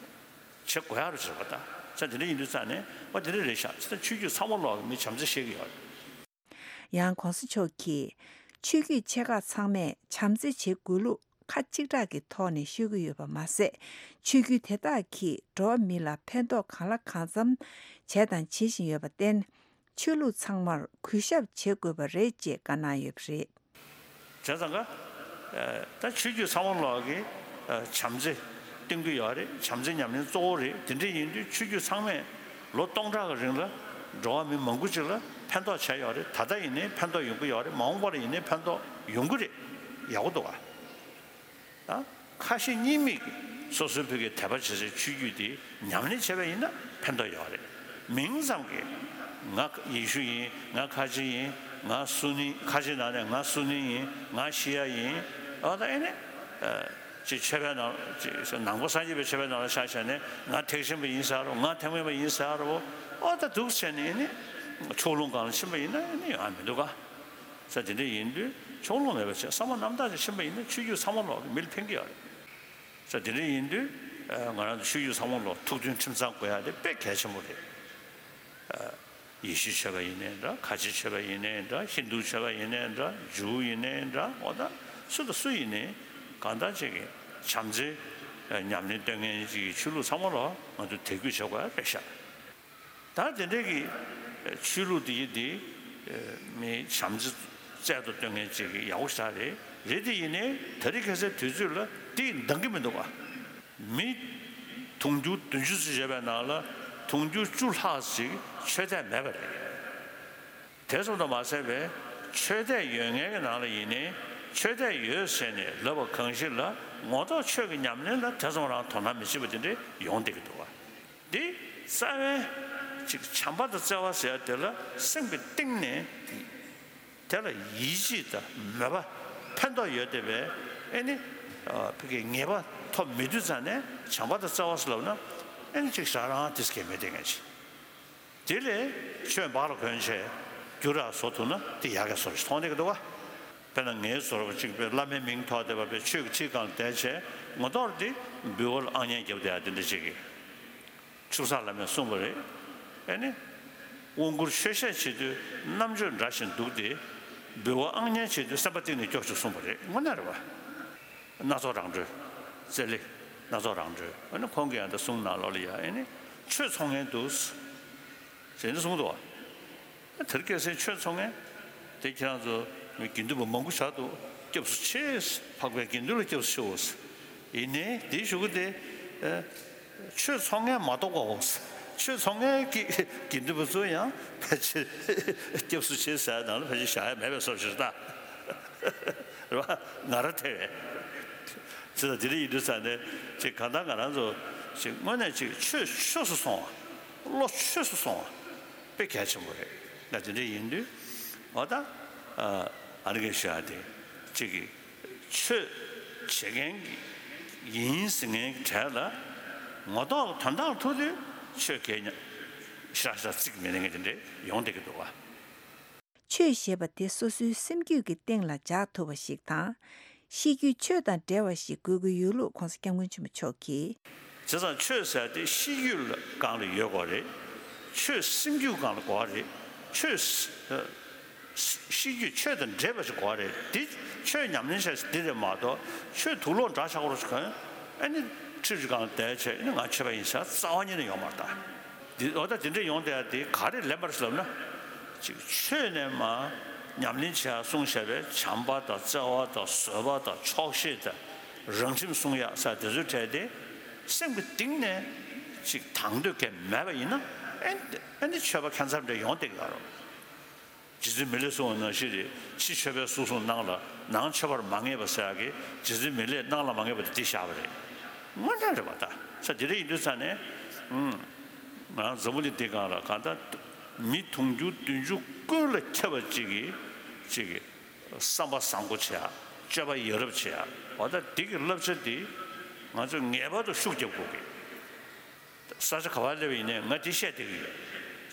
བྱེད་དགོས་ཡག་རུ་བྱེད་པ་དང་། ས་དེ་འདྲ་ཡིན་དུས་ཙང་ནས་ཨོ་དེ་འདྲ་རེད་ཤག་ཚེ་ད་ཆོས་བརྒྱུད་ཚང་མ་ལོག་གི་མི་བྱམས་བརྩེ་བཤད་ཀྱི་ཡོད་རེད། ཡང་གོང་ས་མཆོག་གིས་ཆོས་བརྒྱུད་ཆེ་ཁག་ཚང་མས་བྱམས་བརྩེ་བྱེད་དགོས་ལུགས་ཁ་གཅིག་གྲགས་ཀྱི་ཐོག་ནས་ཤོད་ཀྱི་ཡོད་པ་མ་ཟད། ཆོས་བརྒྱུད་དེ་དག་གིས་འགྲོ་བ་མི་ལ་ཕན་ཐོགས་གང་ལ་གང་འཚམ་བྱས་དང་བྱེད་བཞིན་ཡོད་པར་བརྟེན། ཆོས་ལུགས་ཚང་མར་གུས་ཞབས་བྱེད་དགོས་པ་རེད་ཅེས་བཀའ་གནང་ཡོད་པ་རེད། བྱས་ཙང་ཀ་ད་ཆོས་བརྒྱུད་ཚང་མ་ལོག་གི་བྱམས་བརྩེ་སྟོན་གྱི་ཡོད་རེད། བྱམས་བརྩེ་ཉམས་ལེན་གཙོ་བོ་རེད། དེ་འདྲ་ཡིན་དུས་ཆོས་བརྒྱུད་ཚང་མས་ལོ་སྟོང་ཕྲག་གི་རིང་ལ་འགྲོ་བ་མི་མང་པོ་ཅིག་ལ་ཕན་ཐོགས་བྱས་ཡོད་རེད། ད་ལྟ་ཡིན་ནའི་ཕན་ཐོགས་ཡོང་གི་ཡོད་རེད། མ་འོངས་པ་ལ་ཡིན་ནའི་ཕན་ཐོགས་ཡོང་གི་རེད། ཡག་པོ་འདུག་ག་ད་ཁ་ཞེ་གཉིས་མེད་ཀྱིས་སོ་སོའི་ཕ་གིའི་དད་པ་བྱེད་སའི་ཆོས་བརྒྱུད་དེ་ཉམས་ལེན་བྱས་པ་ཡིན་ན་ཕན་ཐོགས་ཡོད་རེད། མིང་ཙམ་གྱིས་ང་ཡེ་ཤུ་ཡིན། ང་ཁ་ཆེ་ཡིན། ང་སུ་ནི། ཁ་ཆེ་ནང་ནས་ང་སུ་ནི་ཡིན། ང་ཤི་ཡ་ཡིན། ཨ་ད་ཨེ་ནི་ཅིག་ཆོས་པའི་ནང་ཅིག་ནང་པ་སངས་རྒྱས་པའི་ཆོས་པའི་ནང་ལ་ཆ་བཞག་ནས་ང་ཐེག་ཆེན་པ་ཡིན་ཟེར་རོ། ང་ཐེག་དམན་པ་ཡིན་ཟེར་རོ། ཨ་ད་འདུག་བྱས་ནས་ཨེ་ནི་ཕྱོགས་ལྷུང་སྒང་ལ་ཕྱིན་པ་ཡིན་ན་ཨེ་ནི་ཡོང་ཡ་མི་འདུག་ག་ས་དེ་འདྲ་ཡིན་དུས་ཕྱོགས་ལྷུང་མེད་པ་བྱས་བསམ་པ་རྣམ་དག་ཅིག་ཕྱིན་པ་ཡིན་ན་ཆོས་བརྒྱུད་ཚང་མ་ལོག་གི་མི་ལ་ཕན་གྱི་ཡོད་རེད། ས་དེ་འདྲ་ཡིན་དུས་ང་རང་ཚོ་ཆོས་བརྒྱུད་ཚང་མ་ལོག་ཐུགས་མཐུན་ཁྲིམས་གཙང་དགོས་ཡ་དེ་དཔེ་གལ་ཆེན་པོ་རེད། ཡེ་ཤུའི་ཆོས་པ་ཡིན་ནའི་འདྲ། ཁ་ཆེའི་ཆོས་པ་ཡིན་ནའི་འདྲ། ཧིན་དུའི་ཆོས་པ་ཡིན་ནའི་འདྲ། ཇུའུ་ཡིན་ནའི་འདྲ། འོ་ད་སུ་དང་སུ་ཡིན་ནའི་གང་ལྟར་ཅིག་གི་བྱམས་བརྩེ་ཉམས་ལེན་སྟོན་མཁན་ཅིག་གི་ཆོས་ལུགས་ཚང་མ་ལོག་ང་ཚོ་དད་གུས་བྱེད་དགོས་ཡ་རེད་ཤག་ད་དེ་འདྲའི་གི་ཆོས་ལུགས་དེ་ཡི་དེ་མི་བྱམས་བརྩེ་རྩལ་དུ་སྟོན་མཁན་ཅིག་གི་ཡག་པོ་ཞེ་དྲག་རེད། རེད་དེ་ཡིན་ནའི་དེ་རིང་ཁ་སང་དུས་ཚོད་ལ་དེ་འདང་གི་མི་འདུག་ག་མི་དུང་ཕྱུར་བདུན་ཅུ་ཙམ་ཡོད་པའི་ནང་ལ་དུང་ཕྱུར་བཅུ་ལྷག་ཅིག་ཆོས་དད་མེད་པ་རེད། དེ་ཙམ་དུ་མ་ཟད་པའི་ཆོས་དད་ཡོད་མཁན་གྱི་ནང་ལ་ཡིན་ནའི་ཆོས་དད་ཡོད་ཟེར་ནས་ལབ་པ་གང་ཞིག་ལ་ངོ་ཐོག་ཆོས་ཀྱི་ཉམས་ལེན་ལ་དེ་ཙམ་རང་དོ་སྣང་མི་བྱེད་པ་དེ་འདྲ་ཡོང་བསྡད་ཀྱི་འདུག་ག་འདི་རྩ་བའི་ཅིག་བྱམས་པ་དང་བརྩེ་བ་ཟེར་ཡ་དེ་ལ་སེམས་ཀྱི་གཏིང་ནས་དེ་ལ་ཡིད་ཆེས་དང་མོས་པ་ཕན་ཐོགས་ཡོད་བསྡད་པའི་ཨེ་ནི་ཕ་གི་ངེས་པ་ཐོབ་མེད་དུས་ཙང་ནས་བྱམས་པ་དང་བརྩེ་བ་ཟེར་ལབ་ན་ཨེ་ནི་ཅིག་ཞེ་དྲག་རང་དེ་ཟེར་མཁན་མེད་བསྡད་མཁན་ཅིག་དེ་ལས་ཆོས་འབག་ལ་གོན་བྱས་རྒྱུ་ར་བཟོ་ཐུབ་ན་དེ་ཡག་གི་བཟོ་ཞིག་མཐོང་བསྡད་ཀྱི་འདུག་ག་དཔེར་ན་ངའི་བཟོ་འདྲ་ཅིག་པའི་བླ་མའི་མིང་ཐོགས་བསྡད་པ་པའི་ཆོས་ཀྱི་ཁྲིའི་སྒང་ལ་བསྡད་བྱས་ངོ་ཐོག་དེ་འབུལ་བ་ལ་ཨང་ཉན་རྒྱབ་བསྡད་ཡ་དེ་འདྲ་ཅིག་གི་ཆུ་བཟང་བླ་མས་གསུངས་པ་རེད། ཨེ་ནི། དབང་བསྐུར་མཆོད་བཤད་བྱེད་དུས་རྣམ་དཔྱོད་འདྲ་ཞིང་འདུག་སྟེ། འབུལ་བ་ཨང་ཉན་བྱེད་དུས་བསམ་པ་གཏིང་ནས་སྐྱོ་ཞིང་གསུངས་པ་རེད། དངོས་གནས་རེད་བ། སྣ་ཚོགས་རང་གྲོལ། རྩེ་ལེ། སྣ་ཚོགས་རང་གྲོལ། ཨེ་ནི་ཁོང་གིས་ཡང་ད་གསུང་ནང་ལོགས་ལ་ཡ་ཨེ་ནི། ཆོས་ཚོང་མཁན་འདུག་ཟེར་ནས་གསུངས་འདུག་བ། དེར་སྐད་སེང་ཆོས་ཚོང་མཁན། དེ་ཁྱེད་རང་ཚོ་དགེ་འདུན་པ་མང་པོ་ཆགས་འདུག་སྐྱབས་སུ་མཆི། འཕགས་པའི་དགེ་འདུན་ལ་སྐྱབས་སུ་མཆིའོ། ཡིན་ནའི་དེའི་གཞུག་གུ་དེ། ཆོས་ཚོང་མཁན་མ་གཏོགས་པའོ། ཆོས་ཚོང་མཁན་གྱི་དགེ་འདུན་པ་ཚོ་ཡང་ཕལ་ཆེར་སྐྱབས་སུ་མཆི་ཟེར་ནང་ལ་ཕལ་ཆེར་བཞག་ཡ་མེད་པའི་བཟོ་ཞིག་རེད་ད། རེད་བ། ང་རང་ཐེ་བས། ཅི་ལྟར་དེ་འདྲ་ཡིན་དུས་ཙང་ནས་ཅིག་གང་ལྟར་ང་རང་ཚོ་ཅིག་དངོས་གནས་ཅིག་ཆོས་ཆོས་སུ་སོང་བ། བློ་ཆོས་སུ་སོང་བ། དཔེ་གལ་ཆེན་པོ་རེད། ད་དེ་འདྲ་ཡིན་དུས་འོ་ད་ཨ་ནི་གེ་ཞུ་ཡ་དེ་གཅིག་གིས་ཆོས་བྱེད་མཁན་གྱི་ཡིན་ཟེར་མཁན་གྱི་གྲས་ལ་ངོ་ཐོག་དོན་དག་ཐུག་དུས་ཆོས་གལ་ཉག་ཞེ་དྲག་ཞེ་དྲག་བརྩི་གི་མེད་མཁན་དེ་འདྲ་ཡོང་བསྡད་ཀྱི་འདུག་བ། ཆོས་ཞེས་པ་དེ་སོ་སོའི་སེམས་རྒྱུད་ཀྱི་སྟེང་ལ་འཇགས་ཐུབ་པ་ཞིག་དང་། ཤེས་རྒྱུད་ཆོས་དང་འབྲེལ་བ་ཞིག་དགོས་ཀྱི་ཡོད་ལུགས་༸གོང་ས་༸སྐྱབས་མགོན་ཆེན་པོ་མཆོག་གིས། བྱས་ཙང་ཆོས་ཟེར་དེ་ཤེས་རྒྱུད་ལ་སྒང་ལ་ཡོད་དགོས་རེད། ཆོས་སེམས་རྒྱུད་སྒང་ལ་དགོས་རེད། ཆོས་ཤེས་རྒྱུད་ཆོས་དང་འདྲེས་པ་ཞིག་དགོས་རེད། འདི་ཆོས་ཉམས་ལེན་བྱ་ཞིག་འདི་རེད་མ་གཏོགས་ཆོས་དུག་ལོག་འདྲ་ཆགས་པོ་ཞིག་གོན་ཨ་ནི་ཁྲིར་སྒང་ལ་བསྡད་བྱས་ཨ་ནི་ང་ཆོས་པ་ཡིན་ཟེར་རྩ་བ་ཉིད་ནས་ཡོང་མ་རེད་ད། འདི་འོ་ད་དེ་འདྲ་ཡོང་བསྡད་ཡ་དེ་ག་རེ་ལན་པར་ཟེར་ལབ་ན། ཅིག་ཆོས་ནས་མ་ཉམས་ལེན་བྱེད་ཡ་གསུངས་བཞག་པའི་བྱམས་པ་དང་བརྩེ་བ་དང་བཟོད་པ་དང་ཆོག་ཤེས་དང་རང་ཁྲིམས་སྲུང་ཡ་ས་དེ་ཚོའི་གྲས་དེ་སེམས་ཀྱི་གཏིང་ནས་ཅིག་དང་འདོད་གལ་མེད་པ་ཡིན་ན་ཨེ་ཨེ་འདི་ཆོས་པ་ཁྱད་མཚར་འདྲ་ཡོང་བསྡད་ཀྱི་ཡོད་རེད། རྗེ་བཙུན་མི་ལས་གསུངས་པ་ནང་བཞིན་རེད། ཕྱི་ཆོས་པའི་གཟུགས་བཟུང་ནང་ལ་ནང་ཆོས་པར་མ་ངེས་པ་ཟེར་ཡག་གི་རྗེ་བཙུན་མི་ལས་ནང་ལ་མ་ངེས་པ་དེ་འདི་བཞག་པ་རེད། དངོས་གནས་རེད་པ་ད། ས་དེ་འདྲ་ཡིན་དུས་ཙང་ནས་ཨུམ། ང་རང་འཛམ་བུ་གླིང་འདི་སྒང་ལ་གང་ལྟར་མི་དུང་ཕྱུར་བདུན་ཅུ་ཀུན་ལ་ཁྱབ་པ་གཅིག་གིས་གཅིག་གིས་བསམ་པ་བཟང་པོ་བྱེད་ཡག་སྤྱོད་པ་ཡ་རབས་བྱེད་ཡག་འོ་ད་འདི་གི་བསླབ་བྱ་འདི་ང་ཚོས་ངེས་པར་དུ་ཤུགས་རྒྱབ་དགོས་ཀྱི། ས་ཆ་ག་པར་སླེབས་ཡིན་ནའི་ང་འདི་བཤད་བསྡད་ཀྱི་ཡོད།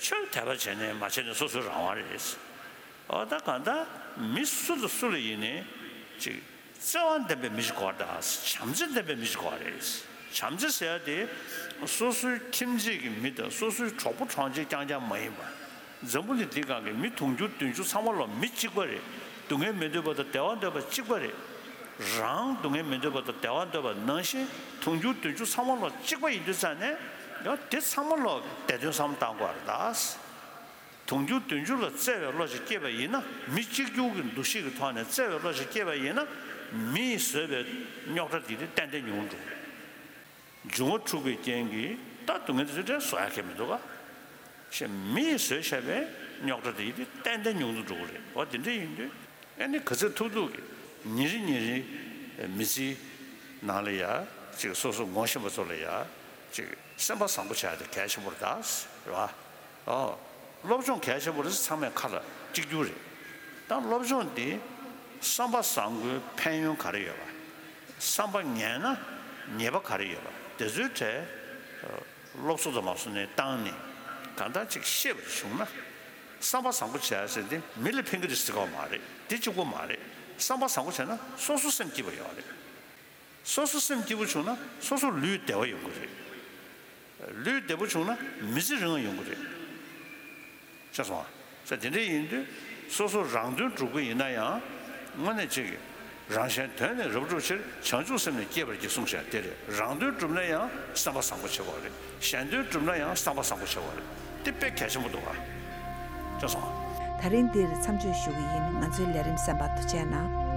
ཆོས་དད་པ་བྱས་ནས་མ་བྱས་ནས་སོ་སོའི་རང་དབང་རེད། འོ་ད་གང་ལྟར་མི་སུ་དང་སུ་ལ་ཡིན་ནའི་ཅིག་བརྩེ་བ་ལྡན་པའི་མི་ཞིག་དགོས་རེད་ད། བྱམས་བརྩེ་ལྡན་པའི་མི་ཞིག་དགོས་རེད། བྱམས་བརྩེ་ཟེར་ཡ་དེ་སོ་སོའི་ཁྱིམ་མཚེས་ཀྱི་མི་དང་སོ་སོའི་གྲོགས་པོ་གྲོགས་མཆེད་རྐྱང་རྐྱང་མ་ཡིན་པ། འཛམ་བུ་གླིང་འདི་སྒང་གི་མི་དུང་ཕྱུར་བདུན་ཅུ་ཚང་མ་ལོ་མི་གཅིག་པ་རེད། སྡུག་བསྔལ་མི་འདོད་པ་དང་བདེ་བ་འདོད་པ་གཅིག་པ་རེད། རང་སྡུག་བསྔལ་མི་འདོད་པ་དང་བདེ་བ་འདོད་པ་ནང་བཞིན་དུང་ཕྱུར་བདུན་ཅུ་ཚང་མ་ལོ་གཅིག་པ་ཡིན་དུས་ཙང་ནས་ཡང་དེ་ཚང་མ་ལོ་བདེ་དོན་བསམ་བློ་བཏང་དགོས་རེད་ད། དུང་ཕྱུར་བདུན་ཅུ་ལ་བརྩེ་བའི་བློ་ཞིག་སྐྱེས་པ་ཡིན་ན་མི་གཅིག་གྱུར་གྱི་འདུ་ཤེས་ཀྱི་ཐོག་ནས་བརྩེ་བའི་བློ་ཞིག་སྐྱེས་པ་ཡིན་ན་མིས་བཟོས་པའི་རྙོག་དྲ་འདི་དེ་ཏན་ཏན་ཉུང་འགྲོ། འབྱུང་བ་འཁྲུགས་པའི་རྐྱེན་གྱིས་ད་སྡུག་བསྔལ་དེ་ཚོ་བྲལ་བཟོ་ཡ་གལ་མི་འདུག་ག་ཞེས་མིས་བཟོས་བཞག་པའི་རྙོག་དྲ་དེ་ཡིན་དུས་ཏན་ཏན་ཉུང་དུ་འགྲོ་གི་རེད། འོ་དེ་འདྲ་ཡིན་དུས་ཨ་ནི་ག་ཚོད་ཐུབ་ཐུབ་ཀྱིས་ཉིན་རེ་ཉིན་རེ་མི་ཚེའི་ནང་ལ་ཡ་ཅིག་སོ་སོ་ངོ་ཤེས་པ་ཚོ་ལ་ཡ་ཅིག་སེམས་པ་བཟང་པོ་བྱ་ཡ་དེ་གལ་ཆེན་པོ་རེད་ད། རེད་བ། ཨོ། སློབ་སྦྱོང་གལ་ཆེན་པོ་རེད། ཚང་མས་ཁ་ལ་གཅིག་གྱུར་རེད། ད་སློབ་སྦྱོང་འདི་བསམ་པ་བཟང་པོའི་ཕན་ཡོན་ག་རེ་ཡོད་པ། བསམ་པ་ངན་ན་ཉེས་པ་ག་རེ་ཡོད་པ་དེ་ཚོའི་གྲས་སློབ་གསོ་དང་མ་སོང་ནས་བཏང་ནས་གང་ལྟར་ཅིག་ཤེས་པ་བྱུང་ན། བསམ་པ་བཟང་པོ་བྱས་ཟེར་དེ་མི་ལ་ཕན་གི་རེད་ཟེར་གོ་མ་རེད། དེ་གཅིག་པོ་མ་རེད། བསམ་པ་བཟང་པོ་བྱས་ན་སོ་སོ་སེམས་སྐྱིད་པ་ཡོད་རེད། སོ་སོ་སེམས་སྐྱིད་པོ་བྱུང་ན་སོ་སོ་ལུས་བདེ་བ་ཡོང་གི་རེད། ལུས་བདེ་པོ་བྱུང་ན་མི་ཚེ་རིང་བ་ཡོང་གི་རེད། ཤེས་སོང་ང་། ས་དེ་འདྲ་ཡིན་དུས་སོ་སོ་རང་དོན་སྒྲུབ་ཀྱི་ཡིན་ན་ཡང་དངོས་གནས་ཅིག་རང་གཞན་དོན་ནི་རབ་བསྒྲུབ་ཕྱིར། བྱང་ཆུབ་སེམས་ནི་བསྐྱེད་པར་བགྱི་གསུངས་བཞག་དེ་རེད། རང་དོན་སྒྲུབ་ན་ཡང་བསམ་པ་བཟང་པོ་བྱེད་དགོས་རེད། གཞན་དོན་སྒྲུབ་ན་ཡང་བསམ་པ་བཟང་པོ་བྱེད་དགོས་རེད། དེ་དཔེ་གལ་ཆེན་པོ་འདུག་ཨ། ཅེས་སོང་། ད་རིང་འདིར་མཚམས་གཅོད་ཞུ་གི་ཡིན། ང་ཚོའི་ལས་རིམ་གསན་པར་ཐུགས་རྗེ་གནང་།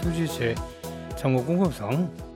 ཐུགས་རྗེ་ཆེ། ཚང་མ་སྐུ་ཁམས་བཟང་།